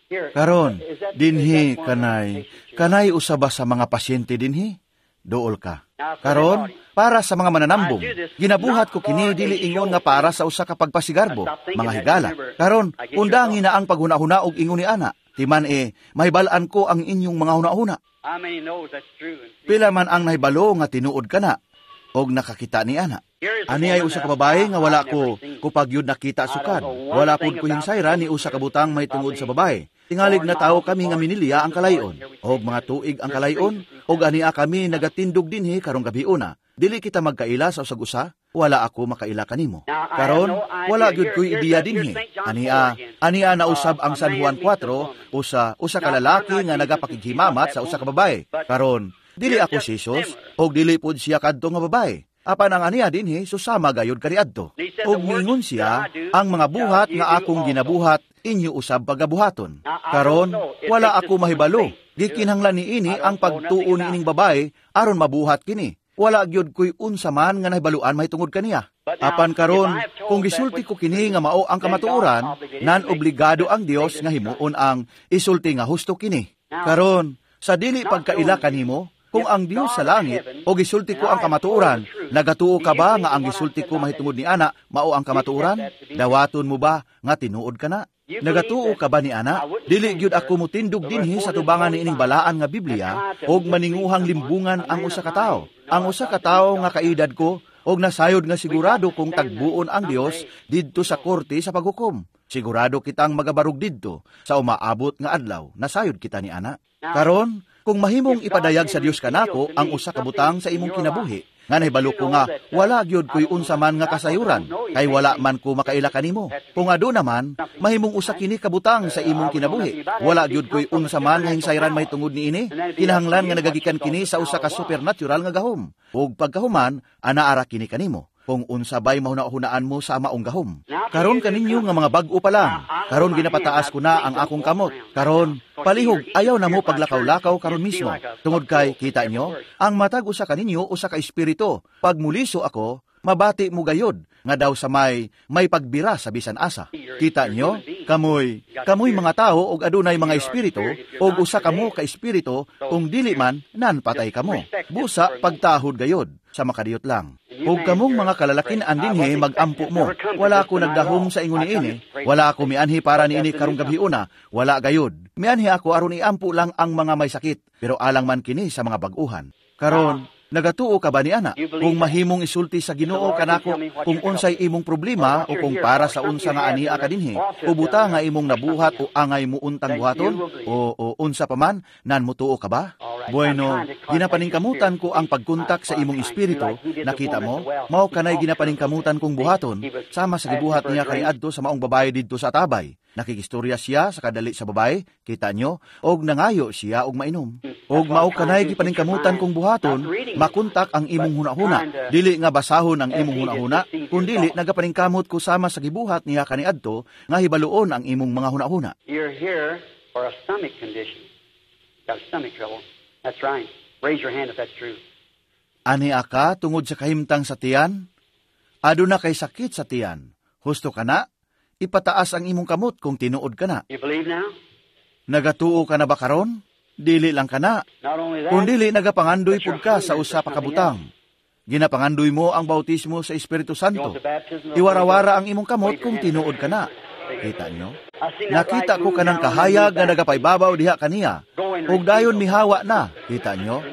Karon dinhi kanay usa ba sa mga pasyente dinhi? Dool ka. Karon, para sa mga mananambong, ginabuhat ko kini dili ingon nga para sa usa ka pagpasigarbo, mga higala. Karon, undangi na ang paghuna-huna og ingon ni ana. Timan mahibal-an ko ang inyong mga huna-huna. Pila man ang nahibalo nga tinuod kana og nakakita ni ana. Ani ay usa ka babae nga wala ko kupag yun nakita sukad. Wala pud ko hinsayra ni usa ka butang mahitungod sa babae. Tingalig na tao kami nga minilya ang kalayon, og mga tuig ang kalayon, og ania kami nagatindog dinhi karong gabiuna. Dili kita magkaila sa usag-usa, wala ako makaila kanimo. Karon, wala gyud ko'y ideya dinhi. Ania nausab ang San Juan 4, usa ka lalaki nga nagapakighimamat sa usa ka babae. Karon, dili ako si Jesus, og dili pud siya kadto nga babae. Apan ang aniya dinhi susama gayud kaniadto. Ug miingon siya, ang mga buhat nga akong ginabuhat inyo usab pagabuhaton. Karon, wala ako mahibalo. Gikinahanglan niini ang pagtuo niining babae aron mabuhat kini. Wala gyud ko'y unsa man nga nahibaluan mahitungod kaniya. Apan karon, kung gisulti ko kini nga mao ang kamatuoran, nan obligado ang Dios nga himuon ang isulti nga husto kini. Karon, sa dili pagkaila kanimo, kung ang Dios sa langit o gisulti ko ang kamatuoran, nagatuo ka ba nga ang gisulti ko mahitungod ni ana mao ang kamatuoran? Dawaton mo ba nga tinuod ka na? Nagatuo ka ba ni ana? Dili gyud ako motindog dinhi sa tubangan niining balaan nga Biblia og maninguhang limbungan ang usa ka tawo. Ang usa ka tawo nga kaedad ko og nasayod nga sigurado kung tagbuon ang Dios didto sa korte sa paghukom. Sigurado kitang magabarog didto sa umaabot nga adlaw. Nasayod kita ni ana. Karon, kung mahimong ipadayag sa Dios kanako ang usa ka butang sa imong kinabuhi, nga nahibalo ko nga wala gyud ko'y unsa man nga kasayuran, kay wala man ko makaila kanimo. Kung aduna man, mahimong usa kini kabutang sa imong kinabuhi, wala gyud ko'y unsa man nga hingsayran mahitungod niini, kinahanglan nga nagagikan kini sa usa ka supernatural nga gahom. Ug pagkahuman, anaara kini kanimo kung unsa bay mahuna-hunaan mo sa maong gahom. Karon kaninyo nga mga bag-o pa lang, karon ginapataas ko na ang akong kamot. Karon, palihog, ayaw na mo paglakaw-lakaw karon mismo. Tungod kay, kita nyo, ang matag usa kaninyo usa ka espiritu. Pag muliso ako, mabati mo gayod, nga daw sa may pagbira sa bisan asa. Kita nyo, kamoy mga tao og adunay mga espiritu, og usa kamo ka espiritu, kung dili man, nanpatay kamo. Busa pagtahod gayod, sa makadiyot lang. Ug kamong mga kalalakin-an dinhi, magampo mo. Wala ako nagdahom sa ingon niini. Wala ako mianhi para niini karong gabhiuna. Wala gayud. Mianhi ako aron iampo lang ang mga may sakit, pero alang man kini sa mga bag-uhan. Karon, nagatuo ka ba ni ana? Kung mahimong isulti sa Ginoo kanako kung unsay imong problema o kung para sa unsa nga ania ka dinhi, o buta nga imong nabuhat o angay mo untang buhaton o unsa pa man, nan mutuo ka ba? Bueno, ginapaningkamutan ko ang pagkontak sa imong espiritu. Nakita mo? Mao kanay ginapaningkamutan kong buhaton, sama sa gibuhat niya kaniadto sa maong babae didto sa tabay. Nakikistorya siya sa kadali sa babae, kita nyo, og nangayo siya og mainom. Og mao kanay gipaningkamutan kong buhaton, makontak ang imong hunahuna. Dili nga basahon ang imong hunahuna, kundili nagapaningkamot ko sama sa gibuhat niya kaniadto nga hibaluon ang imong mga hunahuna. You're here for a stomach condition. Got stomach trouble. That's right. Raise your hand if that's true. Ani ka tungod sa kahimtang sa tiyan? Aduna kay sakit sa tiyan. Husto ka na? Ipataas ang imong kamot kung tinuod ka na. You believe now? Nagatuo ka na ba karon? Dili lang ka na. Not only that, Kundili nagapangandoy pud ka sa usa pa ka butang. Ginapangandoy mo ang bautismo sa Espiritu you Santo. want the baptism of the Iwarawara Holy ang imong kamot kung tinuod ka na. Kita nyo? Ghost. I seen that Nakita light ko move kanang down and kahayag move nga back. nagapaybabaw diha kaniya. Ug dayon mihawa na. Kita nyo?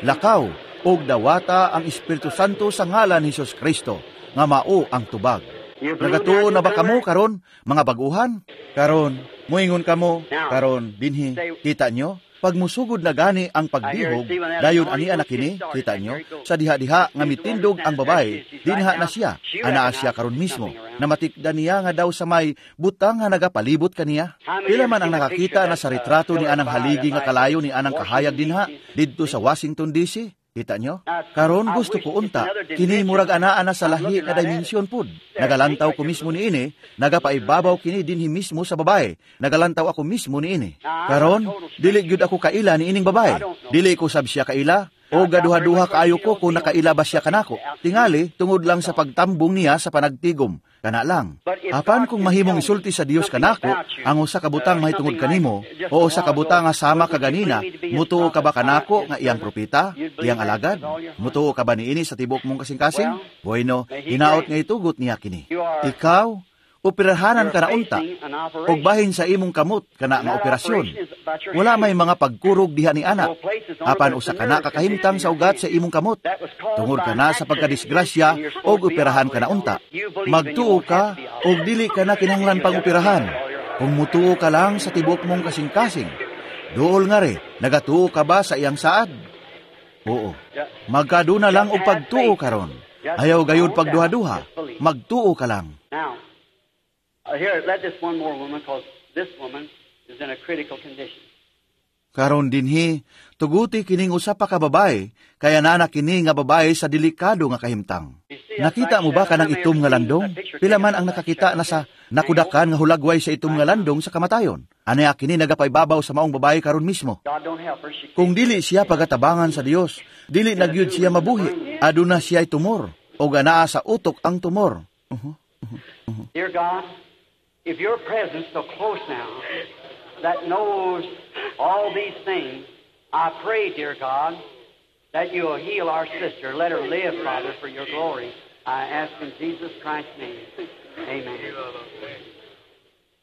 Lakaw ug dawata ang Espiritu Santo sa ngalan ni Hesus Kristo nga mao ang tubag. You believe Nagatuo now, na ba kamo newcomer? karon, mga baguhan? Karon, muingon kamo, karon dinhi. Kita nyo? Pag musugod na gani ang pagdihog, dayon ania na kini, kita nyo, sa diha-diha nga mitindog ang babae, dinha na siya, anaa siya karon mismo. Namatikda niya nga daw sa may butang nga nagapalibot kaniya. Pila man ang nakakita na sa retrato ni anang haligi nga kalayo ni anang kahayag dinha, didto sa Washington DC. Kita nyo? Karon gusto ko unta, kini murag anaa na sa lahi nga dimensyon pud. Nagalantaw ko mismo niini, nagapaibabaw kini dinhi mismo sa babae. Nagalantaw ako mismo niini. Karon, dili gyud ako kaila niining babae. Dili ko sab siya kaila, o gaduha-duha kaayo ko kung nakaila ba siya kanako. Tingali, tungod lang sa pagtambong niya sa panagtigom. Kana lang. Apan kung mahimong isulti sa Dios kanako, ang usa ka butang mahitungod kanimo, o usa ka butang nga sama kaganina, mutuo ka ba kanako nga iyang propeta, iyang alagad? Mutuo ka ba niini sa tibok mong kasing-kasing? Bueno, hinaot nga itugot niya kini. Ikaw, operahanan ka na unta, ug bahin sa imong kamot kana nga operasyon. Wala may mga pagkurog diha ni ana. Apan usa kana kakahimtang sa ugat sa imong kamot. Tungod kana sa pagkadisgrasya og operahan ka na unta. Magtuo ka og dili ka na kinahanglan pang operahan. Kung mutuo ka lang sa tibok mong kasing-kasing. Duol nga re, nagatuo ka ba sa iyang saad? Oo. Magkaduna lang og pagtuo karon. Ayaw gayud pagduha-duha. Magtuo ka lang. Now, here, let this one more woman, because this woman is in a critical condition. Karon dinhi, tuguti kining usa pa ka babae, kaya nana kini nga babae sa delikado nga kahimtang. Nakita mo ba kanang itom nga landong? Pila man ang nakakita na sa nakudakan nga hulagway sa itom nga landong sa kamatayon. Anaya kini nagapaybabaw sa maong babae karon mismo. God don't help her. She Kung dili siya pagatabangan sa Dios, dili na gyud siya mabuhi. Aduna siya tumor, o anaa sa utok ang tumor. Dear God, if your presence so close now that knows all these things, I pray, dear God, that you will heal our sister. Let her live, Father, for your glory. I ask in Jesus Christ's name. Amen.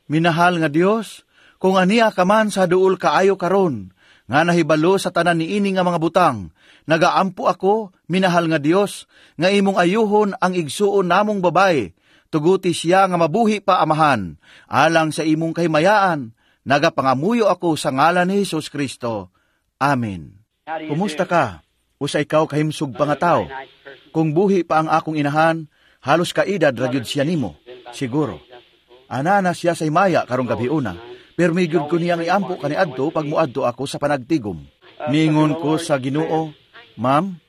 Minahal nga Dios, kung ania ka man sa duol kaayo karon, nga nahibalo sa tanan niini nga mga butang, nagaampo ako, minahal nga Dios, nga imong ayuhon ang igsuon namong babae, tuguti siya nga mabuhi pa, Amahan, alang sa imong kahimayaan, nagapangamuyo ako sa ngalan ni Hesus Kristo. Amen. How do you Kumusta do? ka? Usa ikaw kahimsog pa nga tao. Very nice person. Kung buhi pa ang akong inahan, halos kaedad ra gyud siya nimo. Siguro. Ana na siya sa himaya karong gabiuna. Pero gyud ko niyang iampo kaniadto pag muadto ako sa panagtigom. Ningon ko sa Ginoo, "Ma'am,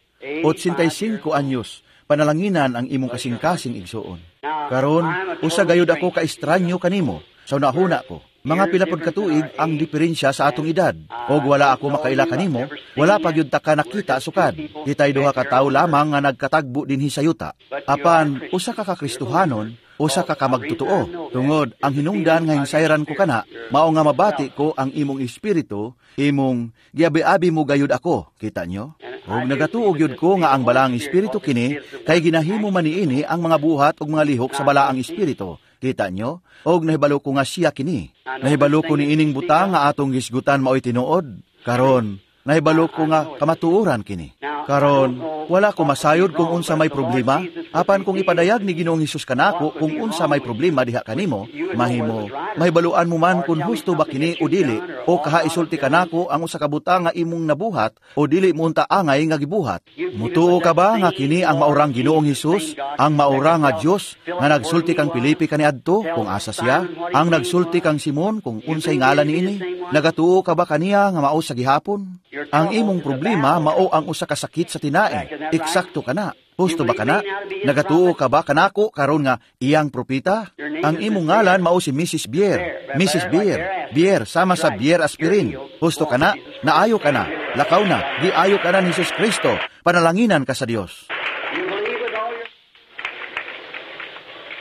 85 anyos, panalanginan ang imong kasing-kasing igsuon. Karon, usa gayud ako ka estranyo kanimo sa unahuna ko. Mga pila pod ka tuig ang diferensya sa atong edad. Og wala ako makaila kanimo, wala pa gyud ta ka nakita sukad. Kitay duha ka tawo lamang nga nagkatagbo dinhi sa yuta. Apan usa ka kakristohanon Usa ka kamagtotoo. Tungod ang hinungdan nga hinsayran ko kana, mao nga mabati ko ang imong espiritu, imong giabi-abi mo gayud ako. Kita nyo? Og nagatuo gyud ko nga ang balaang espiritu kini kay ginahimo man niini ang mga buhat ug mga lihok sa balaang espiritu. Kita nyo? Og nahibalo ko nga siya kini. Nahibalo ko niining butang nga atong gisgutan maoy tinuod. Karon, nahibalo ko nga kamatuoran kini. Karon, wala ko masayod kung unsa may problema, apan kung ipadayag ni Ginoong Hesus kanako kung unsa may problema diha kanimo, mahimo mahibaluan mo man kung husto ba kini o dili, o kaha isulti kanako ang usa ka butang nga imong nabuhat o dili mo unta angay nga gibuhat. Mutuo ka ba nga kini ang maurang Ginoong Hesus, ang maura nga Dios nga nagsulti kang Pilipi kaniadto kung asa siya, ang nagsulti kang Simon kung unsay ngalan niini? Nagatuo ka ba kaniya nga mao sa gihapon? Ang imong problema mao ang usa ka sakit sa tinae. Eksakto ka na. Husto ba kana? Nagatuo ka ba kanako karon nga iyang propita? Ang imong ngalan mao si Mrs. Bier. Mrs. Bier. Bier sama sa Bier aspirin. Husto ka na? Naayo ka na. Lakaw na. Giayo ka na ni Jesus Kristo. Panalanginan ka sa Dios.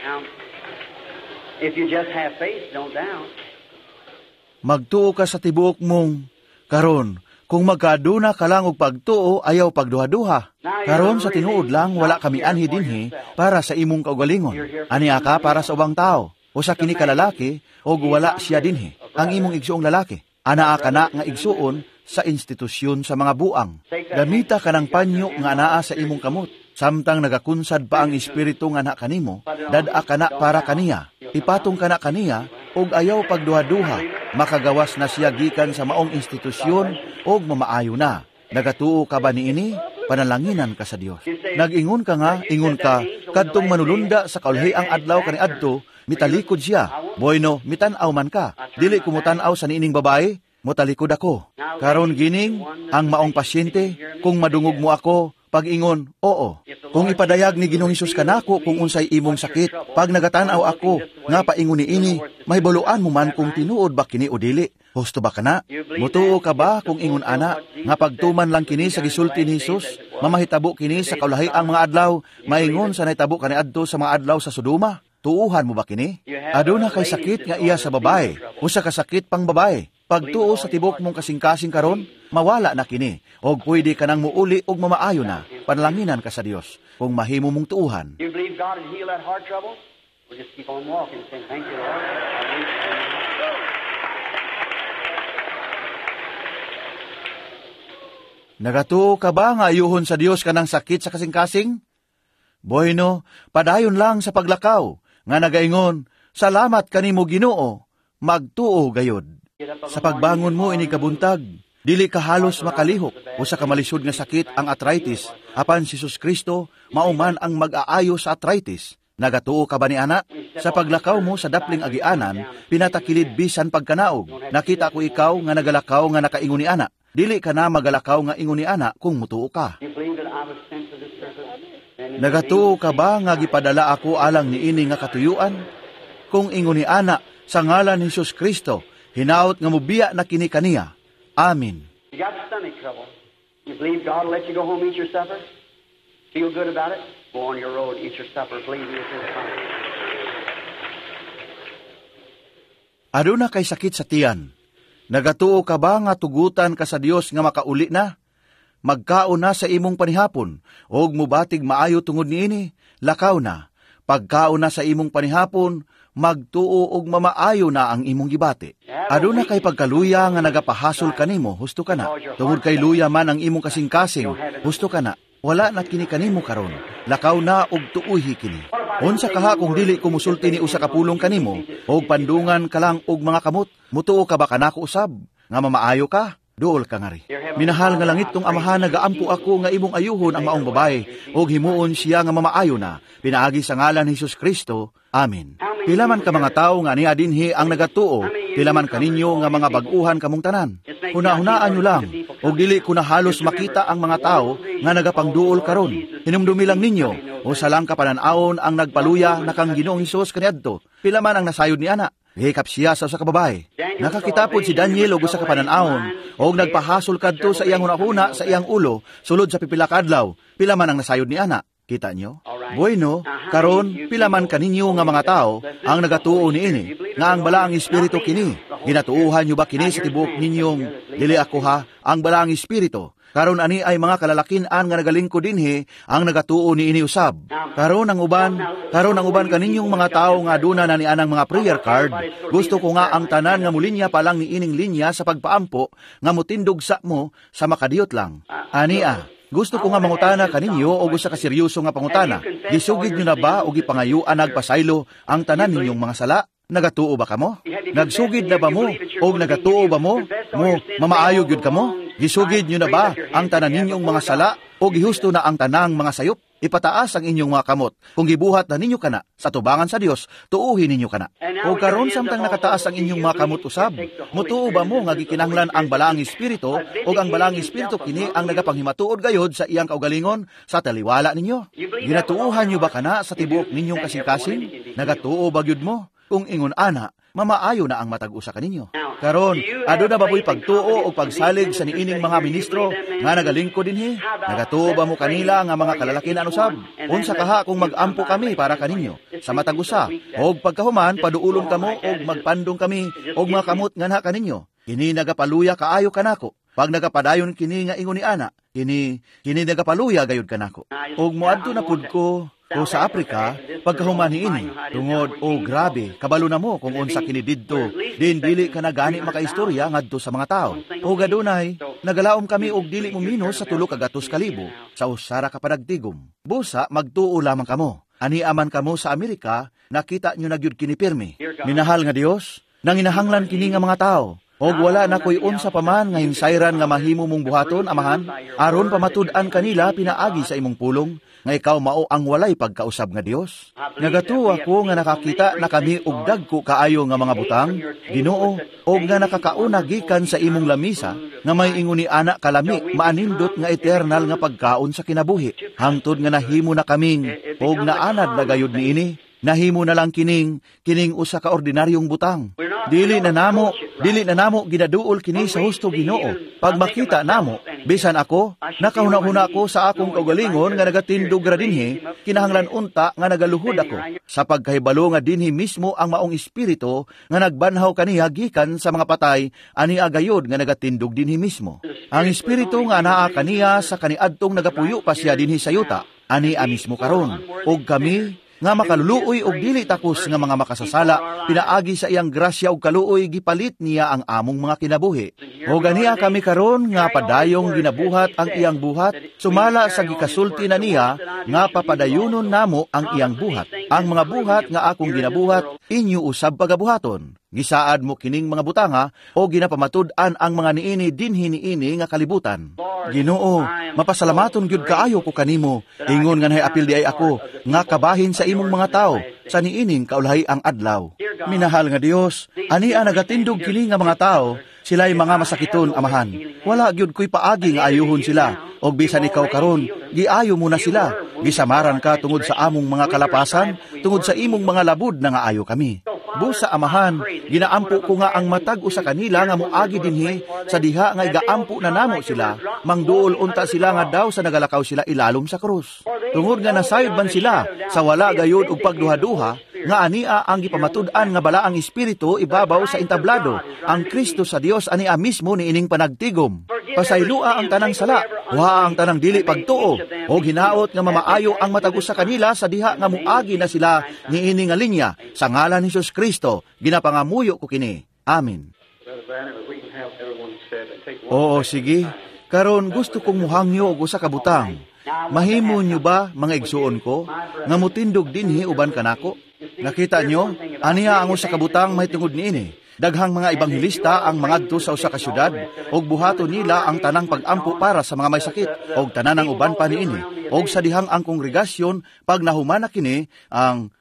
Now, if you just have faith, don't doubt. Magtuo ka sa tibuok mong karon. Kung magkaduna ka lang og pagtuo, ayaw pagduha-duha. Karon sa tinuod lang, wala kami anhi dinhi para sa imong kaugalingon. Ania ka para sa ubang tao. Usa kini ka lalaki, og wala siya dinhi. Ang imong igsuong lalaki. Anaa ka na nga igsuon sa institusyon sa mga buang. Gamita ka ng panyo nga anaa sa imong kamot. Samtang nagakunsad pa ang espiritu nga na kanimo, dad-a ka na para kaniya. Ipatong ka na kaniya, og ayaw pagduha-duha. Makagawas na siya gikan sa maong institusyon og mamaayo na. Nagatuo ka ba niini? Panalanginan ka sa Dios. Nag-ingon ka nga, ingon ka, kadtong manulunda sa kaulhi ang adlaw kaniadto, mitalikod siya. Bueno, mitan-aw man ka. Dili ko mutan-aw sa niining babae, mutalikod ako. Karon gining, ang maong pasyente, kung madungog mo ako, pag-ingon, oo. Kung ipadayag ni Ginoong Hesus kanako kung unsay imong sakit, pag nagatan-aw ako, nga paingon niini, mahibaloan mo man kung tinuod ba kini o dili. Husto ba kana? Mutuo ka ba kung ingon ana, nga pagtuman lang kini sa gisulti ni Hesus, mamahitabo kini sa kaulahi ang mga adlaw, maingon sa nahitabo kaniadto sa mga adlaw sa Sodoma? Tuuhan mo ba kini? Aduna kay sakit nga iya sa babae, usa ka sakit pang babae. Pagtuo sa tibok mong kasing-kasing karon, mawala na kini, og pwede ka nang muuli og mamaayo na. Panalanginan ka sa Dios kung mahimo mong tuuhan. You believe God will heal that heart trouble? We'll just keep on walking, saying, "Thank you, Lord. I believe." Nagatuo ka ba nga ayuhon sa Dios kanang sakit sa kasing-kasing? Bueno, padayon lang sa paglakaw, nga nagaingon, salamat kanimo Ginoo, magtuo gayod. Sa pagbangon mo ini kabuntag, dili ka halos makalihok, usa ka malisod nga sakit ang arthritis, apan si Jesus Kristo mao man ang mag-aayo sa arthritis. Nagatuo ka ba ni ana? Sa paglakaw mo sa dapling agianan, pinatakilid bisan pagkanaog. Nakita ko ikaw nga nagalakaw nga nakaingon ni ana. Dili ka na magalakaw nga ingon ni ana kung mutuo ka. Nagatuo ka ba nga gipadala ako alang niini nga katuyuan? Kung ingon ni ana sa ngalan ni Jesus Kristo, hinaot nga mubiya na kini kaniya. Amen. You got stomach trouble. You believe God will let you go home, eat your supper? Feel good about it? Go on your road, eat your supper, believe me, it's fine. Aduna kay sakit sa tiyan. Nagatuo ka ba nga tugutan ka sa Dios nga makauli na? Magkaon na sa imong panihapon, og mubatig maayo tungod niini, lakaw na. Pagkaon na sa imong panihapon, magtuo og mamaayo na ang imong gibati. Aduna kay pagkaluya nga nagapahasol kanimo, husto ka na. Tungod kay luya man ang imong kasing-kasing, husto ka na. Wala na kini kanimo karon. Lakaw na og tuuhi kini. Unsa kaha kung dili ko musulti ni usa ka pulong kanimo, og pandungan ka lang og mga kamot, mutuo ka ba kanako usab nga mamaayo ka? Duol ka ngari. Minahal nga langit tong amahan, nagaampo ako nga imong ayuhon ang maong babae, og himuon siya nga mamaayo na, pinaagi sa ngalan ni Jesus Kristo. Amen. Pila man ka mga tawo nga niya dinhi ang nagatuo, pila man kaninyo nga mga bag-uhan kamong tanan. Hunahunaan nyo lang, og dili ko na halos makita ang mga tao nga nagapangduol karon. Hinumdumi lang ninyo, usa lang ka panan-awon ang nagpaluya na kang Ginoong Hesus kaniadto. Pila man ang nasayod ni ana. Gihikap siya sa usa ka babae. Nakakita pod si Daniel og usa ka panan-awon, og nagpahasol kadto sa iyang hunahuna sa iyang ulo sulod sa pipila ka adlaw. Pila man ang nasayod ni ana. Kita nyo? Bueno, karon pila man kaninyo nga mga tao ang nagatuo niini, nga ang Balaang Espiritu kini. Ginatuohan niyo ba kini sa tibuok ninyong dili ako ha, ang Balaang Espiritu? Karon ani ay mga kalalakin-an nga nagalingkod dinhi ang nagatuo niini usab. Karon ang uban kaninyong mga tawo nga aduna na ni anang mga prayer card, gusto ko nga ang tanan nga mulinya pa lang niining linya sa pagpaampo nga mutindog sa mo sa makadiyot lang. Ania, gusto ko nga mangutana kaninyo og usa ka seryoso nga pangutana. Gisugid nyo na ba o gipangayuan nagpasaylo ang tanan ninyong mga sala? Nagatuo ba kamo? Nagsugid na ba mo? O nagatuo ba mo? Mo mamaayo gyud kamo? Gisugid nyo na ba ang tanan ninyong mga sala o gihusto na ang tanang mga sayop? Ipataas ang inyong mga kamot. Kung gibuhat na ninyo kana sa tubangan sa Dios, tuuhin ninyo kana. O karon samtang nakataas ang inyong mga kamot usab, mutuo ba mo nga gikinahanglan ang Balaang Espiritu o ang Balaang Espiritu kini ang nagapanghimatuod gayod sa iyang kaugalingon sa taliwala ninyo? Ginatuohan nyo ba kana sa tibuok ninyong kasing-kasing? Nagatuo ba gyud mo? Kung ingon ana, mamaayo na ang matag usa kaninyo. Karon, aduna ba mo'y pagtuo o pagsalig sa niining mga ministro nga nagalingkod dinhi? Nagatuo ba mo kanila nga mga kalalakin usab? Unsa kaha kung mag-ampo kami para kaninyo sa matag usa? Og pagkahuman paduulon kamo og magpandong kami og mga kamot nganha kaninyo. Kini nagapaluya kaayo kanako. Pag nagapadayon kini nga ingon ni ana, kini kini nagapaluya gayud kanako. Og moadto na pud ko o sa Afrika, pagkahuman niini, tungod, oh grabe, kabalo na mo kung unsa kini didto, din dili ka na gani makaistorya ngadto sa mga tao. O gadunay, nagalaom kami og dili mo minus sa 300,000 sa usara ka panagtigom. Busa, magtuo lamang kamo. Ani aman kamo sa Amerika, nakita nyo na gyud kini pirmi. Minahal nga Dios, nanginahanglan kini nga mga tao. Og wala na ko'y unsa pa man nga hinsayran nga mahimo mong buhaton, Amahan, aron pamatud-an kanila pinaagi sa imong pulong, nga ikaw mao ang walay pagkausab nga Dios. Nagatuo ako nga nakakita na kami og dagko kaayo nga mga butang, Ginoo, og nga nakakauna gikan sa imong lamisa, nga may ingon ni ana kalami, maanindot nga eternal nga pagkaon sa kinabuhi. Hangtod nga nahimo na kaming, og naanad na gayud niini, nahimo na lang kining kining usa ka ordinaryong butang. Dili na namo ginaduol kini sa husto, Ginoo. Pag makita namo, bisan ako, nakahuna-huna ko sa akong kaugalingon nga nagatindog ra dinhi, kinahanglan unta nga nagaluhod ako sa pagkahibalo nga dinhi mismo ang maong espiritu nga nagbanhaw kaniya gikan sa mga patay, ani agayod nga nagatindog dinhi mismo. Ang espiritu nga anaa kaniya sa kaniadtong nagapuyo pa siya dinhi sa yuta, ani a mismo karon. Og kami nga makaluluoy og dili takos nga mga makasasala, pinaagi sa iyang grasya ug kaluoy gipalit niya ang among mga kinabuhi. O ganiya kami karon nga padayong ginabuhat ang iyang buhat, sumala sa gikasulti na niya nga papadayunon namo ang iyang buhat. Ang mga buhat nga akong ginabuhat, inyo usab pagabuhaton. Gisaad mo kining mga butanga o ginapamatud-an ang mga niini dinhi niini nga kalibutan. Ginoo, mapasalamaton gyud kaayo ko kanimo. Ingon nga nahiapil di ay ako nga kabahin sa imong mga tao sa niining kaulahi ang adlaw. Minahal nga Dios, ani ang nagatindog kini nga mga tao, sila'y mga masakiton, Amahan. Wala gyud ko'y paagi nga ayuhon sila. Og bisan ikaw karon, giayo mo na sila. Gisamaran ka tungod sa among mga kalapasan, tungod sa imong mga labud na nga ayo kami. Busa, Amahan, ginaampo ko nga ang matag usa kanila nga moagi dinhi sa diha nga igaampo na namo sila, mangduol unta sila nga daw sa nagalakaw sila ilalom sa krus. Tungod nga nasayod man sila sa wala gayud og pagduha-duha, nga ania ang gipamatud-an nga Balaang Espiritu ibabaw sa entablado, ang Kristo sa Dios ania mismo niining panagtigom. Pasaylua ang tanang sala, wa ang tanang dili pagtuo, og hinaot nga mamaayo ang matag usa kanila sa diha nga muagi na sila niini nga linya. Sa ngalan ni Jesus Kristo, ginapangamuyo ko kini. Amen. Oo, sige. Karon gusto kong muhangyo og usa ka butang. Mahimo nyo ba, mga igsuon ko, nga mutindog dinhi uban kanako? Nakita nyo, aniya ang usa ka butang mahitungod niini. Daghang mga ebanghelista ang mangadto sa usa ka syudad ug buhaton nila ang tanang pag-ampo para sa mga may sakit og tanan ang uban pa niini. Og sa dihang ang kongregasyon pag nahuman na kini ang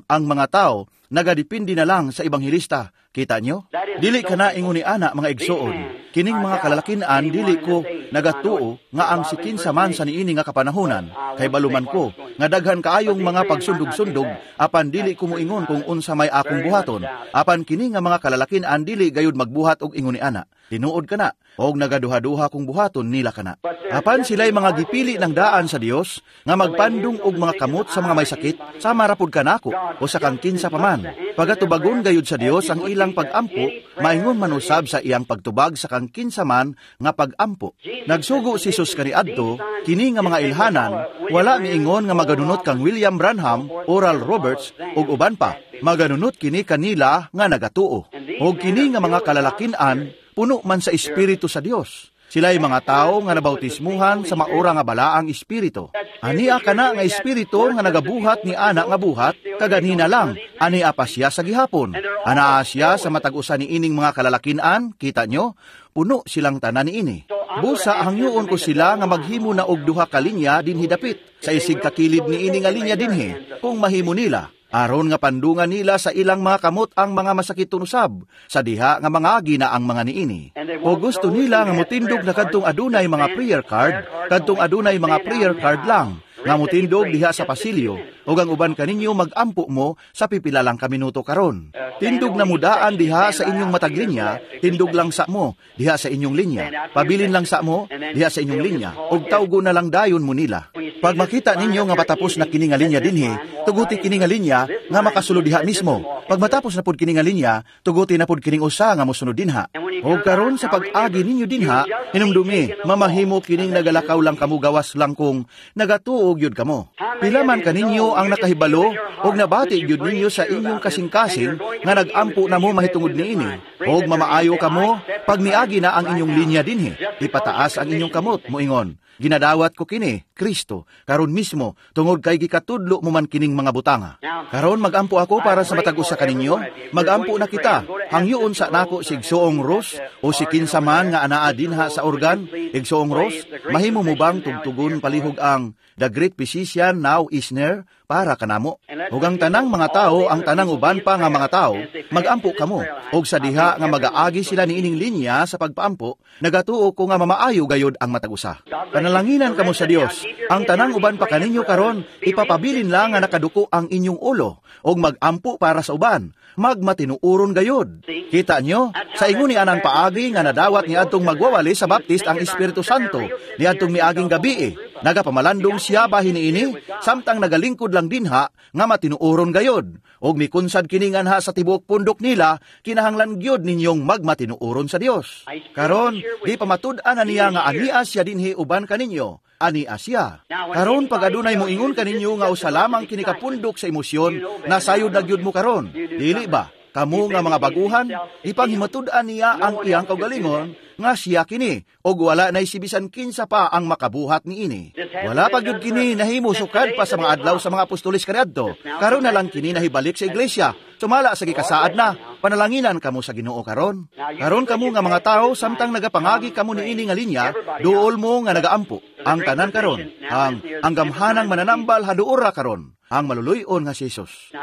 mga tao nagadepende na lang sa ebanghelista. Kita nyo? Dili kana ingon ni ana mga igsoon. Kining mga kalalakinan dili ko nagatuo nga ang si kinsa man sa niini nga kapanahonan kay baluman ko nga daghan kaayong mga pagsundog-sundog apan dili ko moingon kung unsa may akong buhaton. Apan kini nga mga kalalakinan dili gayud magbuhat og ingon ni ana. Tinuod kana og nagaduha-duha kung buhaton nila kana. Apan sila'y mga gipili ng daan sa Dios nga magpandong og mga kamot sa mga may sakit sama ra pud kanako o sa kang kinsa pa man. Pagatubagon gayud sa Dios ang ilang pagampo, maingon man usab sa iyang pagtubag sa kang kinsa man nga pagampo. Nagsugo si Jesus kaniadto kini nga mga ilhanan, wala miingon nga maganunot kang William Branham, Oral Roberts ug uban pa. Maganunot kini kanila nga nagatuo. Og kini nga mga kalalakinan puno man sa espiritu sa Dios. Sila'y mga tao nga nabautismuhan sa maura nga balaang espiritu. Ania kana nga espiritu nga nagabuhat ni ana nga buhat, kaganina lang, ania pa siya sa gihapon. Anaa siya sa matag usa ni ining mga kalalakinan, kita nyo, puno silang tanan niini. Busa hangyoon ko sila nga maghimo na og duha ka linya dinhi dapit, sa isig kakilid niini nga linya dinhi, kung mahimo nila. Aron nga pandungan nila sa ilang mga kamot ang mga masakiton usab, sa diha nga mangagi na ang mga niini. O gusto nila nga motindog na kadtong adunay mga prayer card, kadtong adunay mga prayer card lang, nga motindog diha sa pasilyo, ug ang uban kaninyo magampo mo sa pipila lang ka minuto karon. Tindog na mudaan diha sa inyong matag linya, tindog lang sa mo diha sa inyong linya. Pabilin lang sa mo diha sa inyong linya, ug tawgo na lang dayon mo nila. Pag makita ninyo nga patapos na kini nga linya dinhi, tuguti kini nga linya nga makasulod diha mismo. Pag matapos na pud kini nga linya, tuguti na pud kining usa nga mosunod dinha. Ug karon sa pag-agi ninyo dinha, hinumdumi, mamahimo kining nagalakaw lang kamo gawas lang kung nagatuo gyud kamo. Pila man kaninyo ang nakahibalo og nabati gyud ninyo sa inyong kasing-kasing nga nagampo na mo mahitungod niini. Og mamaayo kamo pag miagi na ang inyong linya dinhi, ipataas ang inyong kamot moingon, ginadawat ko kini, Kristo, karon mismo, tungod kay gikatudlo mo man kining mga butanga. Karon magampo ako para sa matag usa kaninyo, magampo na kita. Hangyoon sa nako si Igsoong Ros o si kinsa man nga anaa dinha sa organ, Igsoong Ros, mahimo mo bang tugtugon palihog ang The Great Physician Now is Near para kanamo? Ug ang tanang mga tao, ang tanang uban pa nga mga tao, magampo kamo. Ug sa diha nga magaagi sila niining linya sa pagpaampo, nagatuo ko nga mamaayo gayod ang matag usa. Panalanginan kamo sa Dios. Ang tanang uban pa kaninyo karon, ipapabilin lang nga nakaduko ang inyong ulo ug magampo para sa uban. Magmatinuoron gayod. Kita nyo, sa ingon ni anang paagi nga nadawat ni adtong magwawali sa Baptist ang Espiritu Santo ni adtong miaging gabi. Nagapamalandong siya bahin niini samtang nagalingkod lang dinha nga matinuoron gayod. Og mikunsad kini nganha sa tibuok pundok nila, kinahanglan gyud ninyong magmatinuoron sa Dios. Karon, di pamatud-an na niya nga ania siya dinhi uban kaninyo. Ani siya. Karon pag adunay mo ingon kaninyo nga usa lamang kini kapundok sa emosyon, nasayod na gyud mo karon. Dili ba? Kamo nga mga baguhan, ipanghimatud-an niya ang iyang kaugalingon nga siya kini, og wala nay sibisan kinsa pa ang makabuhat niini. Wala pa gyud kini nahimo sukad pa sa mga adlaw sa mga apostoles kaniadto. Karon na lang kini nahibalik sa iglesia. Sumala sa gikasaad na, panalanginan kamo sa Ginoo karon. Karon kamo nga mga tao samtang nagapangagi kamo niini nga linya, duol mo nga nagaampo. Ang tanan karon, ang gamhanang mananambal haduora karon, ang maluluy-on nga si Jesus.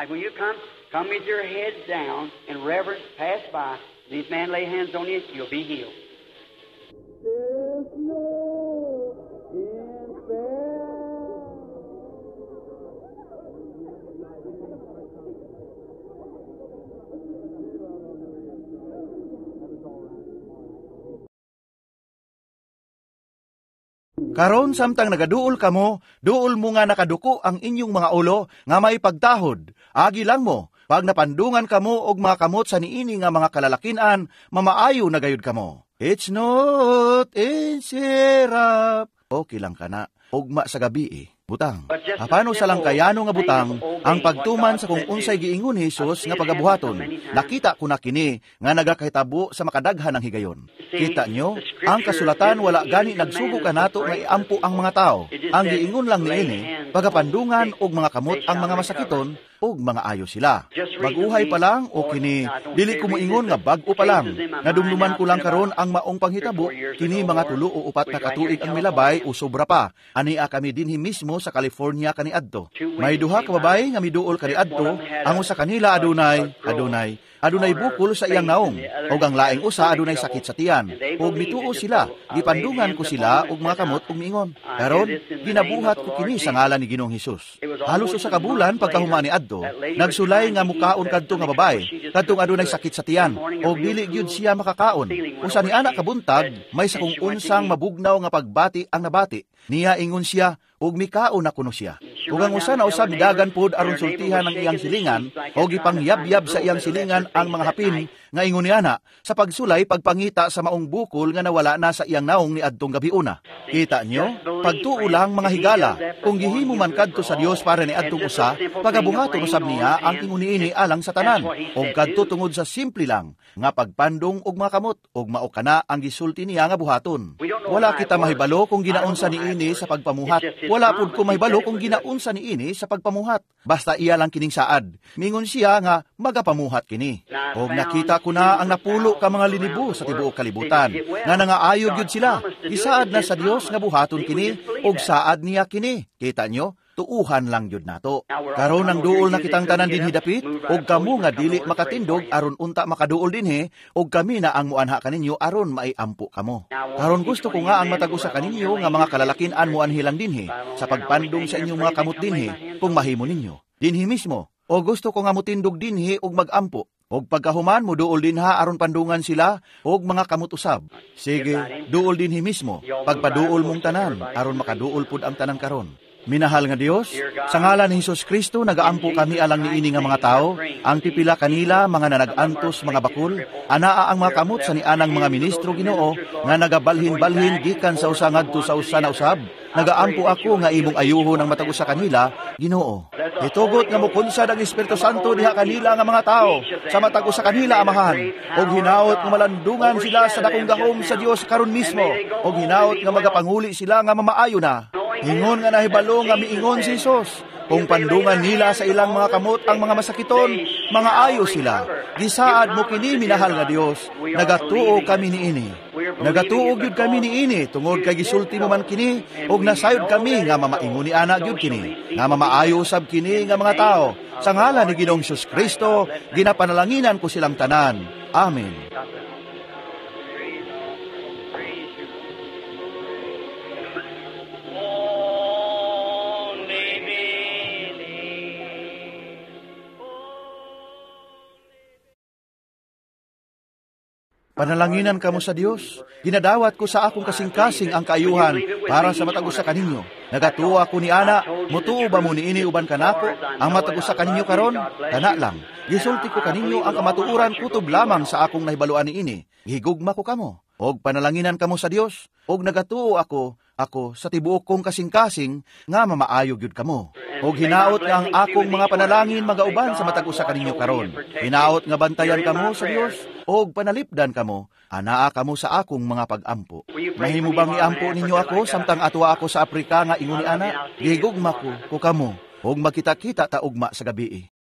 Come with your heads down in reverence, pass by. These men lay hands on you, you'll be healed. There's no instead. Karon samtang nagaduol kamo, duol mo nga nakaduko ang inyong mga ulo nga may pagtahod. Agi lang mo, pag napandungan kamo og mga kamot sa niini nga mga kalalakinan, mamaayo na gayud kamo. It's not in syrup. Okay lang kana. Ugma sa gabi eh. Butang. Apano sa lang kayano nga butang, ang pagtuman sa kung unsay giingon ni Hesus nga pagabuhaton. Nakita ko na kini nga nagakahitabo sa makadaghan ng higayon. Kita nyo, ang kasulatan wala gani nagsugo kanato nga iampo ang mga tao. Ang giingon lang niini, pagapandungan og mga kamot ang mga masakiton ug mga ayo sila. Baguhay pa lang o kini, dili ko moingon nga bag-o pa lang. Nadumduman ko lang karon ang maong panghitabo, kini mga 3 o 4 na katuig ang milabay o sobra pa. Ania kami dinhi mismo sa California kaniadto. May duha ka babae nga miduol kaniadto, ang usa kanila adunay bukol sa iyang naong, ug ang laing usa adunay sakit sa tiyan. Ug mituo sila, gipandungan ko sila og mga kamot ug miingon, karon ginabuhat ko kini sa ngalan ni Ginoong Hesus. Halos usa ka bulan pagkahuman ni adto, nagsulay nga mukaon kadto nga babae, kadtong adunay sakit sa tiyan, ug dili gyud siya makakaon. Usa ni anak kabuntag, may sakong unsang mabugnaw nga pagbati ang nabati. Niya ingon siya, ug mikaon na kuno siya. Ug ang usa na usab midagan pod aron sultihan ang iyang silingan, o gipangyabyab sa iyang silingan ang mga hapin nga ingon niya na sa pagsulay pagpangita sa maong bukol nga nawala na sa iyang naong ni adtong gabiuna. Kita nyo, pagtuo lang mga higala, kung gihimo man kadto sa Dios para ni adtong usa, pagabuhaton usab niya ang ingon niini alang sa tanan, og kadto tungod sa simple lang nga pagpandong og mga kamot og mao kana ang gisulti niya nga buhaton. Wala kita mahibalo kung ginaunsa niini sa pagpamuhat. Wala pud ko mahibalo kung ginaunsa niini sa pagpamuhat. Basta iya lang kining saad. Mingon siya nga magapamuhat kini. Og nakita ko na ang napulo ka mga linibo sa tibuok kalibutan nga nangaayo gyud sila. Isaad na sa Dios nga buhaton kini og saad niya kini. Kita nyo? Tuuhan lang gyud nato. Karon ang duol na kitang tanan dinhi dapit, og kamo nga dili makatindog aron unta makaduol dinhi, og kami na ang muanha kaninyo aron maiampo kamo. Karon gusto ko nga ang matag usa kaninyo nga mga kalalakin-an muanhi lang dinhi sa pagpandong sa inyong mga kamot dinhi kung mahimo ninyo. Dinhi mismo, o gusto ko nga mutindog dinhi og magampo. Og pagkahuman mo duol dinha aron pandungan sila og mga kamot usab. Sige, duol dinhi mismo. Pagpaduol mong tanan aron makaduol pud ang tanan karon. Minahal nga Dios, sa ngalan ni Hesus Kristo nagaampo kami alang niini nga mga tao, ang pipila kanila mga nanag-antos mga bakul, anaa ang mga kamot sa nianang mga ministro Ginoo nga nagabalhin-balhin gikan sa usa ngadto sa usa na usab. Nagaampo ako nga imong ayuhon ang matag usa kanila, Ginoo. Hitugot nga mokunsad ang Espiritu Santo diha kanila nga mga tao, sa matag usa kanila Amahan, og hinaot nga malandungan sila sa dakong gahom sa Dios karon mismo, og hinaot nga magapanguli sila nga mamaayo na. Ingon nga nahibalo nga miingon si Hesus, kung pandungan nila sa ilang mga kamot ang mga masakiton, mga ayo sila. Gisaad mo kini, minahal nga Dios, nagatuo kami niini. Nagatuo gyud kami niini tungod kay gisulti mo man kini, ug nasayod kami nga mamaingon ni ana gyud kini, nga mamaayo usab kini nga mga tao. Sa ngalan ni Ginoong Hesus Kristo, ginapanalanginan ko silang tanan. Amen. Panalanginan kamo sa Dios. Ginadawat ko sa akong kasing-kasing ang kaayuhan para sa matag usa kaninyo. Nagatuo ako ni ana, mutuo ba mo niini uban kanako? Ang matag usa kaninyo karon, kana lang. Gisulti ko kaninyo ang kamatuoran kutob lamang sa akong nahibaluan niini. Gihigugma ko kamo. Og panalanginan kamo sa Dios. Og nagatuo ako sa tibuok kong kasing-kasing nga mamaayo gyud kamo. Og hinaot nga ang akong mga panalangin magauban sa matag usa kaninyo karon. Hinaot nga bantayan kamo sa Dios og panalipdan kamo, anaa kamo sa akong mga pag-ampo. Mahimo bang iampo ninyo ako samtang atuwa ako sa Aprika nga ingon ni ana? Gihigugma ko kamo og makita-kita ta ugma sa gabii.